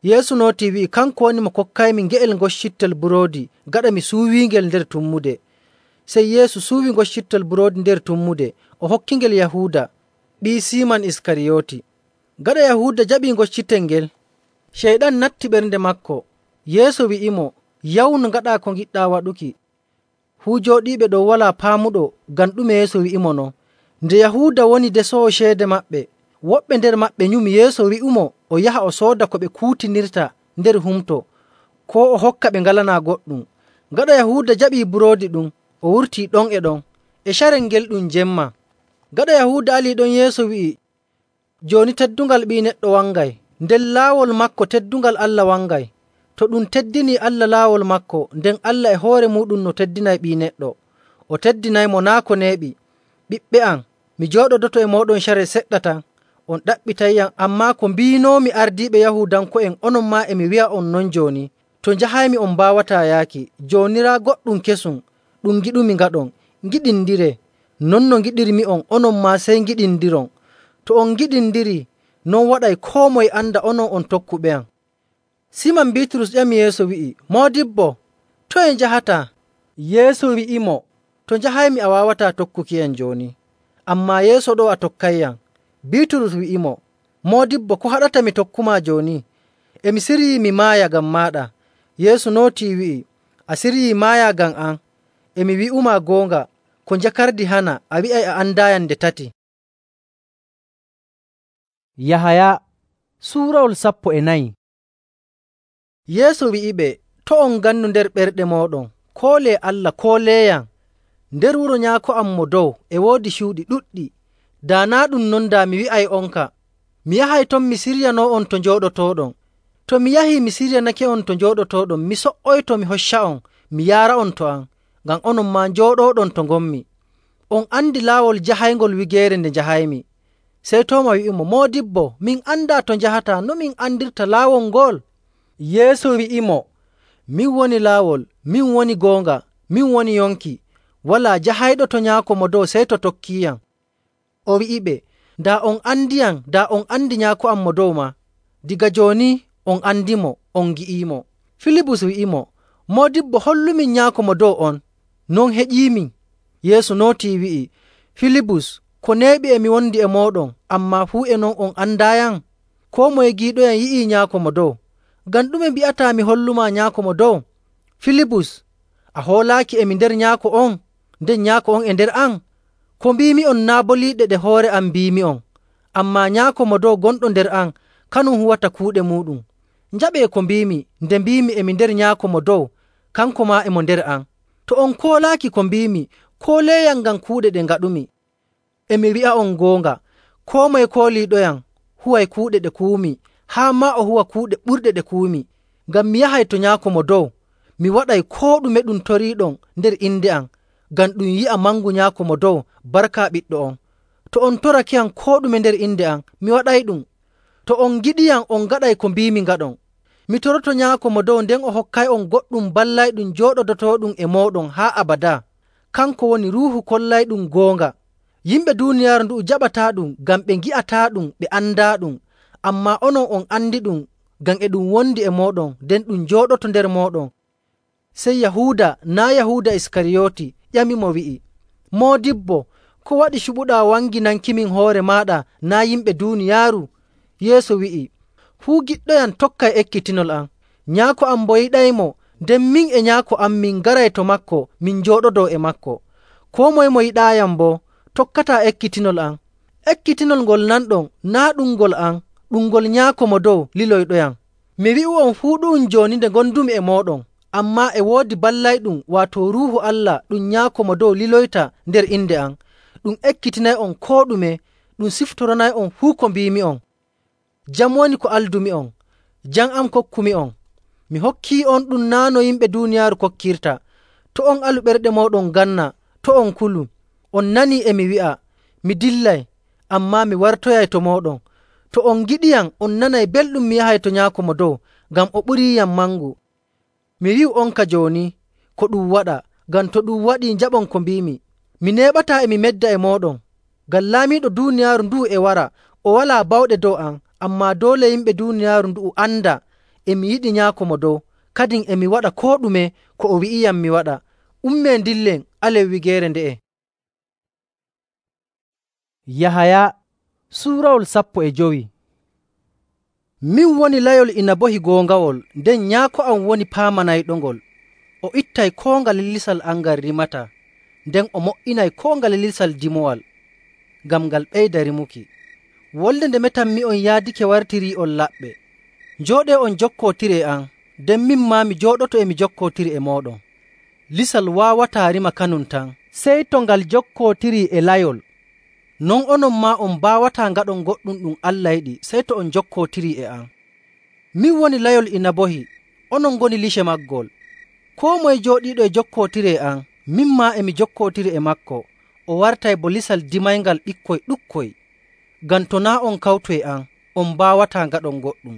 [SPEAKER 1] Yeesu nootii wi'i, “Kanko woni mo kokkaymi nge'el ngoccittel buroodi gaɗa mi suuwiingel nder tummude.” Sey Yeesu suuwi ngoccittel buroodi nder tummude, o hokkingel Yahuuda, ɓii Siiman Iskariyooti. Gaɗa Yahuuda jaɓii ngoccitel ngel, Ceyɗan natti ɓernde maako. Yeesu wi'imo, “Yawnu ngaɗaa ko ngiɗɗaa waɗuki.” Fuu jooɗiiɓe ɗon walaa paamuɗo ngam ɗume Yeesu wi'imo non. Nde Yahuuda woni desoowo ceede maɓɓe, woɓɓe nder maɓɓe nyumi Yeesu wi'umo o yaha o sooda ko ɓe kuutinirta nder humto, koo o hokka ɓe ngalanaa goɗɗum. Gaɗa Yahuuda jaɓii buroodi ɗum, o wurtii ɗon e ɗon. E carel ngel ɗum jemma. Gaɗa Yahuuda alii ɗon, Yeesu wi'i, “Jooni teddungal Ɓii Neɗɗo wangay, nden laawol maako teddungal Allah wangay. To ɗum teddinii Allah laawol maako, nden Allah e hoore muuɗum no teddinay Ɓii Neɗɗo. O teddinaymo naa' ko neeɓi. Ɓiɓɓe am, mi jooɗodoto e mooɗon carel seɗɗa tan, on ɗaɓɓitayyam, ammaa ko mbiinoomi ardiiɓe Yahuudanko'en, onon maa e mi wi'a'on non jooni. To njahaymi on mbaawataa yaaki. Jooni raa goɗɗum kesum ɗum ngiɗumi ngaɗon. Ngiɗindiree. Non no ngiɗirmi'on, onon maa sey ngiɗindiron. To on ngiɗindirii, non waɗay koo moye anda onon on tokkuɓe am.” Siiman Biiturus ƴami Yeesu wi'i, “Moodibbo, toye njahataa?” Yeesu wi'imo, “To njahaymi a waawataa tokkukiyam jooni, ammaa yeeso ɗoo a tokkayyam.” Biiturus wi'imo, “Moodibbo, ko haɗata mi tokkumaa jooni? E mi siryii mi maaya ngam maaɗa.” Yeesu nootii wi'i, “A siryii maayaa ngam am? E mi wi'umaa goonga, ko njakardi hana, a wi'ay a andaayam nde tati.” Yahaya suurawol 14. Yeesu wi'iɓe, “To' on ngannu nder ɓerɗe mooɗon, koolee Allah, kooleeyam. Nder wuro Nyaako am mo dow e woodi cuuɗi ɗuɗɗi. Daa naa' ɗum non, daa mi wi'ay'onka, mi yahay ton mi siryanoo'on to njooɗotooɗon. To mi yahii mi siryanake'on to njooɗotooɗon, mi so''oyto mi hocca'on mi yaara'on to am, ngam onon maa njooɗooɗon to ngonmi. On andi laawol jahayngol wigeere nde njahaymi.” Sey Tooma wi'imo, “Moodibbo, min andaa to njahataa, no min andirta laawol ngol?” Yeesu wi'imo, “Min woni laawol, min woni goonga, min woni yonki. Walaa jahayɗo to Nyaako Mo Dow sey to tokkiiyam.” O wi'iɓe, “Daa on andiyam, daa on andi Nyaako am Mo Dow maa. Diga jooni on andimo, on ngi'iimo.” Filibus wi'imo, “Moodibbo, hollumin Nyaako Mo Dow on, non heƴiimin.” Yeesu nootii wi'i, “Filibus, ko neeɓi e mi wondi e mooɗon, ammaa fuu e non on andaayam? Koo moye giiɗoyam yi'ii Nyaako Mo Dow. Ngam ɗume mbi'ataa mi hollumaa Nyaako Mo Dow? Filibus, a hoolaaki e mi nder Nyaako on, nden Nyaako on e nder am? Ko mbiimi'on naa' boliiɗe ɗe hoore am mbiimi'on, ammaa Nyaako Mo Dow gonɗo nder am, kanum huwata kuuɗe muuɗum. Njaɓee ko mbiimi nde mbiimi e mi nder Nyaako Mo Dow, kanko maa e mo nder am. To on koolaaki ko mbiimi, kooleeyam ngam kuuɗe ɗe ngaɗumi. E mi wi'a'on goonga, koo moye kooliiɗoyam huway kuuɗe ɗe kuwumi, haa maa o huwa kuuɗe ɓurɗe ɗe kuwumi. Ngam mi yahay to Nyaako Mo Dow, mi waɗay koo ɗume ɗum toriiɗon nder inde am, ngam ɗum yi'a mangu Nyaako Mo Dow barka Ɓiɗɗo on. To on torakiyam koo ɗume nder inde am, mi waɗayɗum. To on ngiɗiyam, on ngaɗay ko mbiimi ngaɗon. Mi toroto Nyaako Mo Dow, nden o hokkay'on goɗɗum ballayɗum jooɗodotooɗum e mooɗon haa abadaa. Kanko woni Ruuhu kollayɗum goonga. Yimɓe duuniyaaru ndu'u jaɓataaɗum ngam ɓe ngi'ataaɗum ɓe andaaɗum, ammaa onon on andiɗum ngam e ɗum wondi e mooɗon, nden ɗum jooɗoto nder mooɗon.” Sey Yahuuda, naa' Yahuuda Iskariyooti, ƴamimo wi'i, “Moodibbo, ko waɗi cuɓuɗaa wanginankimin hoore maaɗa naa' yimɓe duuniyaaru?” Yeesu wi'i, “Fuu giɗɗoyam tokkay ekkitinol am. Nyaako am boo yiɗaymo, nden min e Nyaako am min ngaray to maako min njooɗodoo e maako. Koo moye mo yiɗaayam boo tokkataa ekkitinol am. Ekkitinol ngol nanɗon naa' ɗum ngol am, ɗum ngol Nyaako Mo Dow liloyɗoyam. Mi wi'u'on fuu ɗu'um jooni nde ngondumi e mooɗon, Ammaa e woodi ballayɗum waato Ruuhu Allah ɗum Nyaako Mo Dow liloyta nder inde am, ɗum ekkitinay'on koo ɗume, ɗum siftoranay'on fuu ko mbiimi'on. Jam woni ko aldumi'on, jam am kokkumi'on. Mi hokkii'on ɗum naa' no yimɓe duuniyaaru kokkirta. To' on alu ɓerɗe mooɗon ganna, to' on kulu. On nanii e mi wi'a, mi dillay, ammaa mi wartoyay to mooɗon. To on ngiɗiyam, on nanay belɗum mi yahay to Nyaako Mo Dow, ngam o ɓuriiyam mangu. Mi wi'u'onka jooni ko ɗum waɗa, ngam to ɗum waɗii njaɓon ko mbiimi. Mi neeɓataa e mi medda e mooɗon, ngam laamiiɗo duuniyaaru ndu'u e wara, o walaa bawɗe dow am, ammaa doole yimɓe duuniyaaru ndu'u anda e mi yiɗi Nyaako Mo Dow, kadin e mi waɗa koo ɗume ko o wi'iyam mi waɗa. Ummee ndillen alen wigeere nde'e. Yahaya suurawol 15. Min woni layol inabohi goongawol, nden Nyaako am woni paamanayɗongol. O ittay koo ngale lisal am ngal rimata, nden o mo''inay koo ngale lisal dimowal, ngam ngal ɓeyda rimuki. Wolde nde metanmi'on yaadake wartirii'on laɓɓe. Njooɗee on jokkootir e am, nden min maa mi jooɗoto e mi jokkootiri e mooɗon. Lisal waawataa rima kanum tan, sey to ngal jokkootirii e layol. Non onon maa on mbaawataa ngaɗon goɗɗum ɗum Allah yiɗi, sey to on jokkootirii e am. Min woni layol inabohi, onon ngoni lice maggol. Koo moye jooɗiiɗo e jokkootiri e am, min maa e mi jokkootiri e maako, o wartay bo lisal dimayngal ɓikkoy ɗuɗkoy. Ngam to naa' on kawtu e am, on mbaawataa ngaɗon goɗɗum.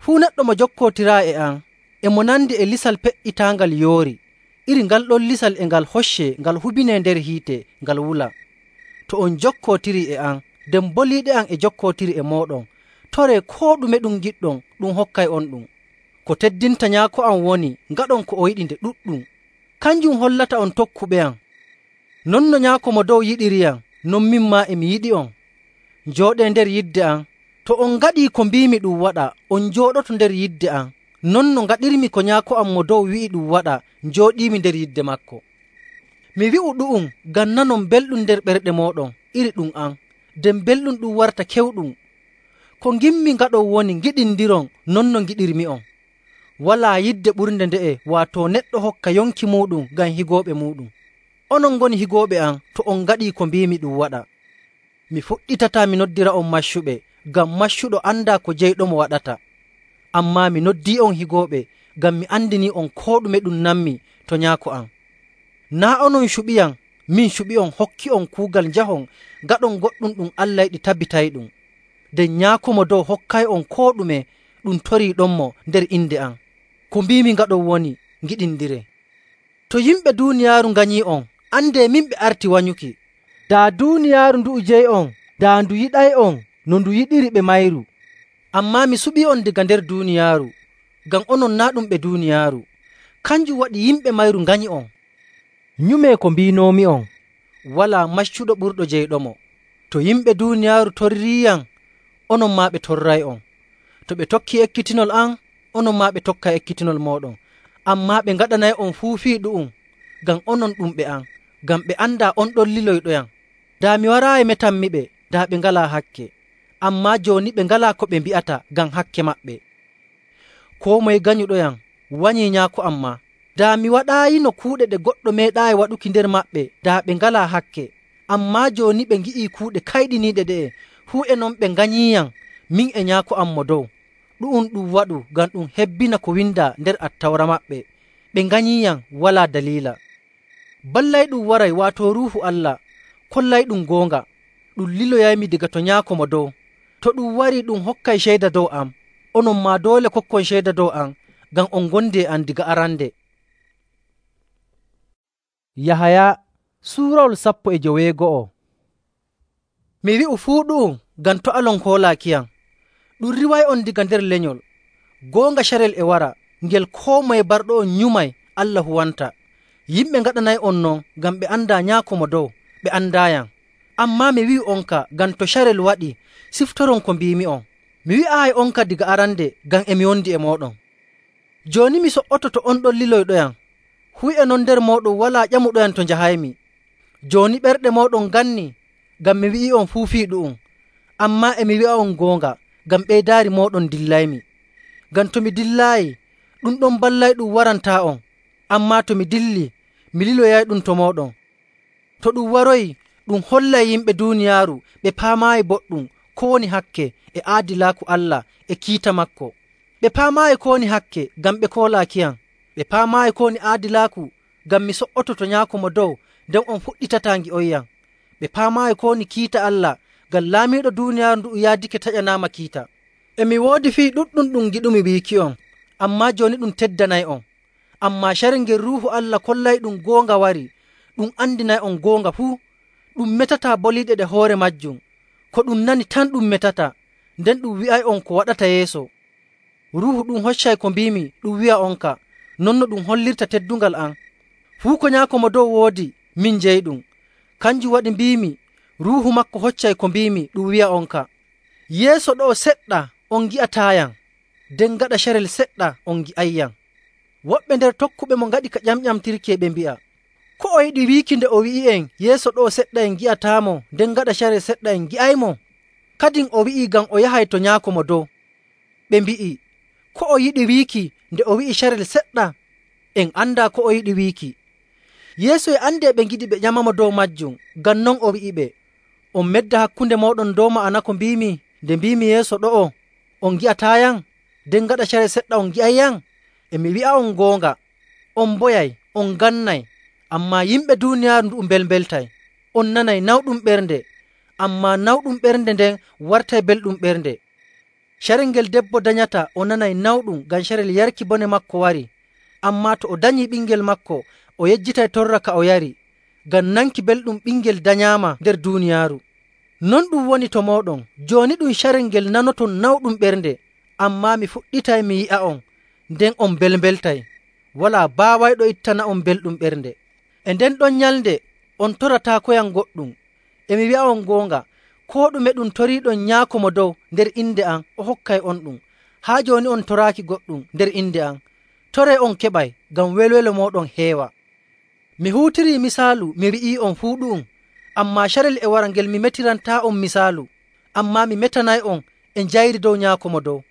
[SPEAKER 1] Fuu neɗɗo mo jokkootiraa e am, e mo nandi e lisal pe''itaangal yoori. Iri ngal ɗon lisal e ngal hoccee ngal hubinee nder hiite, ngal wula. To on jokkootirii e am, nden boliiɗe am e jokkootiri e mooɗon, toree koo ɗume ɗum ngiɗɗon, ɗum hokkay on ɗum. Ko teddinta Nyaako am woni ngaɗon ko o yiɗi nde ɗuɗɗum. Kanjum hollata on tokkuɓe am. Non no Nyaako Mo Dow yiɗiriyam, non min maa e mi yiɗi'on. Njooɗee nder yidde am. To on ngaɗii ko mbiimi ɗum waɗa, on njooɗoto nder yidde am. Non no ngaɗirmi ko Nyaako am Mo Dow wi'i ɗum waɗa, njooɗiimi nder yidde maako. Mi wi'u ɗu'um ngam nanon belɗum nder ɓerɗe mooɗon iri ɗum am, nden belɗum ɗum warta kewɗum. Ko ngimmi ngaɗon woni ngiɗindiron non no ngiɗirmi'on. Walaa yidde ɓurnde nde'e, waato neɗɗo hokka yonki muuɗum ngam higooɓe muuɗum. Onon ngoni higooɓe am to on ngaɗii ko mbiimi ɗum waɗa. Mi fuɗɗitataa mi noddira'on maccuɓe, ngam maccuɗo andaa ko jeyɗomo waɗata. Ammaa mi noddii'on higooɓe, ngam mi andinii'on koo ɗume ɗum nammi to Nyaako am. Naa' onon cuɓiyam, min cuɓi'on hokki'on kuugal njahon ngaɗon goɗɗum ɗum Allah yiɗi tabitayɗum. Nden Nyaako Mo Dow hokkay'on koo ɗume ɗum toriiɗonmo nder inde am. Ko mbiimi ngaɗon woni ngiɗindiree. To yimɓe duuniyaaru nganyii'on, andee min ɓe arti wanyuki. Daa duuniyaaru ndu'u jeyi'on, daa ndu yiɗay'on no ndu yiɗiri ɓe mayru. Ammaa mi suɓii'on daga nder duuniyaaru, ngam onon naa' ɗum ɓe duuniyaaru. Kanjum waɗi yimɓe mayru nganyi'on. Nyumee ko mbiinoomi'on, walaa maccuɗo ɓurɗo jeyɗomo. To yimɓe duuniyaaru torriiyam, onon maa ɓe torray'on. To ɓe tokkii ekkitinol am, onon maa ɓe tokkay ekkitinol mooɗon. Ammaa ɓe ngaɗanay'on fuu fii ɗu'um, ngam onon ɗum ɓe am, ngam ɓe andaa on ɗon liloyɗoyam. Daa mi waraayi metanmiɓe, daa ɓe ngalaa hakke. Ammaa jooni ɓe ngalaa ko ɓe mbi'ata ngam hakke maɓɓe. Koo moye ganyuɗoyam wanyii Nyaako am maa. Daa mi waɗaayino kuuɗe ɗe goɗɗo meeɗaayi waɗuki nder maɓɓe, daa ɓe ngalaa hakke. Ammaa jooni ɓe ngi'ii kuuɗe kayɗiniiɗe ɗe'e, fuu e non ɓe nganyiiyam min e Nyaako am Mo Dow. Ɗu'um ɗum waɗu ngam ɗum hebbina ko windaa nder Attawra maɓɓe. Ɓe nganyiiyam walaa daliila. Ballayɗum waray, waato Ruuhu Allah, kollayɗum goonga. Ɗum liloyaymi daga to Nyaako Mo Dow. To ɗum warii ɗum hokkay ceyda dow am. Onon maa doole kokkon ceyda dow am, ngam on ngondi e am diga arande. Yahaya suurawol 15. Mi wi'u fuu ɗu'um ngam to' alon koolaakiyam. Ɗum riway'on diga nder lenyol. Goonga carel e wara, ngel koo moye barɗo'on nyumay Allah huwanta. Yimɓe ngaɗanay'on non ngam ɓe andaa Nyaako Mo Dow, ɓe andaayam. Ammaa mi wi'u'onka ngam to carel waɗi, siftoron ko mbiimi'on. Mi wi'aayi onka diga arande ngam e mi wondi e mooɗon. Jooni mi so''oto to on ɗon liloyɗoyam. Fuu e non nder mooɗon walaa ƴamuɗoyam to njahaymi. Jooni ɓerɗe mooɗon ganni ngam mi wi'i'on fuu fii ɗu'um. Ammaa e mi wi'a'on goonga, ngam ɓeydaari mooɗon dillaymi. Ngam to mi dillaayi, ɗum ɗon ballayɗum warantaa'on, ammaa to mi dilli, mi liloyayɗum to mooɗon. To ɗum waroyi, ɗum hollay yimɓe duuniyaaru ɓe paamaayi boɗɗum ko woni hakke e aadilaaku Allah e kiita maako. Ɓe paamaayi ko woni hakke ngam ɓe koolaakiyam. Ɓe paamaayi ko woni aadilaaku ngam mi so''oto to Nyaako Mo Dow, nden on fuɗɗitataa ngi'onyam. Ɓe paamaayi ko woni kiita Allah ngam laamiiɗo duuniyaaru ndu'u yaadake taƴanaama kiita. E mi woodi fii ɗuɗɗum ɗum giɗumi wiiki'on, ammaa jooni ɗum teddanay'on. Ammaa carel ngel Ruuhu Allah kollayɗum goonga wari, ɗum andinay'on goonga fuu. Ɗum metataa boliiɗe ɗe hoore majjum. Ko ɗum nani tan ɗum metata, nden ɗum wi'ay'on ko waɗata yeeso. Ruuhu ɗum hoccay ko mbiimi ɗum wi'a'onka, non no ɗum hollirta teddungal am. Fuu ko Nyaako Mo Dow woodi, min jeyiɗum. Kanjum waɗi mbiimi Ruuhu maako hoccay ko mbiimi ɗum wi'a'onka. Yeeso ɗo'o seɗɗa on ngi'ataayam, nden gaɗa carel seɗɗa on ngi'ayyam. Woɓɓe nder tokkuɓemo ngaɗi ka ƴamƴamtirki ɓe mbi'a, ko o yiɗi wiiki nde o wi'i'en yeeso ɗo'o seɗɗa en ngi'ataamo, nden gaɗa carel seɗɗa en ngi'aymo? Kadin o wi'ii ngam o yahay to Nyaako Mo Dow. Ɓe mbi'i, ko o yiɗi wiiki nde o wi'i carel seɗɗa? En andaa ko o yiɗi wiiki. Yeesu e andi ɓe ngiɗi ɓe ƴamamo dow majjum, ngam non o wi'iɓe, on medda hakkunde mooɗon dow ma'ana ko mbiimi nde mbiimi yeeso ɗo'o on ngi'ataayam, nden gaɗa carel seɗɗa on ngi'ayyam? E mi wi'a'on goonga, on mboyay, on ngannay, ammaa yimɓe duuniyaaru ndu'u mbelmbeltay. On nanay nawɗum ɓernde, ammaa nawɗum ɓernde nden wartay belɗum ɓernde. Carel ngel debbo danyata o nanay nawɗum ngam carel yarki bone maako wari. Ammaa to o danyii ɓingel maako, o yejjitay torra ka o yari, ngam nanki belɗum ɓingel danyaama nder duuniyaaru. Non ɗum woni to mooɗon. Jooni ɗum carel ngel nanoton nawɗum ɓernde, ammaa mi fuɗɗitay mi yi'a'on, nden on mbelmbeltay. Walaa baawayɗo ittana'on belɗum ɓernde. E nden ɗon nyalnde on torataakoyam goɗɗum. E mi wi'a'on goonga, koo ɗume ɗum toriiɗon Nyaako Mo Dow nder inde am, o hokkay on ɗum. Haa jooni on toraaki goɗɗum nder inde am. Toree on keɓay, ngam welwelo mooɗon heewa. Mi huutirii misaalu mi wi'ii'on fuu ɗu'um, ammaa carel e wara ngel mi metirantaa'on misaalu, ammaa mi metanay'on e njayri dow Nyaako Mo Dow.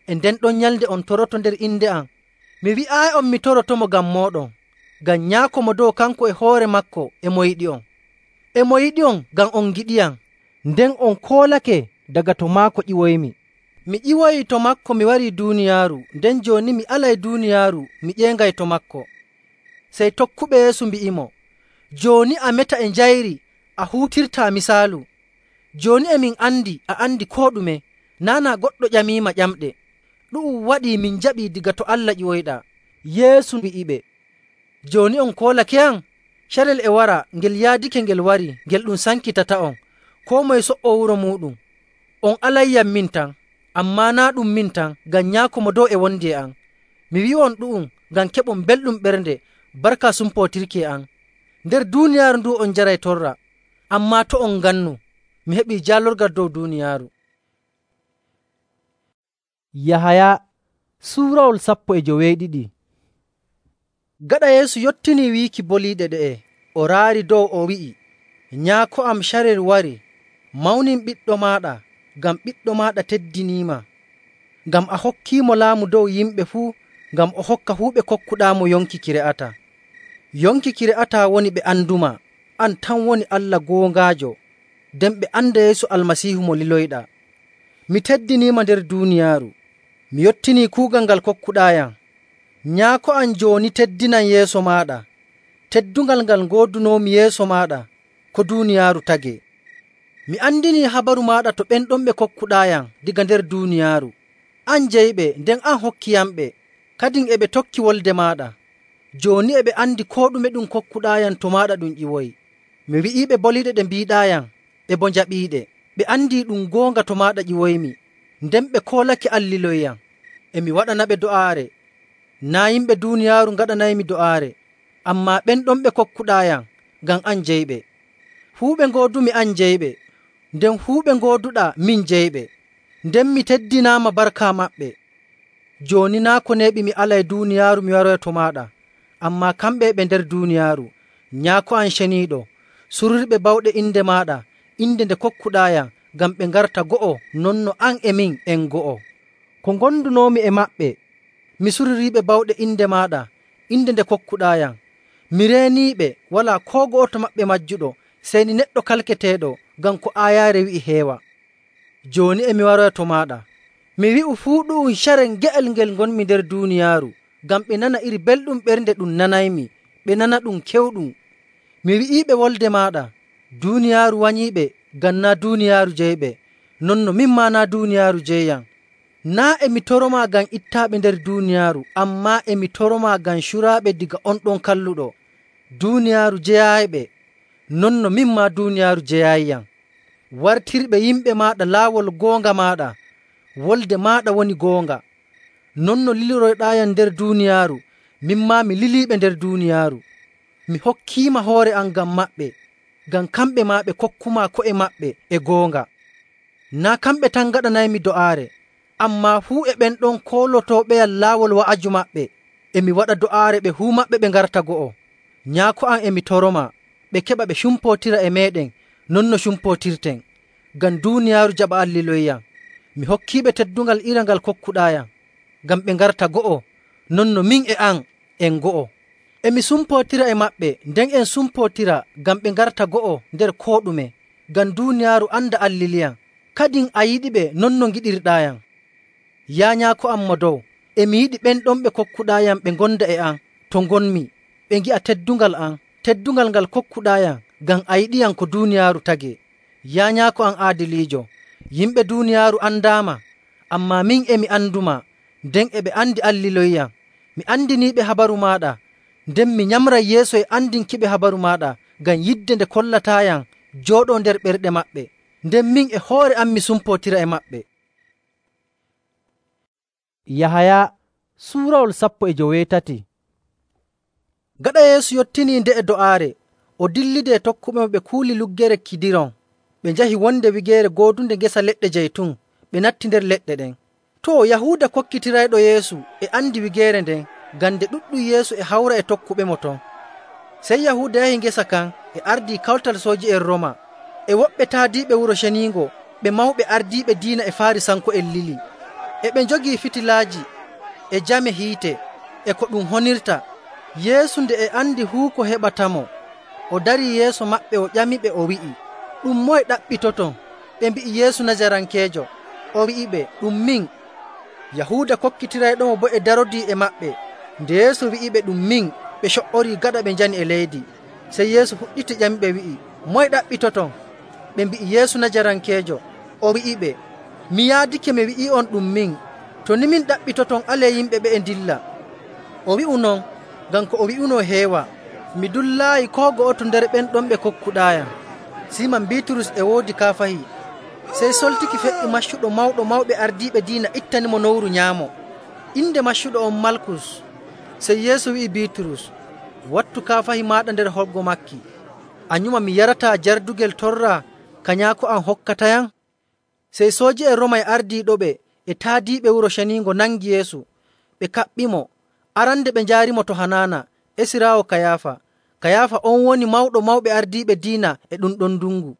[SPEAKER 1] E nden ɗon nyalnde on toroto nder inde am. Mi wi'aayi'on mi torotomo ngam mooɗon, ngam Nyaako Mo Dow kanko e hoore maako e mo yiɗi'on. E mo yiɗi'on ngam on ngiɗiyam, nden on koolake daga to maako ƴiwoymi. Mi ƴiwoyii to maako mi warii duuniyaaru, nden jooni mi alay duuniyaaru mi ƴeengay to maako. Sey tokkuɓe Yeesu mbi'imo, jooni a meta e njayri a huutirtaa misaalu. Jooni e min andi a andi koo ɗume, naa goɗɗo ƴamiima ƴamɗe. Ɗu'um waɗii min njaɓii diga to Allah ƴiwoyɗaa. Yeesu wi'iɓe, jooni on koolakeyam? Carel e wara ngel yaadake ngel wari, ngel ɗum sankitata'on, koo moye so''o wuro muuɗum. On alayyam min tan, ammaa naa ɗum min tan, ngam Nyaako Mo Dow e wondi e am. Mi wi'on ɗu'um ngam keɓon belɗum ɓernde barka sumpootirki e am. Nder duuniyaaru ndu on njaray torra, ammaa to on ngannu, mi heɓii jaalorgal dow duuniyaaru. Yahaya suurawol 12. Gaɗa Yeesu yottinii wiiki boliiɗe ɗe'e, o raari dow o wi'i, Nyaako am carel wari, mawnin ɓiɗɗo maaɗa, ngam ɓiɗɗo maaɗa teddiniima. Ngam a hokkiimo laamu dow yimɓe fuu, ngam o hokka fuu ɓe kokkuɗaamo yonki ki re'ataa. Yonki ki re'ataa woni ɓe anduma, an tan woni Allah goongaajo, nden ɓe anda Yeesu Almasiihu mo liloyɗaa. Mi teddiniima nder duuniyaaru. Mi yottinii kuugal ngal kokkuɗaayam. Nyaako am jooni teddinan yeeso maaɗa, teddungal ngal ngoodunoomi yeeso maaɗa ko duuniyaaru tagee. Mi andinii habaru maaɗa to ɓen ɗon ɓe kokkuɗaayam diga nder duuniyaaru. An jeyiɓe, nden an hokkiyamɓe, kadin e ɓe tokki wolde maaɗa. Jooni e ɓe andi koo ɗume ɗum kokkuɗaayam to maaɗa ɗum ƴiwoyi. Mi wi'iiɓe boliiɗe ɗe mbiiɗaayam, ɓe boo njaɓiiɗe. Ɓe andii ɗum goonga to maaɗa ƴiwoymi, nden ɓe koolake an liloyam. E mi waɗanaɓe do'aare. Naa yimɓe duuniyaaru ngaɗanaymi do'aare, ammaa ɓen ɗon ɓe kokkuɗaayam, ngam an jeyiɓe. Fuu ɓe ngoodumi an jeyiɓe, nden fuu ɓe ngooduɗaa min jeyiɓe, nden mi teddinaama barka maɓɓe. Jooni naa ko neeɓi mi alay duuniyaaru mi waroya to maaɗa, ammaa kamɓe ɓe nder duuniyaaru. Nyaako am ceniiɗo, sururɓe bawɗe inde maaɗa, inde nde kokkuɗaayam, ngam ɓe ngarta go'o, non no an e min en go'o. Ko ngondunoomi e maɓɓe, mi suririiɓe bawɗe inde maaɗa, inde nde kokkuɗaayam. Mi reeniiɓe, walaa koo go'oto maɓɓe majjuɗo, sey ni neɗɗo kalketeeɗo, ngam ko aayaare wi'i heewa. Jooni e mi waroya to maaɗa. Mi wi'u fuu ɗu'um carel nge'el ngel ngonmi nder duuniyaaru, ngam ɓe nana iri belɗum ɓernde ɗum nanaymi, ɓe nana ɗum kewɗum. Mi wi'iiɓe wolde maaɗa. Duuniyaaru wanyiiɓe, ngam naa' duuniyaaru jeyiɓe, non no min maa naa' duuniyaaru jeyiyam. Naa' e mi toromaa ngam ittaaɓe nder duuniyaaru, ammaa e mi toromaa ngam curaaɓe daga on ɗon kalluɗo. Duuniyaaru jeyaayiɓe, non no min maa duuniyaaru jeyaayiyam. Wartirɓe yimɓe maaɗa laawol goonga maaɗa. Wolde maaɗa woni goonga. Non no liloroyɗaayam nder duuniyaaru, min maa mi liliiɓe nder duuniyaaru. Mi hokkiima hoore am ngam maɓɓe, ngam kamɓe maa ɓe kokkumaa ko'e maɓɓe e goonga. Naa' kamɓe tan ngaɗanaymi do'aare, ammaa fuu e ɓen ɗon koolotooɓeyam laawol wa'aju maɓɓe. E mi waɗa do'aare ɓe fuu maɓɓe ɓe ngarta go'o. Nyaako am e mi toromaa, ɓe keɓa ɓe cumpootira e meeɗen non no cumpootirten, ngam duuniyaaru jaɓa alliloyiyam. Mi hokkiiɓe teddungal iri ngal kokkuɗaayam, ngam ɓe ngarta go'o, non no min e an en go'o. E mi sumpootira e maɓɓe, nden en sumpootira ngam ɓe ngarta go'o nder koo ɗume, ngam duuniyaaru anda alliliyam. Kadin a yiɗiɓe non no ngiɗirɗaayam. Yaa Nyaako am Mo Dow, e mi yiɗi ɓen ɗon ɓe kokkuɗaayam ɓe ngonda e an to ngonmi, ɓe ngi'a teddungal am, teddungal ngal kokkuɗaayam, ngam a yiɗiyam ko duuniyaaru tagee. Yaa Nyaako am aadiliijo, yimɓe duuniyaaru andaama, ammaa min e mi andumaa, nden e ɓe andi alliloyiyam. Mi andiniiɓe habaru maaɗa, nden mi nyamray yeeso e andinkiɓe habaru maaɗa, ngam yidde nde kollataayam jooɗoo nder ɓerɗe maɓɓe, nden min e hoore am mi sumpootira e maɓɓe. Yahaya suurawol 17. Gaɗa Yeesu yottinii nde'e do'aare, o dillidi e tokkuɓemo ɓe kuuli luggere Kidiron. Ɓe njahi wonde wigeere goodunde ngesa leɗɗe jaytun, ɓe natti nder leɗɗe ɗen. Too, Yahuuda kokkitirayɗo Yeesu e andi wigeere nden, ngam nde ɗuɗɗum Yeesu e hawra e tokkuɓemo ton. Sey Yahuuda yahi ngesa kan e ardii kawtal sooji'en Rooma, e woɓɓe taadiiɓe Wuro Ceniingo, ɓe mawɓe ardiiɓe diina e Faarisanko'en lili. E ɓe njogii fitilaaji e jame hiite e ko ɗum honirta. Yeesu nde e andi fuu ko heɓatamo, o darii yeeso maɓɓe o ƴamiɓe o wi'i, “Ɗum moye ɗaɓɓitoton?” Ɓe mbi'i, “Yeesu Najarankeejo.” O wi'iɓe, “Ɗum min.” Yahuuda kokkitirayɗomo boo e darodii e maɓɓe. Nde Yeesu wi'iɓe, “Ɗum min,” ɓe co''orii gaɗa ɓe njani e leydi. Sey Yeesu fuɗɗiti ƴamiɓe wi'i, “Moye ɗaɓɓitoton?” Ɓe mbi'i, “Yeesu Najarankeejo.” O wi'iɓe, “Mi yaadake mi wi'i'on ɗum min. To ni min ɗaɓɓitoton, alee yimɓe ɓe'e ndilla.” O wi'u non ngam ko o wi'unoo heewa. Mi dullaayi koo go'oto nder ɓen ɗon ɓe kokkuɗaayam. Siiman Biiturus e woodi kaafahi. Sey soltiki feƴƴi maccuɗo mawɗo mawɓe ardiiɓe diina ittanimo nowru nyaamo. Inde maccuɗo on Malkus. Sey Yeesu wi'i Biiturus, “Wattu kaafahi maaɗa nder holgo maaki. A nyuma mi yarataa jardugel torra ka Nyaako am hokkatayam?” Sey sooji'en Rooma e ardiiɗoɓe e taadiiɓe Wuro Ceniingo nangi Yeesu, ɓe kaɓɓimo. Arande ɓe njaarimo to Hanaana, esiraawo Kayaafa. Kayaafa on woni mawɗo mawɓe ardiiɓe diina e ɗum ɗon ndungu.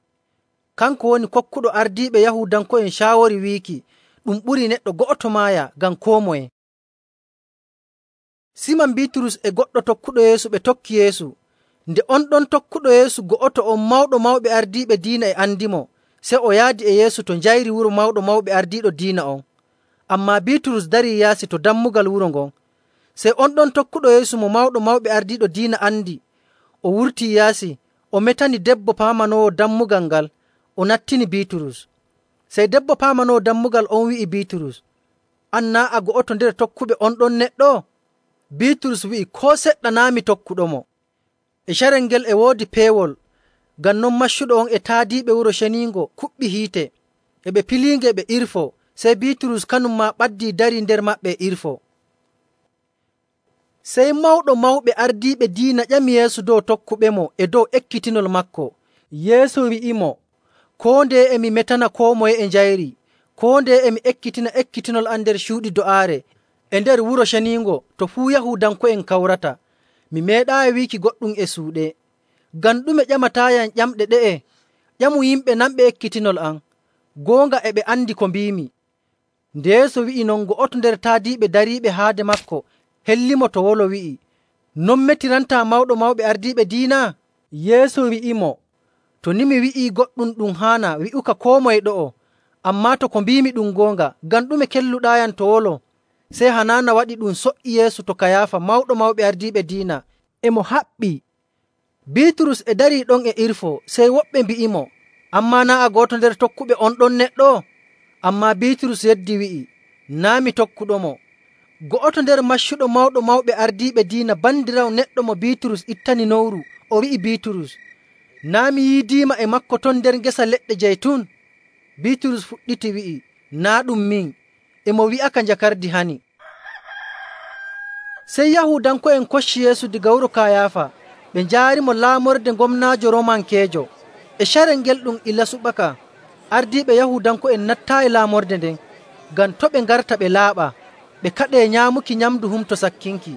[SPEAKER 1] Kanko woni kokkuɗo ardiiɓe Yahuudanko'en caawori wiiki ɗum ɓurii neɗɗo go'oto maaya ngam koo moye. Siiman Biiturus e goɗɗo tokkuɗo Yeesu ɓe tokki Yeesu. Nde on ɗon tokkuɗo Yeesu go'oto on mawɗo mawɓe ardiiɓe diina e andimo, sey o yaadi e Yeesu to njayri wuro mawɗo mawɓe ardiiɗo diina on. Ammaa Biiturus darii yaasi to dammugal wuro ngon. Sey on ɗon tokkuɗo Yeesu mo mawɗo mawɓe ardiiɗo diina andi, o wurtii yaasi, o metani debbo paamanoowo dammugal ngal, o nattini Biiturus. Sey debbo paamanoowo dammugal on wi'i Biiturus, “An naa' a go'oto nder tokkuɓe on ɗon neɗɗo?” Biiturus wi'i, “Koo seɗɗa naa' mi tokkuɗomo.” E carel ngel e woodi peewol, ngam non maccuɗo on e taadiiɓe Wuro Ceniingo kuɓɓi hiite, e ɓe piliinge ɓe irfoo. Sey Biiturus kanum maa ɓaddii darii nder maɓɓe e irfoo. Sey mawɗo mawɓe ardiiɓe diina ƴami Yeesu dow tokkuɓemo e dow ekkitinol maako. Yeesu wi'imo, “Koo ndeye e mi metana koo moye e njayri, koo ndeye e mi ekkitina ekkitinol am nder cuuɗi do'aare e nder Wuro Ceniingo to fuu Yahuudanko'en kawrata. Mi meeɗaayi wiiki goɗɗum e suuɗe. Ngam ɗume ƴamataayam ƴamɗe ɗe'e? Ƴamu yimɓe nanɓe ekkitinol am. Goonga e ɓe andi ko mbiimi.” Nde Yeesu wi'i non, go'oto nder taadiiɓe dariiɓe haade maako hellimo to wolo wi'i, “Non metirantaa Mawɗo Mawɓe Ardiiɓe Diina?” Yeesu wi'imo, “To ni mi wi'ii goɗɗum ɗum haana wi'uka koo moye ɗo'o. Ammaa to ko mbiimi ɗum goonga, ngam ɗume kelluɗaayam to wolo?” Sey Hanaana waɗi ɗum so''i Yeesu to Kayaafa Mawɗo Mawɓe Ardiiɓe Diina, e mo haɓɓii. Biiturus e darii ɗon e irfoo, sey woɓɓe mbi'imo, “Ammaa naa' a go'oto nder tokkuɓe on ɗon neɗɗo?” Ammaa Biiturus yeddi wi'i, “Naa' mi tokkuɗomo.” Go'oto nder maccuɗo Mawɗo Mawɓe Ardiiɓe Diina, bandiraawo neɗɗo mo Biiturus ittani nowru, o wi'i Biiturus, “Naa' mi yiidiima e maako ton nder ngesa leɗɗe jaytun?” Biiturus fuɗɗiti wi'i, “Naa' ɗum min.” E mo wi'aka njakardi hani. Sey Yahuudanko'en kocci Yeesu daga wuro Kayaafa, ɓe njaarimo laamorde gomnaajo Roomankeejo. E carel ngel ɗum ila suɓaka, ardiiɓe Yahuudanko'en nattaayi laamorde nden, ngam to' ɓe ngarta ɓe laaɓa, ɓe kaɗee nyaamuki nyamndu Humto Sakkinki.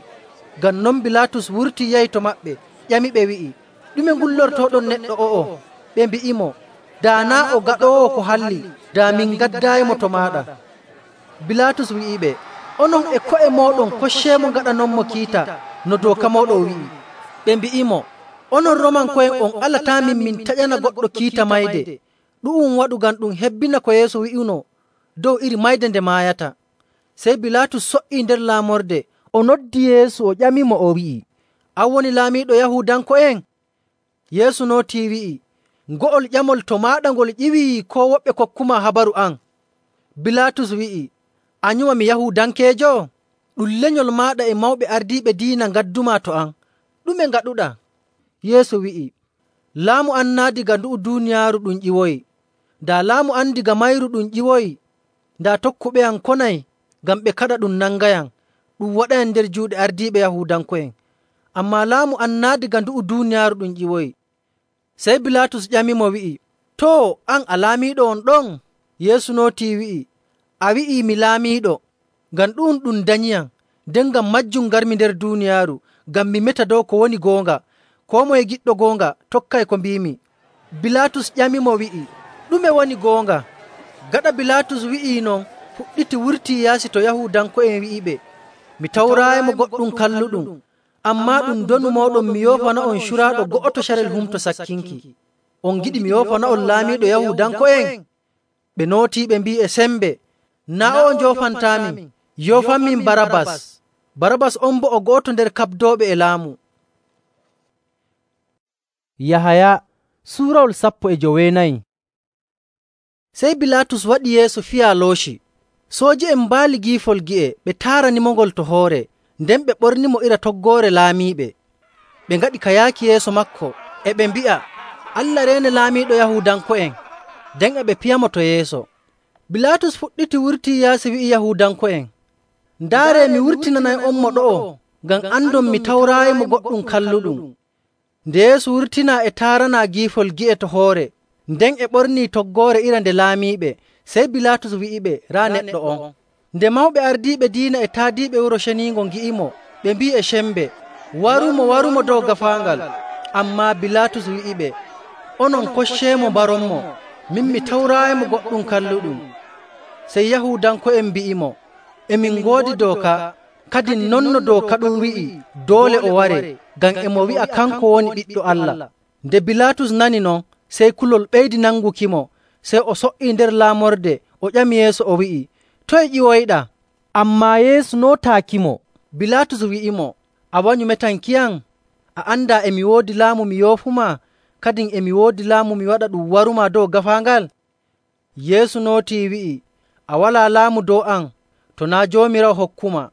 [SPEAKER 1] Ngam non Bilaatus wurtii yahi to maɓɓe, ƴamiɓe wi'i, “Ɗume ngullortooɗon neɗɗo o'o?” Ɓe mbi'imo, “Daa naa' o gaɗoowo ko halli, daa min ngaddaayimo to maaɗa.” Bilaatus wi'iɓe, “Onon e ko'e mooɗon kocceemo ngaɗanonmo kiita no dooka mooɗon wi'i.” Ɓe mbi'imo, “Onon Roomanko'en on alataamin min taƴana goɗɗo kiita mayde. Ɗu'um waɗu ngam ɗum hebbina ko Yeesu wi'uno dow iri mayde nde maayata.” Sey Bilaatus so''ii nder laamorde, o noddi Yeesu, o ƴamimo, o wi'i, “An woni laamiiɗo Yahuudanko'en?” Yeesu nootii wi'i, “Ngo'ol ƴamol to maaɗa ngol ƴiwii, koo woɓɓe kokkumaa habaru an?” Bilaatus wi'i, “A nyuma mi Yahuudankeejo? Ɗum lenyol maaɗa e mawɓe ardiiɓe diina ngaddumaa to am. Ɗume ngaɗuɗaa?” Yeesu wi'i, “Laamu am naa' daga ndu'u duuniyaaru ɗum ƴiwoyi. Daa laamu am daga mayru ɗum ƴiwoyi, daa tokkuɓe am konay ngam ɓe kaɗa ɗum nangayam, ɗum waɗayam nder juuɗe ardiiɓe Yahuudanko'en. Ammaa laamu am naa' daga ndu'u duuniyaaru ɗum ƴiwoyi.” Sey Bilaatus ƴamimo wi'i, “Too, an a laamiiɗo on ɗon?” Yeesu nootii wi'i, “A wi'ii mi laamiiɗo. Ngam ɗu'um ɗum danyiyam, nden ngam maajum ngarmi nder duuniyaaru, ngam mi meta dow ko woni goonga. Koo moye giɗɗo goonga tokkay ko mbiimi.” Bilaatus ƴamimo wi'i, “Ɗume woni goonga?” Gaɗa Bilaatus wi'ii non, fuɗɗiti wurtii yaasi to Yahuudanko'en wi'iɓe, “Mi tawraayimo goɗɗum kalluɗum, ammaa ɗum donu mooɗon mi yoofana'on curaaɗo go'oto carel Humto Sakkinki. On ngiɗi mi yoofana'on laamiiɗo Yahuudanko'en?” Ɓe nootii ɓe mbi'i e sembe, “Naa' o'o njoofantaamin, yoofanmin Barabbas.” Barabbas on boo o go'oto nder kaɓdooɓe e laamu. Yahaya suurawol 14. Sey Bilaatus waɗi Yeesu fiyaa looci. Sooji'en mbaali giifol gi'e, ɓe taaranimongol to hoore, nden ɓe ɓornimo ira toggoore laamiiɓe. Ɓe ngaɗi ka yaaki yeeso maako, e ɓe mbi'a, “Allah reene laamiiɗo Yahuudanko'en.” Nden e ɓe piyamo to yeeso. Bilaatus fuɗɗiti wurtii yaasi wi'i Yahuudanko'en, “Ndaaree, mi wurtinanay'onmo ɗo'o, ngam andon mi tawraayimo goɗɗum kalluɗum.” Nde Yeesu wurtinaa e taaranaa giifol gi'e to hoore, nden e ɓornii toggoore ira nde laamiiɓe, sey Bilaatus wi'iɓe, “Raa neɗɗo on.” Nde mawɓe ardiiɓe diina e taadiiɓe Wuro Ceniingo ngi'imo, ɓe mbi'i e cembe, “Warumo, warumo dow gaafaangal.” Ammaa Bilaatus wi'iɓe, “Onon kocceemo mbaronmo. Min mi tawraayimo goɗɗum kalluɗum.” Sey Yahuudanko'en mbi'imo, “E min ngoodi dooka, kadin non no dooka ɗum wi'i doole o ware, ngam e mo wi'a kanko woni Ɓiɗɗo Allah.” Nde Bilaatus nani non, sey kulol ɓeydi nangukimo, sey o so''ii nder laamorde, o ƴami Yeesu, o wi'i, “Toye ƴiwoyɗaa?” Ammaa Yeesu nootaakimo. Bilaatus wi'imo, “A wanyu metankiyam? A andaa e mi woodi laamu mi yoofumaa, kadin e mi woodi laamu mi waɗa ɗum warumaa dow gaafaangal?” Yeesu nootii wi'i, “A walaa laamu dow am, to naa' Joomiraawo hokkumaa.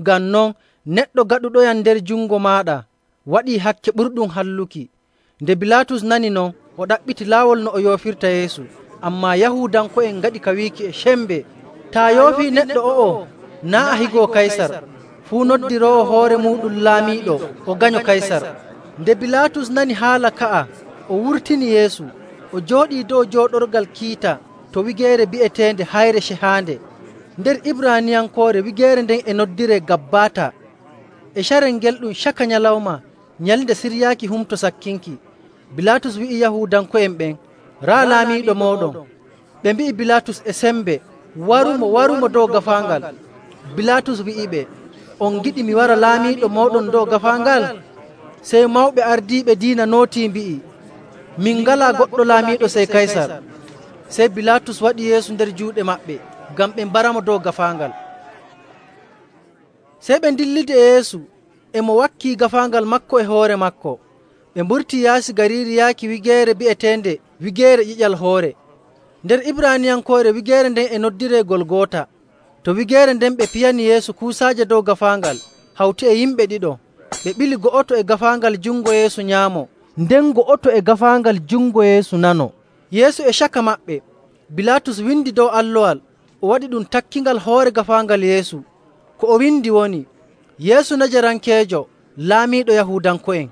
[SPEAKER 1] Ngam non, neɗɗo gaɗuɗoyam nder jungo maaɗa waɗii hakke ɓurɗum halluki.” Nde Bilaatus nani non, o ɗaɓɓiti laawol no o yoofirta Yeesu. Ammaa Yahuudanko'en ngaɗi ka wiiki e cembe, “Taa yoofii neɗɗo o'o, naa' a higoo Kaysar. Fuu noddiroowo hoore muuɗum laamiiɗo, o ganyo Kaysar.” Nde Bilaatus nani haala ka'a, o wurtini Yeesu, o jooɗii dow jooɗorgal kiita to wigeere bi'eteende Hayre Cehaande. Nder Ibraaniyankoore wigeere nden e noddiree Gabbaata. E carel ngel ɗum caka nyalawma, nyalnde siryaaki Humto Sakkinki. Bilaatus wi'i Yahuudanko'en ɓen, “Raa laamiiɗo mooɗon.” Ɓe mbi'i Bilaatus e sembe, warumo dow gaafaangal. Bilaatus wi'iɓe, on giɗi mi wara laamiiɗo mooɗon dow gaafaangal? Sey mawɓe ardiiɓe diina nootii mbi'i, min ngalaa goɗɗo laamiiɗo sey Kaysar. Sey Bilaatus waɗi Yeesu nder juuɗe maɓɓe ngam ɓe mbaramo dow gaafaangal. Sey ɓe ndillidi e Yeesu e mo wakkii gaafaangal makko e hoore makko. Ɓe mburtii yaasi gariiri yaaki wigeere bi'eteende Wigeere Ƴiƴal Hoore. Nder Ibraaniyankoore wigeere nden e noddiree Golgoota. To wigeere nden ɓe piyani Yeesu kuusaaje dow gaafaangal hawti e yimɓe ɗiɗo. Ɓe ɓili go'oto e gaafaangal jungo Yeesu nyaamo, nden go'oto e gaafaangal jungo Yeesu nano. Yeesu e caka maɓɓe. Bilaatus windi dow allowal, o waɗi ɗum takkingal hoore gaafaangal Yeesu. Ko o windi woni, Yeesu Najarankeejo, laamiiɗo Yahuudanko'en.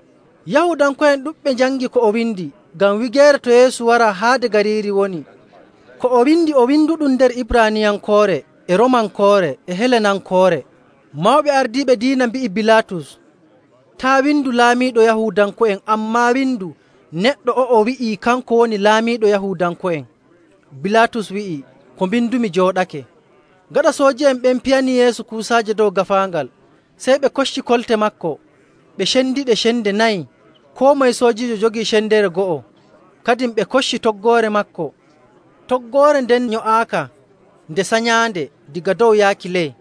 [SPEAKER 1] Yahuudanko'en ɗuɗɓe njangi ko o windi, ngam wigeere to Yeesu waraa haade gariiri woni. Ko o winduɗum nder Ibraaniyankoore, e Romankoore, e Helenankoore. Mawɓe ardiiɓe diina mbi'i Bilaatus, taa windu laamiiɗo Yahuudanko'en, ammaa windu neɗɗo o'o wi'ii kanko woni laamiiɗo Yahuudanko'en. Bilaatus wi'i, ko mbindumi jooɗake. Gaɗa sooji'en ɓen piyani Yeesu kuusaaje dow gaafaangal, sey ɓe kocci kolte makko, ɓe cendiɗe cende 4. Koo moye soojiijo jogii cendere go'o. Kadin ɓe kocci toggoore makko. Toggoore nden nyo'aaka nde sanyaande diga dow yaaki ley.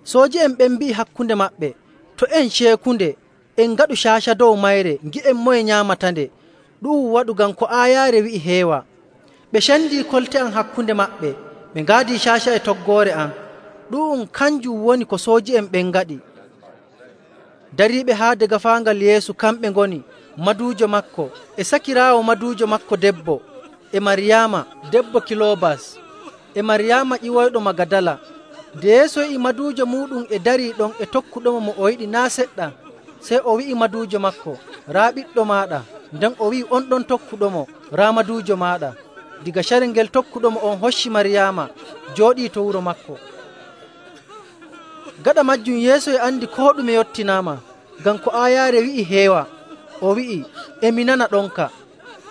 [SPEAKER 1] Sooji'en ɓen mbi'i hakkunde maɓɓe, to en ceekunde, en ngaɗu caaca dow mayre, ngi'en moye nyaamatande. Ɗu'um waɗu ngam ko aayaare wi'i heewa. Ɓe cendii kolte am hakkunde maɓɓe, ɓe ngaadii caaca e toggoore am. Ɗu'um kanjum woni ko sooji'en ɓen ngaɗi. Dariiɓe haade gaafaangal Yeesu kamɓe ngoni maduujo makko e sakiraawo maduujo makko debbo, e Maryaama debbo Kiloobas, e Maryaama ƴiwoyɗo Magadala. Nde Yeesu yi'i maduujo muuɗum e darii ɗon e tokkuɗomo mo o yiɗi naa' seɗɗa, sey o wi'i maduujo makko, raa ɓiɗɗo maaɗa. Nden o wi'i on ɗon tokkuɗomo, raa maduujo maaɗa. Diga carel ngel tokkuɗomo on hocci Maryaama jooɗii to wuro makko. Gaɗa majjum Yeesu e andi koo ɗume yottinaama, ngam ko aayaare wi'i heewa. O wi'i, emi nana ɗonka.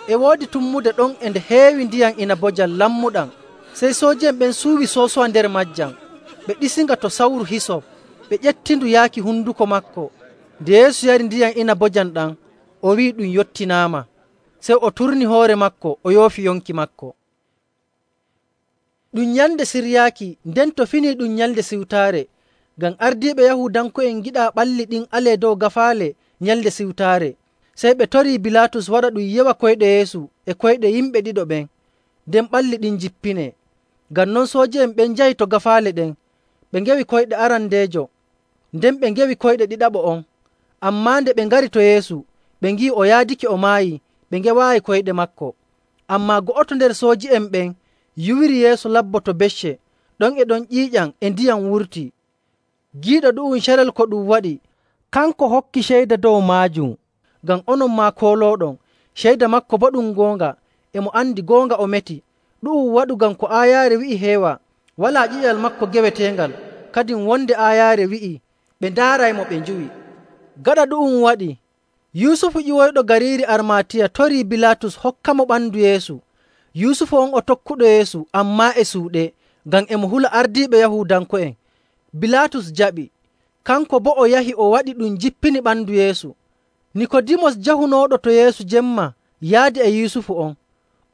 [SPEAKER 1] E woodi tummude ɗon e nde heewi ndiyam inabojam lammuɗam. Sey sooji'en ɓen suuwi soosowa nder majjam. Ɓe ɗisinga to sawru hisop, ɓe ƴettindu yaaki hunduko makko. Nde Yeesu yari ndiyam inabojam ɗam, o wi'i ɗum yottinaama. Sey o turni hoore makko, o yoofi yonki makko. Ɗum nyalnde siryaaki, nden to finii ɗum nyalnde siwtaare, ngam ardiiɓe Yahuudanko'en giɗaa ɓalli ɗin alee dow gaafaale nyalnde siwtaare. Sey ɓe torii Bilaatus waɗa ɗum yewa koyɗe Yeesu e koyɗe yimɓe ɗiɗo ɓen, nden ɓalli ɗin jippinee. Ngam non sooji'en ɓen njahi to gaafaale ɗen, ɓe ngewi koyɗe arandeejo, nden ɓe ngewi koyɗe ɗiɗaɓo on. Ammaa nde ɓe ngari to Yeesu, ɓe ngi'i o yaadake o maayi, ɓe ngewaayi koyɗe makko. Ammaa go'oto nder sooji'en ɓen yuwiri Yeesu labbo to becce, ɗon e ɗon ƴiiƴam e ndiyam wurtii. Giiɗo ɗu'um carel ko ɗum waɗi, kanko hokki ceyda dow maajum, ngam onon maa koolooɗon. Ceyda makko boo ɗum goonga, e mo andi goonga o meti. Ɗu'um waɗu ngam ko aayaare wi'i heewa, walaa ƴiƴal makko geweteengal. Kadin wonde aayaare wi'i, ɓe ndaaraymo ɓe njuwi. Gaɗa ɗu'um waɗi, Yusufu ƴiwoyɗo gariiri Armatiya torii Bilaatus hokkamo ɓandu Yeesu. Yusufu on o tokkuɗo Yeesu, ammaa e suuɗe, ngam e mo hula ardiiɓe Yahuudanko'en. Bilaatus jaɓi. Kanko boo o yahi o waɗi ɗum jippini ɓandu Yeesu. Nikodimos jahunooɗo to Yeesu jemma yaadi e Yusufu on.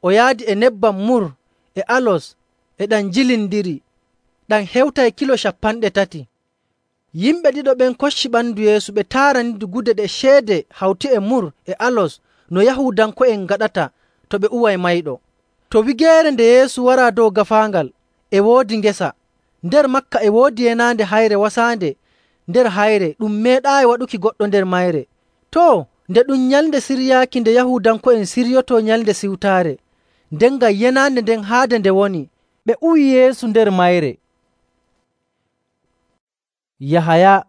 [SPEAKER 1] O yaadi e nebbam mur e alos e ɗam jilindiri, ɗam hewtay kilo 30. Yimɓe ɗiɗo ɓen kocci ɓandu Yeesu, ɓe taaranidi gude ɗe ceede hawti e mur e alos no Yahuudanko'en ngaɗata to ɓe uway mayɗo. To wigeere nde Yeesu waraa dow gaafaangal, e woodi ngesa. Nder makka e woodi yenaande hayre wasaande nder hayre, ɗum meeɗaayi waɗuki goɗɗo nder mayre. Too, nde ɗum nyalnde siryaaki nde Yahuudanko'en siryotoo nyalnde siwtaare, nden ngam yenaande nden haade nde woni, ɓe uwi Yeesu nder mayre. Yahaya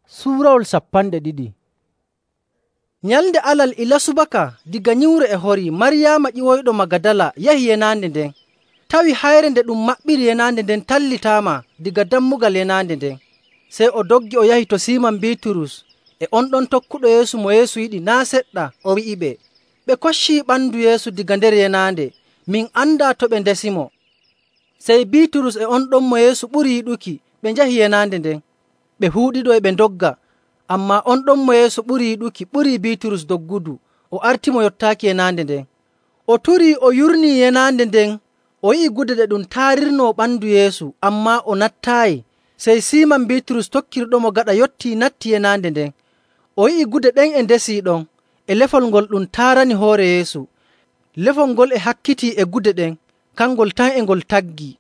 [SPEAKER 1] suurawol 12. Nyalnde alal ila subaka diga nyiwre e horii, Maryaama ƴiwoyɗo Magadala yahi yenaande nden, tawi hayre nde ɗum maɓɓiri yenaande nden tallitaama diga dammugal yenaande nden. Sey o doggi o yahi to Siiman Biiturus e on ɗon tokkuɗo Yeesu mo Yeesu yiɗi naa' seɗɗa, o wi'iɓe, ɓe koccii ɓandu Yeesu diga nder yenaande, min andaa to ɓe ndesimo. Sey Biiturus e on ɗon mo Yeesu ɓuri yiɗuki ɓe njahi yenaande nden. Ɓe huuɗiɗo e ɓe ndogga, ammaa on ɗon mo Yeesu ɓuri yiɗuki ɓurii Biiturus doggudu, o artimo yottaaki yenaande nden. O turii o yurnii yenaande nden, o yi'i gude ɗe ɗum taarirnoo ɓandu Yeesu, ammaa o nattaayi. Sey Siiman Biiturus tokkirɗomo gaɗa yottii natti yenaande nden. O yi'i gude ɗen e ndesii ɗon, e lefol ngol ɗum taarani hoore Yeesu. Lefol ngol e hakkitii e gude ɗen, kangol tan e ngol taggii.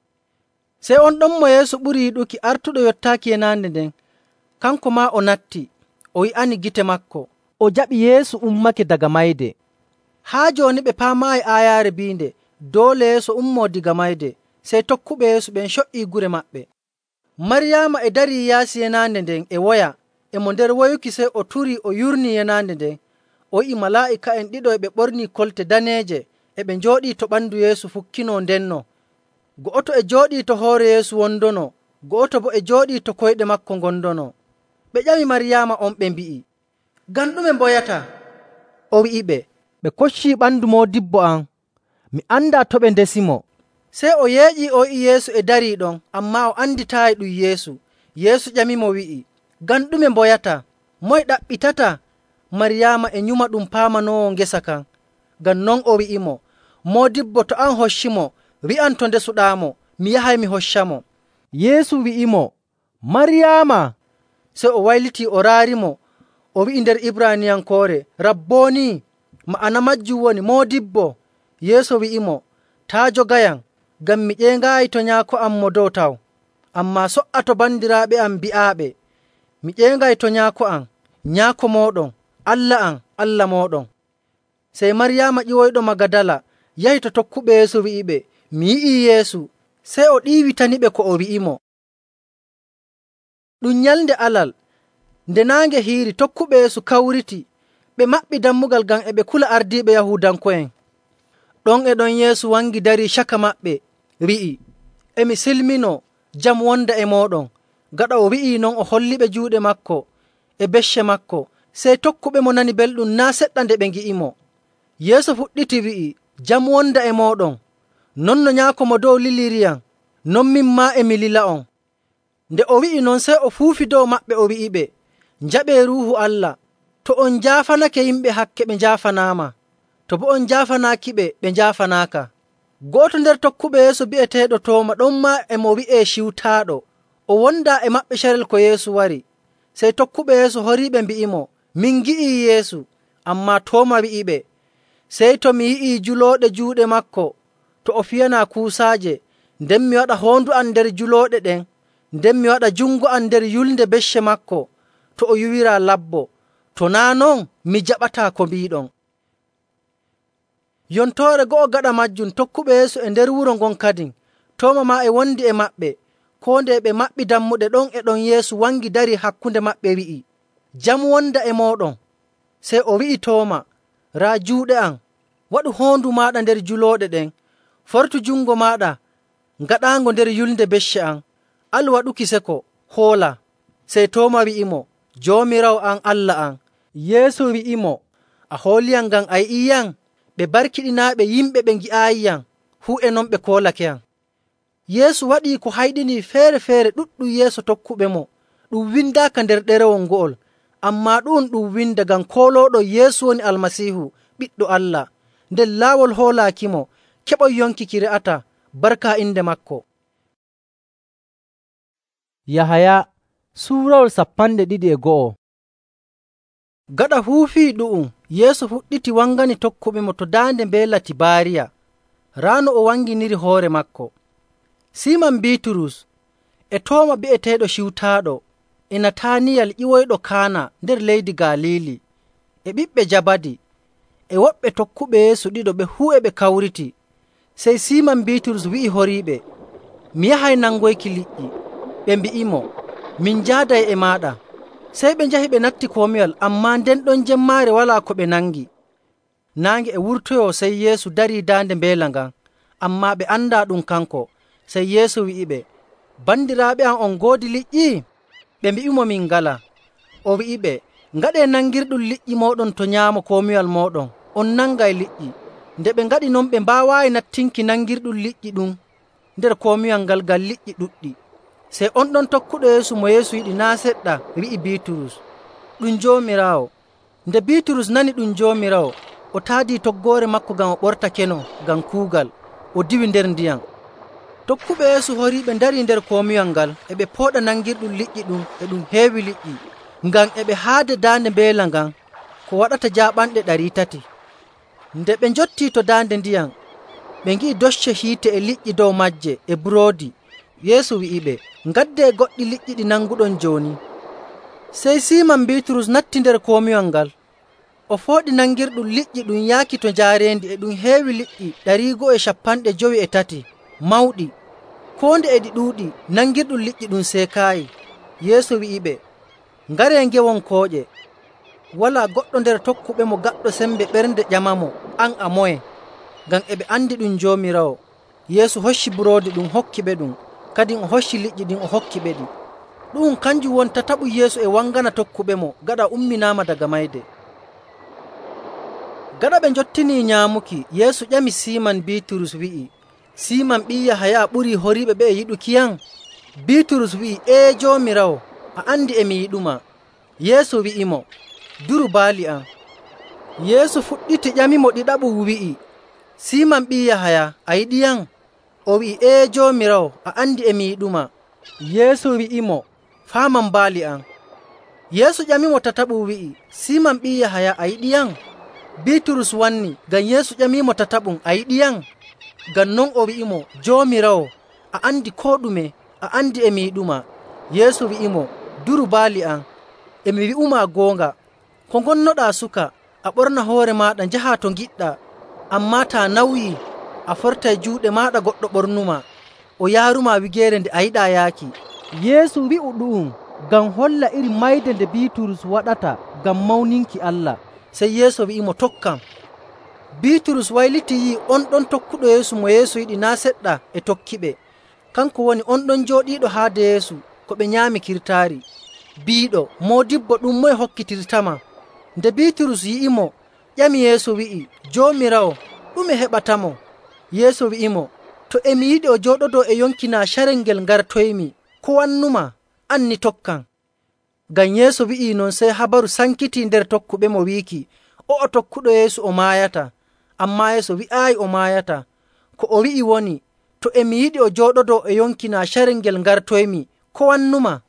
[SPEAKER 1] Sey on ɗon mo Yeesu ɓuri yiɗuki artuɗo yottaaki yenaande nden, kanko maa o natti, o yi'ani gite maako, o jaɓi Yeesu ummake daga mayde. Haa jooni ɓe paamaayi aayaare biinde doole Yeesu ummoo diga mayde. Sey tokkuɓe Yeesu ɓen co''ii gure maɓɓe. Maryaama e darii yaasi yenaande nden e woya. E mo nder woyuki sey o turii o yurnii yenaande nden. O yi'i malaa'ika'en ɗiɗo e ɓe ɓornii kolte daneeje e ɓe njooɗii to ɓandu Yeesu fukkinoo ndenno. Go'oto e jooɗii to hoore Yeesu wondono, go'oto boo e jooɗii to koyɗe maako ngondono. Ɓe ƴami Maryaama on ɓe mbi'i, “Ngam ɗume mboyataa?” O wi'iɓe, “Ɓe koccii ɓandu moodibbo am. Mi andaa to ɓe ndesimo.” Sey o yeeƴii o yi'i Yeesu e darii ɗon, ammaa o anditaayi ɗum Yeesu. Yeesu ƴamimo wi'i, “Ngam ɗume mboyataa? Moye ɗaɓɓitataa?” Maryaama e nyuma ɗum paamanoowo ngesa kan. Ngam non o wi'imo, “Moodibbo, to an hoccimo, wi'am to ndesuɗaamo, mi yahay mi hoccamo.” Yeesu wi'imo, “Maryaama!” Sey o waylitii o raarimo, o wi'i nder Ibraaniyankoore, “Rabbooni!” Ma'ana maajum woni Moodibbo. Yeesu wi'imo, “Taa' jogayam, ngam mi ƴeengaayi to Nyaako am Mo Dow taw. Ammaa so''a to bandiraaɓe am bi'aaɓe, mi ƴeengay to Nyaako am, Nyaako mooɗon, Allah am, Allah mooɗon.” Sey Maryaama ƴiwoyɗo Magadala yahi to tokkuɓe Yeesu wi'iɓe, “Mi yi'ii Yeesu.” Sey o ɗiiwitaniɓe ko o wi'imo. Ɗum nyalnde Alal, nde naange hiiri, tokkuɓe Yeesu kawriti, ɓe maɓɓi dammugal ngam e ɓe kula ardiiɓe Yahuudanko'en. Ɗon e ɗon Yeesu wangi darii caka maɓɓe, wi'i, “E mi silminoo, jam wonda e mooɗon.” Gaɗa o wi'ii non, o holliɓe juuɗe maako e becce maako. Sey tokkuɓemo nani belɗum naa' seɗɗa nde ɓe ngi'imo. Yeesu fuɗɗiti wi'i, “Jam wonda e mooɗon. Non no Nyaako Mo Dow liliriyam, non min maa e mi lila'on.” Nde o wi'i non, sey o fuufi dow maɓɓe o wi'iɓe, “Njaɓee Ruuhu Allah. To on njaafanake yimɓe hakke, ɓe njaafanaama. To boo on njaafanaakiɓe, ɓe njaafanaaka.” Go'oto nder tokkuɓe Yeesu bi'eteeɗo Tooma, ɗon maa e mo wi'ee Ciwtaaɗo, o wondaa e maɓɓe carel ko Yeesu wari. Sey tokkuɓe Yeesu horiiɓe mbi'imo, “Min ngi'ii Yeesu.” Ammaa Tooma wi'iɓe, “Sey to mi yi'ii julooɗe juuɗe maako, to o fiyanaa kuusaaje, nden mi waɗa hoondu am nder julooɗe ɗen, nden mi waɗa jungo am nder yulnde becce maako, to o yuwiraa labbo, to naa' non, mi jaɓataa ko mbiiɗon.” Yontoore go'o gaɗa majjum, tokkuɓe Yeesu e nder wuro ngon kadin, Tooma maa e wondi e maɓɓe. Koo nde ɓe maɓɓi dammuɗe ɗon e ɗon Yeesu wangi darii hakkunde maɓɓe wi'i, “Jam wonda e mooɗon.” Sey o wi'i Tooma, “Raa juuɗe am, waɗu hoondu maaɗa nder julooɗe ɗen, fortu jungo maaɗa ngaɗaango nder yulnde becce am. Al waɗuki seko, hoola.” Sey Tooma wi'imo, “Joomiraawo am, Allah am.” Yeesu wi'imo, “A hooliyam ngam a yi'iyam? Ɓe barkiɗinaaɓe yimɓe ɓe ngi'aayiyam, fuu e non ɓe koolakeyam.” Yeesu waɗii ko hayɗinii feere‑feere ɗuɗɗum yeeso tokkuɓemo. Ɗum windaaka nder ɗerewol ngo'ol, ammaa ɗu'um ɗum winda ngam koolooɗon Yeesu woni Almasiihu, Ɓiɗɗo Allah. Nden laawol hoolaakimo, keɓon yonki ki re'ataa, barka inde maako. Yahaya suurawol 21. Gaɗa huufii ɗu'um, Yeesu fuɗɗiti wangani tokkuɓemo to daande mbeela Tibaariya, raa no o wanginiri hoore maako. Siiman Biiturus e Tooma bi'eteeɗo Ciwtaaɗo, e Nataaniyal ƴiwoyɗo Kaana nder leydi Galiili, e ɓiɓɓe Jabadi, e woɓɓe tokkuɓe Yeesu ɗiɗo ɓe fuu e ɓe kawriti. Sey Siiman Biiturus wi'i horiiɓe, “Mi yahay nangoyki liƴƴi.” Ɓe mbi'imo, “Min njaaday e maaɗa.” Sey ɓe njahi ɓe natti komiwal, ammaa nden ɗon jemmaare walaa ko ɓe nangi. Naange e wurtoyoo, sey Yeesu darii daande mbeela ngan, ammaa ɓe andaa ɗum kanko. Sey Yeesu wi'iɓe, “Bandiraaɓe am, on ngoodi liƴƴi?” Ɓe mbi'imo, “Min ngalaa.” O wi'iɓe, “Ngaɗee nangirɗum liƴƴi mooɗon to nyaamo komiwal mooɗon.” On nangay liƴƴi. Nde ɓe ngaɗi non, ɓe mbaawaayi nattinki nangirɗum liƴƴi ɗum. nder komiwal ngal ngam liƴƴi ɗuɗɗi. Sey on ɗon tokkuɗo Yeesu mo Yeesu yiɗi naa' seɗɗa wi'i Biiturus, “Ɗum Joomiraawo.” Nde Biiturus nani ɗum Joomiraawo, o taadii toggoore maako ngam o ɓorta keno ngam kuugal, o diwi nder ndiyam. Tokkuɓe Yeesu horiiɓe ndarii nder komiwal ngal e ɓe pooɗa nangirɗum liƴƴi ɗum e ɗum heewi liƴƴi, ngam e ɓe haade daande mbeela ngan ko waɗata jaaɓanɗe 300. Nde ɓe njottii to daande ndiyam, ɓe ngi'i docce hiite e liƴƴi dow maaje e buroodi. Yeesu wi'iɓe, “Ngaddee goɗɗi liƴƴi ɗi nanguɗon jooni.” Sey Siiman Biiturus natti nder komiwal ngal. O fooɗi nangirɗum liƴƴi ɗum yaaki to njaareendi e ɗum heewi liƴƴi 250 mawɗi. Koo nde e ɗi ɗuuɗi, nangirɗum liƴƴi ɗum seekaayi. Yeesu wi'iɓe, “Ngaree ngewon kooƴe.” Walaa goɗɗo nder tokkuɓemo gaɗɗo sembe ɓernde ƴamamo, “An a moye?” Ngam e ɓe andi ɗum Joomiraawo. Yeesu hocci buroodi ɗum hokkiɓe ɗum, kadin o hocci liƴƴi ɗin o hokkiɓe ɗi. Ɗu'um kanjum woni tataɓum Yeesu e wangana tokkuɓemo gaɗa umminaama daga mayde. Gaɗa ɓe njottinii nyaamuki, Yeesu ƴami Siiman Biiturus wi'i, “Siiman ɓii Yahaya, ɓurii horiiɓe ɓe'e yiɗukiyam?” Biiturus wi'i, “Ee Joomiraawo, a andi e mi yiɗuma.” Yeesu wi'imo, “Duru baali am.” Yeesu fuɗɗiti ƴamimo ɗiɗaɓum wi'i, “Siiman ɓii Yahaya, a yiɗiyam?” O wi'i, “Ee Joomiraawo, a andi e mi yiɗuma.” Yeesu wi'imo, “Faaman baali am.” Yeesu ƴamimo tataɓum wi'i, “Siiman ɓii Yahaya, a yiɗiyam?” Biiturus wanni, ngam Yeesu ƴamiimo tataɓum, “A yiɗiyam?” Ngam non o wi'imo, “Joomiraawo, a andi koo ɗume, a andi e mi yiɗuma.” Yeesu wi'imo, “Duru baali am. E mi wi'umaa goonga, ko ngonnoɗaa suka, a ɓorna hoore maaɗa njahaa to ngiɗɗaa. Ammaa taa nawyii, a fortay juuɗe maaɗa goɗɗo ɓornumaa, o yaarumaa wigeere nde a yiɗaa yaaki.” Yeesu wi'u ɗu'um ngam holla iri mayde nde Biiturus waɗata ngam mawninki Allah. Sey Yeesu wi'imo, “Tokkam.” Biiturus waylitii yi'i on ɗon tokkuɗo Yeesu mo Yeesu yiɗi naa' seɗɗa e tokkiɓe. Kanko woni on ɗon jooɗiiɗo haade Yeesu ko ɓe nyaami kirtaari, biiɗo, “Moodibbo, ɗum moye hokkitirtama?” Nde Biiturus yi'imo, ƴami Yeesu wi'i, “Joomiraawo, ɗume heɓatamo?” Yeesu wi'imo, “To e mi yiɗi o jooɗodoo e yonki naa carel ngel ngartoymi, ko wannumaa? An ni tokkam.” Ngam Yeesu wi'ii non, sey habaru sankitii nder tokkuɓemo wiiki, o'o tokkuɗo Yeesu o maayata. Ammaa Yeesu wi'aayi o maayata. Ko o wi'i woni, “To e mi yiɗi o jooɗodoo e yonki naa carel ngel ngartoymi, ko wannumaa?”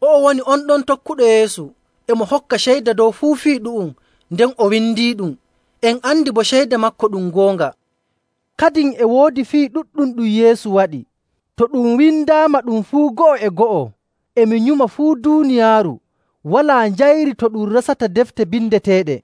[SPEAKER 1] O'o woni on ɗon tokkuɗo Yeesu e mo hokka ceyda dow fuu fii ɗu'um, nden o windiiɗum. En andi bo ceyda maako ɗum goonga. Kadin e woodi fii ɗuɗɗum ɗum Yeesu waɗi. To ɗum windaama ɗum fuu go'o e go'o, e mi nyuma fuu duuniyaaru walaa njayri to ɗum resata defte bindeteeɗe.